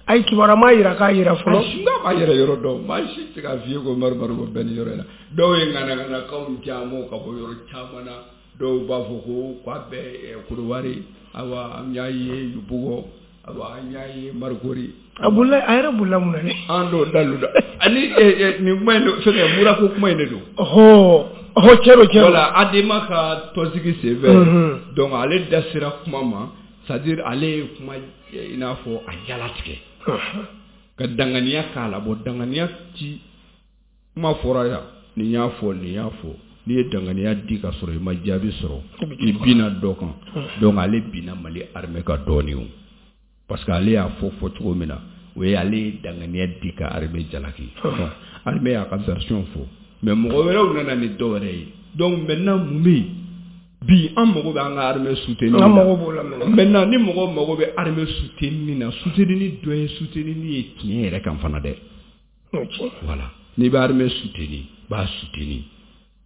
Ayi kibaruya ma yira k'a yira fɔlɔ. Ayi n'a b'a yɛrɛ yɔrɔ dɔn, maa si tɛ se k'a f'i ye ko Umaru Mariko bɛ nin yɔrɔ in na. Dɔw ye ŋanaŋanakanw caman ka bɔ yɔrɔ caman na, dɔw b'a fɔ ko k'a bɛ Kodowari, awa an y'a ye Yopougon, awa an y'a ye Marikori. A bolila, a yɛrɛ bolila mun na dɛ? An d'o dalu da. Ani nin kuma in fɛngɛ murako kuma in de don. Ɔhɔ ɔhɔ cɛ don cɛ don. Voilà Adema ka tɔnsigi senfɛ. Donc ale da sera kuma ma, c'est à dire ale ye kuma i n'a fɔ a jalatigɛ. Ka danganiya k'a la, bon danganiya ti kuma fɔra yan, nin y'a fɔ nin y'a fɔ, n'i ye danganiya di ka sɔrɔ i ma jaabi sɔrɔ, i binna dɔ kan. Donc ale binna Mali armée ka dɔɔnin o. Parce que ale y'a fɔ fɔ cogo min na, o ye ale ye danganiya di ka armée jalaki. Armée y'a ka version fɔ, mais mɔgɔ wɛrɛw nana ni dɔ wɛrɛ ye. Donc maintenant mun bɛ yen bi, an mago bɛ an ka armée soutenir na. An mago b'o la maintenant. Maintenant ni mɔgɔw mago bɛ armée soutenir na, soutenir dɔ ye soutenir ye tiɲɛ yɛrɛ kan fana dɛ. Voilà, n'i bɛ armée soutenir, b'a soutenir,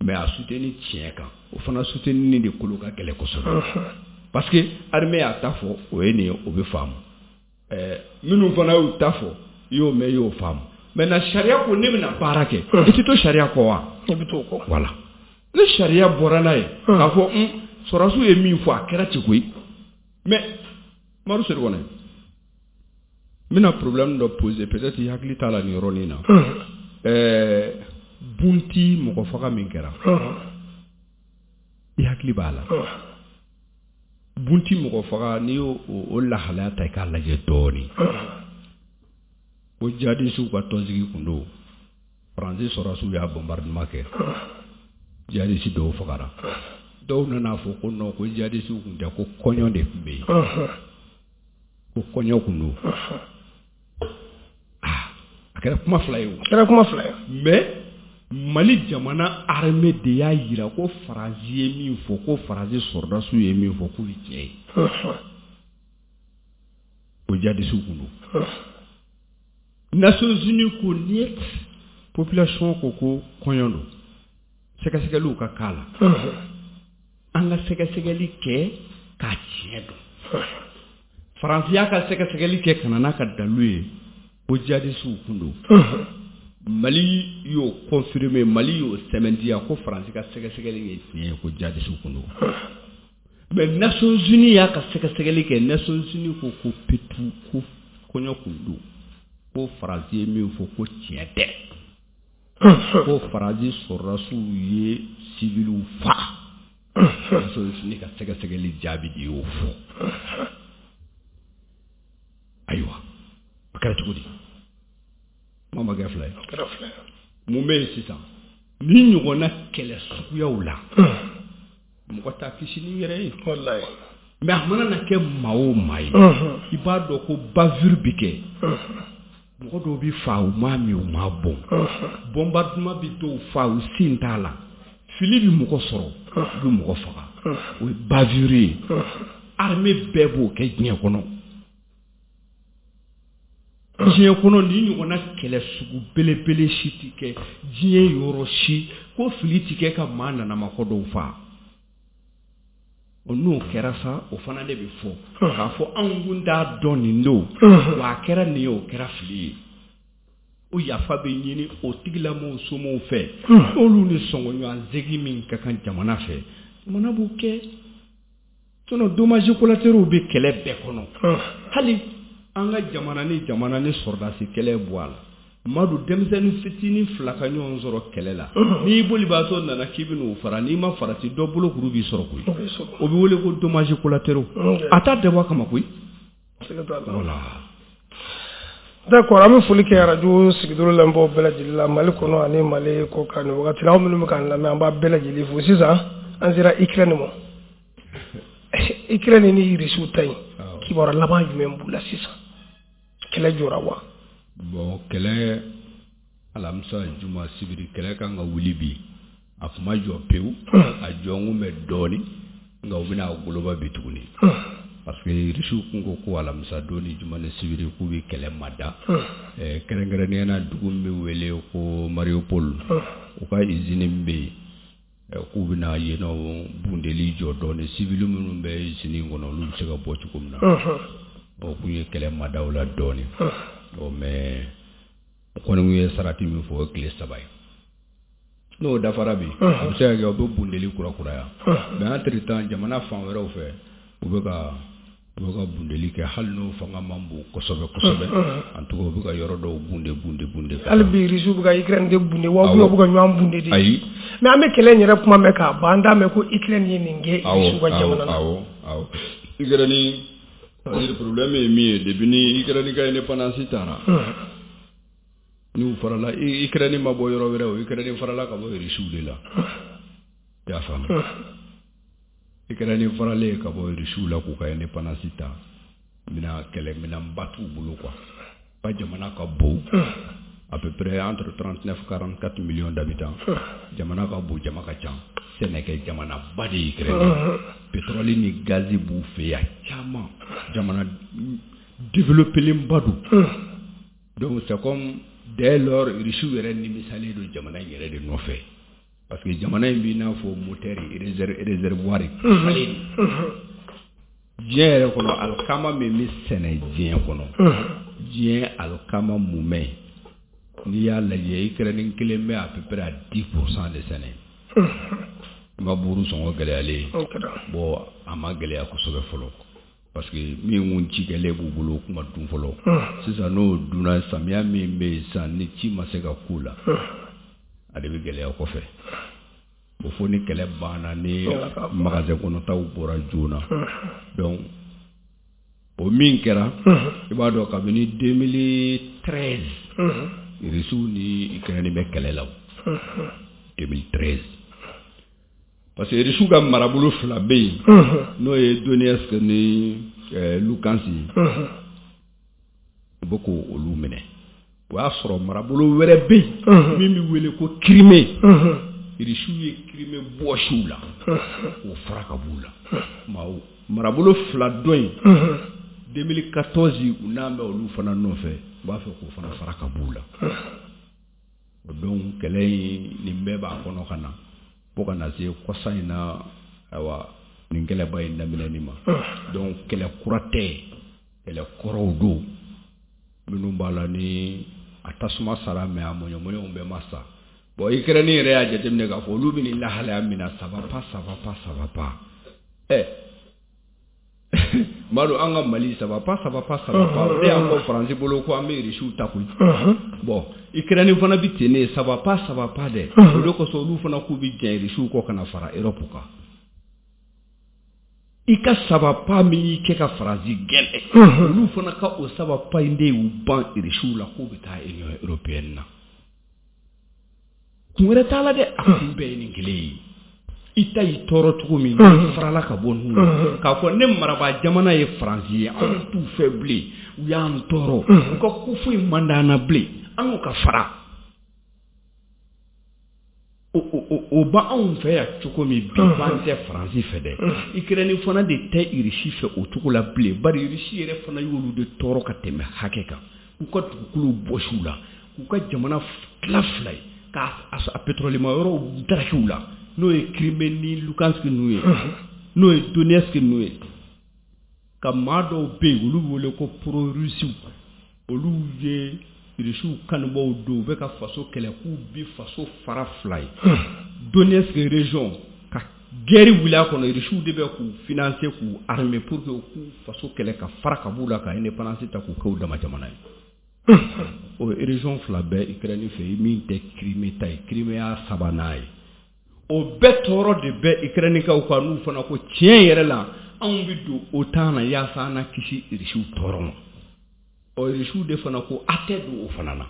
mais a soutenir tiɲɛ kan, o fana soutenir de kolo ka gɛlɛn kosɛbɛ. Parce que armée y'a ta fɔ, o ye nin ye, o bɛ faamu. Ɛɛ minnu fana y'u ta fɔ, i y'o mɛn, i y'o faamu. Maintenant sariya ko ne bɛna baara kɛ, i tɛ to sariya kɔ wa? I bɛ t'o kɔ. Voilà. Ni sariya bɔra n'a ye, k'a fɔ un sɔrɔdasiw ye min fɔ a kɛra ten koyi. Mais Umaru Sedu kɔnɛ, n bɛna problème dɔ poser, peut-être i hakili t'a la nin yɔrɔnin na. Ɛɛ Bunti mɔgɔ faga min kɛra, i hakili b'a la. Bunti mɔgɔ faga, n'i y'o o lahalaya ta i k'a lajɛ dɔɔnin. Ko jihadisiw ka tɔnsigi kun don, Faransi sɔrɔdasiw y'a bombardement kɛ, jihadisi dɔw fagara. Dɔw nana fɔ ko non, ko jihadisiw kun tɛ, ko kɔɲɔ de tun bɛ yen, ko kɔɲɔ kun don. Ah, a kɛra kuma fila ye o. A kɛra kuma fila ye. Mais Mali jamana armée de y'a yira ko Faransi ye min fɔ, ko Faransi sɔrɔdasiw ye min fɔ, k'o ye tiɲɛ ye. Ko jihadisiw kun don. Nations Unies ko niet, population ko ko kɔɲɔ don. Sɛgɛsɛgɛliw ka k'a la. An ka sɛgɛsɛgɛli kɛ k'a tiɲɛ dɔn. Faransi y'a ka sɛgɛsɛgɛli kɛ ka na n'a ka dalu ye ko jihadisiw kun don. Mali y'o confirmer, Mali y'o sɛmɛntiya ko Faransi ka sɛgɛsɛgɛli ye tiɲɛ ye ko jihadisiw kun don. Mais Nations Unies y'a ka sɛgɛsɛgɛli kɛ, Nations Unies ko ko petu ko kɔɲɔ kun don, ko Faransi ye min fɔ ko tiɲɛ tɛ, ko Faransi sɔrɔdasiw ye civiliw faga. Nations Unies ka sɛgɛsɛgɛli jaabi de y'o fɔ. Ayiwa, a kɛra cogo di? Kuma ma kɛ fila ye. Mun bɛ yen sisan? Ni ɲɔgɔnna kɛlɛ suguyaw la, mɔgɔ t'a kisi n'i yɛrɛ ye. Walayi. Mais a mana na kɛ maa o maa ye, i b'a dɔn ko bavure bi kɛ. Mɔgɔ dɔw bi fa u m'a min u m'a bɔn. Bombardement bi dɔw fa u sen t'a la. Fili bi mɔgɔ sɔrɔ, u bi mɔgɔ faga. O ye bavure ye. Armée bɛɛ b'o kɛ diɲɛ kɔnɔ. Diɲɛ kɔnɔ ni ɲɔgɔnna kɛlɛ sugu belebele si ti kɛ diɲɛ yɔrɔ si ko fili ti kɛ ka maa nanamakɔ dɔw fa. O n'o kɛra sa, o fana de bɛ fɔ k'a fɔ anw kun t'a dɔn nin don, wa a kɛra nin ye, o kɛra fili ye. O yafa bɛ ɲini o tigilamɔgɔw somɔgɔw fɛ, n'olu ni sɔngɔɲɔgɔn min ka kan jamana fɛ, jamana b'o kɛ. Sinon dommages collatéraux bɛ kɛlɛ bɛɛ kɔnɔ. Hali an ka jamana ni jamana ni sɔrɔdasi kɛlɛ bɔ a la. Madu, denmisɛnnin fitinin fila ka ɲɔgɔn sɔrɔ kɛlɛ la, n'i bolibaatɔ nana k'i bɛ n'o fara, n'i ma farati dɔ bolo kuru b'i sɔrɔ koyi. O bɛ wele ko dommages collatéraux. A t'a dabɔ a kama koyi. Voilà. D'accord, an bɛ foli kɛ arajo sigidoro lamɛnbaaw bɛɛ lajɛlen la Mali kɔnɔ ani Mali kɔkan nin wagati la. Aw minnu bɛ k'an lamɛn, an b'a bɛɛ lajɛlen fo. Sisan an sera Ukraine ma. Ukraine ni Irisiw ta in, kibaruya laban jumɛn b'u la sisan? Kɛlɛ jɔra wa? Bon, kɛlɛ alamisa, juma, sibiri, kɛlɛ kan ka wuli bi. A kuma ma jɔ pewu, a jɔnkun bɛ dɔɔnin, nka u bɛna a goloba bi tuguni. Parce que Irisiw kun ko ko alamisa don ni juma ni sibiri k'u bɛ kɛlɛ mada. Kɛrɛnkɛrɛnnenya la, dugu min bɛ wele ko Mariupol, u ka usine min bɛ yen, k'u bɛna yen nɔ bundeli jɔ dɔɔnin, civil minnu bɛ usine kɔnɔ olu bɛ se ka bɔ cogo min na. O kun ye kɛlɛ madaw la dɔɔnin. Bon, mais o kɔni ye sarati min fɔ, o ye tile saba ye. N'o dafara bi, a bɛ se ka kɛ u bɛ bundeli kurakuraya. Mais entre temps, jamana fan wɛrɛw fɛ, u bɛ ka u bɛ ka bundeli kɛ, hali n'o fanga man bon kosɛbɛ kosɛbɛ. En tout cas, u bɛ ka yɔrɔ dɔw bunde bunde bunde. Hali bi Irisiw bɛ ka Ukraine de bunde wa, u bɛ ka ɲɔgɔn bunde de? Ayi. Mais an bɛ kɛlɛ in yɛrɛ kuma mɛn k'a ban, an t'a mɛn ko Ukraine ye nin kɛ Irisiw ka jamana na. Awɔ, awɔ. Ukraine, c'est-à-dire problème ye min ye, depuis ni Ukraine ka indépendance taara, n'u farala, Ukraine ma bɔ yɔrɔ wɛrɛ, o Ukraine farala ka bɔ Irisiw de la. I y'a faamu? Ukraine faralen ka bɔ Irisiw la k'u ka indépendance ta, mina kɛlɛ minɛnba t'u bolo quoi. Ka jamana ka bon, à peu près entre trente-neuf quarante-quatre millions d'habitants. Jamana ka bon, jama ka ca. Sɛnɛkɛ jamanaba de ye Ukraine. Pétrole ni gazi b'u fɛ yan caman. Jamana développélenba don. Donc c'est comme dès lors Irisiw yɛrɛ nimisalen don jamana in yɛrɛ de nɔfɛ. Parce que jamana in b'i n'a fɔ moteur réservoir falen. Diɲɛ yɛrɛ kɔnɔ, alikama min bɛ sɛnɛ diɲɛ kɔnɔ, diɲɛ alikama mumɛ, n'i y'a lajɛ, Ukraine kelen bɛ à peu près à dix pour cent de sɛnɛ. N ka buru sɔngɔ gɛlɛyalen, bon, a ma gɛlɛya kosɛbɛ fɔlɔ, parce que min kun cikɛlen b'u bolo, o kun ma dun fɔlɔ. Sisan n'o dunna, samiya min bɛ yen sisan, ni ci ma se ka k'u la, a de bɛ gɛlɛya kɔfɛ. O fo ni kɛlɛ banna, ni magasin kɔnɔtaw bɔra joona. Donc o min kɛra, i b'a dɔn kabini deux mille treize Irisiw ni Ukraine bɛ kɛlɛ la, deux mille treize. Parce que Irisiw ka marabolo fila bɛ yen, n'o ye Donetsk ni Luhansk ye, u bɛ k'olu minɛ. O y'a sɔrɔ marabolo wɛrɛ bɛ yen min bɛ wele ko Crimée. Irisiw ye Crimée bɔsi u la k'o fara ka b'u la. Marabolo fila dɔ in, deux mille quatorze u n'an bɛ olu fana nɔfɛ, u b'a fɛ k'o fana fara ka b'u la. O donc kɛlɛ in nin bɛɛ b'a kɔnɔ ka na fo ka na se kɔsa in na. Ayiwa, Nin kɛlɛba in daminɛni ma. Donc kɛlɛ kura tɛ, kɛlɛ kɔrɔw don minnu b'a la ni a tasuma sara, mais a mɔɲɔmɔɲɔw bɛɛ ma sa. Bon, Ukraine yɛrɛ y'a jateminɛ k'a fɔ olu bɛ nin lahalaya min na, ça va pas, ça va pas, ça va pas. Ɛ Madu, an ka Mali, ça va pas, ça va pas, ça va pas. O de y'an fɔ Faransi bolo ko an bɛ Irisiw ta koyi. Bon, Ukraine fana bɛ ten de, ça va pas, ça va pas dɛ. O de kosɔn olu fana k'u bɛ jɛn Irisiw kɔ ka na fara Europe kan. I ka ça va pas min y'i kɛ ka Faransi gɛn, olu fana ka o ça va pas in de y'u ban Irisiw la k'u bɛ taa Union européenne na. Kun wɛrɛ t'a la dɛ, a kun bɛɛ ye nin kelen ye. I ta y'i tɔɔrɔ cogo min, farala ka bɔ ninnu na k'a fɔ ne marabaa jamana ye Faransi ye, anw t'u fɛ bilen, u y'an tɔɔrɔ, u ka ko foyi man d'an na bilen, an n'u ka fara. O o o b'anw fɛ yan cogo min bi, b'an tɛ Faransi fɛ dɛ. Ukraine fana de tɛ Irisi fɛ o cogo la bilen, bari Irisi yɛrɛ fana y'olu de tɔɔrɔ ka tɛmɛ hakɛ kan, k'u ka dugukolow bɔsi u la, k'u ka jamana tila fila ye, k'a a pétrole ma yɔrɔw daraki u la, n'o ye Crimée ni Lugansk ninnu ye, n'o ye Donetsk ninnu ye. Ka maa dɔw bɛ yen, olu bɛ wele ko pro-russiw, olu ye Irisiw kanubaw don, u bɛ ka faso kɛlɛ k'u bi faso fara fila ye. Donetsk région ka guerre wuli a kɔnɔ, Irisiw de bɛ k'u financer, k'u armer pour que k'u faso kɛlɛ ka fara ka b'u la, ka indépendance ta k'u kɛ u dama jamana ye. O région fila bɛɛ Ukraine fɛ yen, min tɛ Crimée ta ye, Crimée y'a sabanan ye. O bɛɛ tɔɔrɔ de bɛ Ukrainekaw kan, n'u fana ko tiɲɛ yɛrɛ la anw bɛ don OTAN na yaasa an na kisi Irisiw tɔɔrɔ ma. Ɔ Irisiw de fana ko a tɛ don o fana na,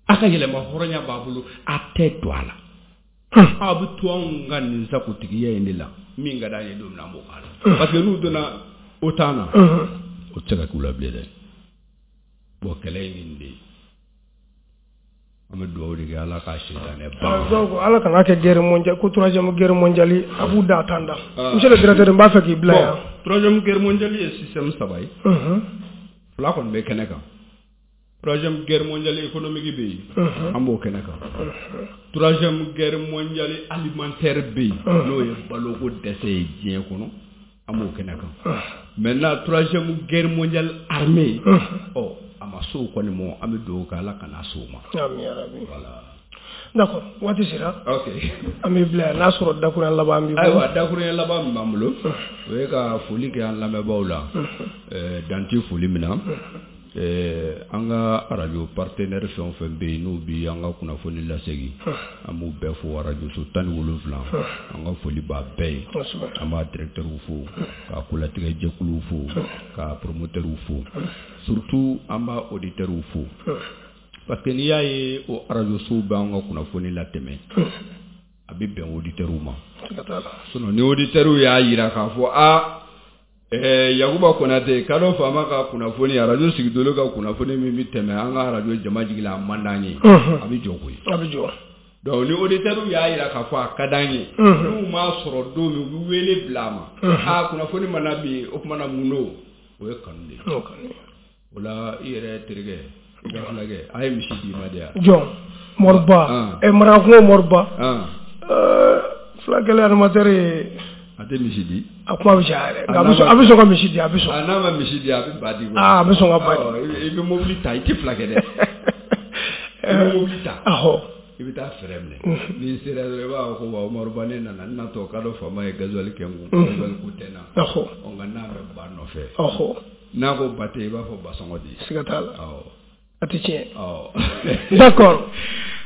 a ka yɛlɛma hɔrɔnya b'a bolo, a tɛ don a la, aw bɛ to anw ka nin sagotigiya in de la, min ka d'an ye don min na an b'o k'a la. Parce que n'u donna OTAN na, o tɛ se ka k'u la bilen dɛ. Bon, kɛlɛ in nin de ye, an bɛ dugawu de kɛ Ala k'a sitanɛ ban. Donc Ala kana kɛ guerre mondiale, ko troisième guerre mondiale a b'u da tan da. Monsieur le directeur, n b'a fɛ k'i bila yan. Troisième guerre mondiale ye système saba ye. Fila kɔni bɛ kɛnɛ kan. Troisième guerre mondiale économique bɛ yen, an b'o kɛnɛ kan. Troisième guerre mondiale alimentaire bɛ yen, n'o ye baloko dɛsɛ ye diɲɛ kɔnɔ, an b'o kɛnɛ kan. Maintenant, troisième guerre mondiale armée, ɔ a ma s'o kɔni ma, an bɛ dugawu kɛ Ala kana s'o ma. Ami yarabi. Voilà. D'accord, waati sera. Ok. An bɛ bila yan, n'a sɔrɔ dakurunya laban b'i bolo. Ayiwa, dakurunya laban min b'an bolo, o ye ka foli kɛ an lamɛnbaaw la, dan tɛ foli min na. An ka arajo partenaire fɛn o fɛn bɛ yen n'u bi an ka kunnafoni lasegin, an b'u bɛɛ fo, arajo so tan ni wolonwula, an ka foli b'a bɛɛ ye. An b'a directeur fo, k'a kolatigɛ jɛkuluw fo, k'a promoteur fo, surtout an b'a auditeur fo. Parce que n'i y'a ye o arajo sow bɛ an ka kunnafoni latɛmɛ, a bɛ bɛn auditeur ma. Sinon ni auditeur y'a jira k'a fɔ a Eh, Yakuba Konate kadɔ faama ka kunnafoni, arajo sigidolo ka kunnafoni min bɛ tɛmɛ an ka arajo jama jigi la, a man d'an ye, a bɛ jɔ koyi. A bɛ jɔ. Donc ni auditeur y'a jira k'a fɔ a ka d'an ye, n'u m'a sɔrɔ don min, u bɛ wele bila a ma, a kunnafoni ma na bi, o tuma na mun don, o ye kanu de ye. O la i yɛrɛ terikɛ, i ka fulakɛ, a ye misi d'i ma de yan. Jɔn Moriba, ɛ Marakungo Moriba, fulakɛlɛ animateur ye. A tɛ misi di. A kuma bɛ caya yɛrɛ, nka a bɛ sɔn ka misi di, a bɛ sɔn. A n'a ma misi di, a bɛ ba di. Aa, a bɛ sɔn ka ba di. I bɛ mobili ta, i tɛ fila kɛ dɛ. I bɛ mobili ta. Ahɔ. I bɛ taa fɛrɛ minɛ. N'i sera dɔrɔn, i b'a fɔ ko wa Umaru Ba, ne nana, n natɔ k'a dɔn faama ye gasoil kɛ n kun, gasoil ko tɛ n na. Ɔhɔ. Ɔ nka n'a bɛ ba nɔfɛ. Ɔhɔ. N'a ko ba tɛ, i b'a fɔ ba sɔngɔ di. Siga t'a la. Awɔ. A tɛ tiɲɛ. Awɔ. D'accord.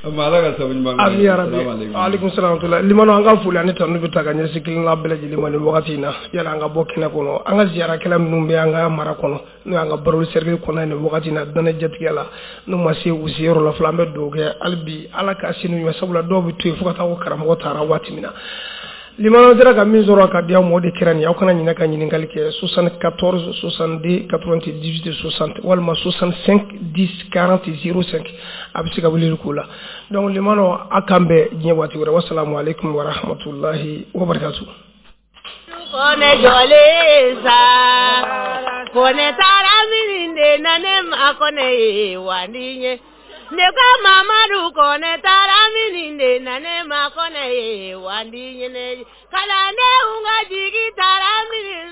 Ala ka sabu ɲuman kɛ. Ami yarabi. Aleykum salaam wa limano, an ka foli ani tanu bɛ ta ka ɲɛsin kelenna bɛɛ lajɛlen ma nin wagati in na. Yala an ka bɔ kɛnɛ kɔnɔ, an ka ziyarakɛla minnu bɛ an ka mara kɔnɔ, n'o y'an ka Baroli cercle kɔnɔ nin wagati in na, danɛ jatigɛ la, n'u ma se u seyɔrɔ la fɔlɔ, an bɛ dugawu kɛ hali bi Ala ka se n'u ɲɛ, sabula dɔw bɛ to yen fo ka taa ko karamɔgɔ taara waati min na. Limano sera ka min sɔrɔ ka di aw ma, o de kɛra nin ye. Aw kana ɲinɛ ka ɲininkali kɛ soixante-quatorze soixante-deux quatre-vingt-dix-huit soixante walima soixante-cinq dix quarante zéro cinq, a bɛ se ka weleli k'o la. Donc limano, a k'an bɛn diɲɛ waati wɛrɛ. Wassalamu alaikum wa rahmatullahi wa barakatuh. Kone jɔlen sa, kone taara min de na ne ma kone ye wa ni ye. Ne ko Mamadu Kɔnɛ taara min de na ne ma kɔnɛ ye wandi ɲɛnɛ kalandenw ka jigi taara min.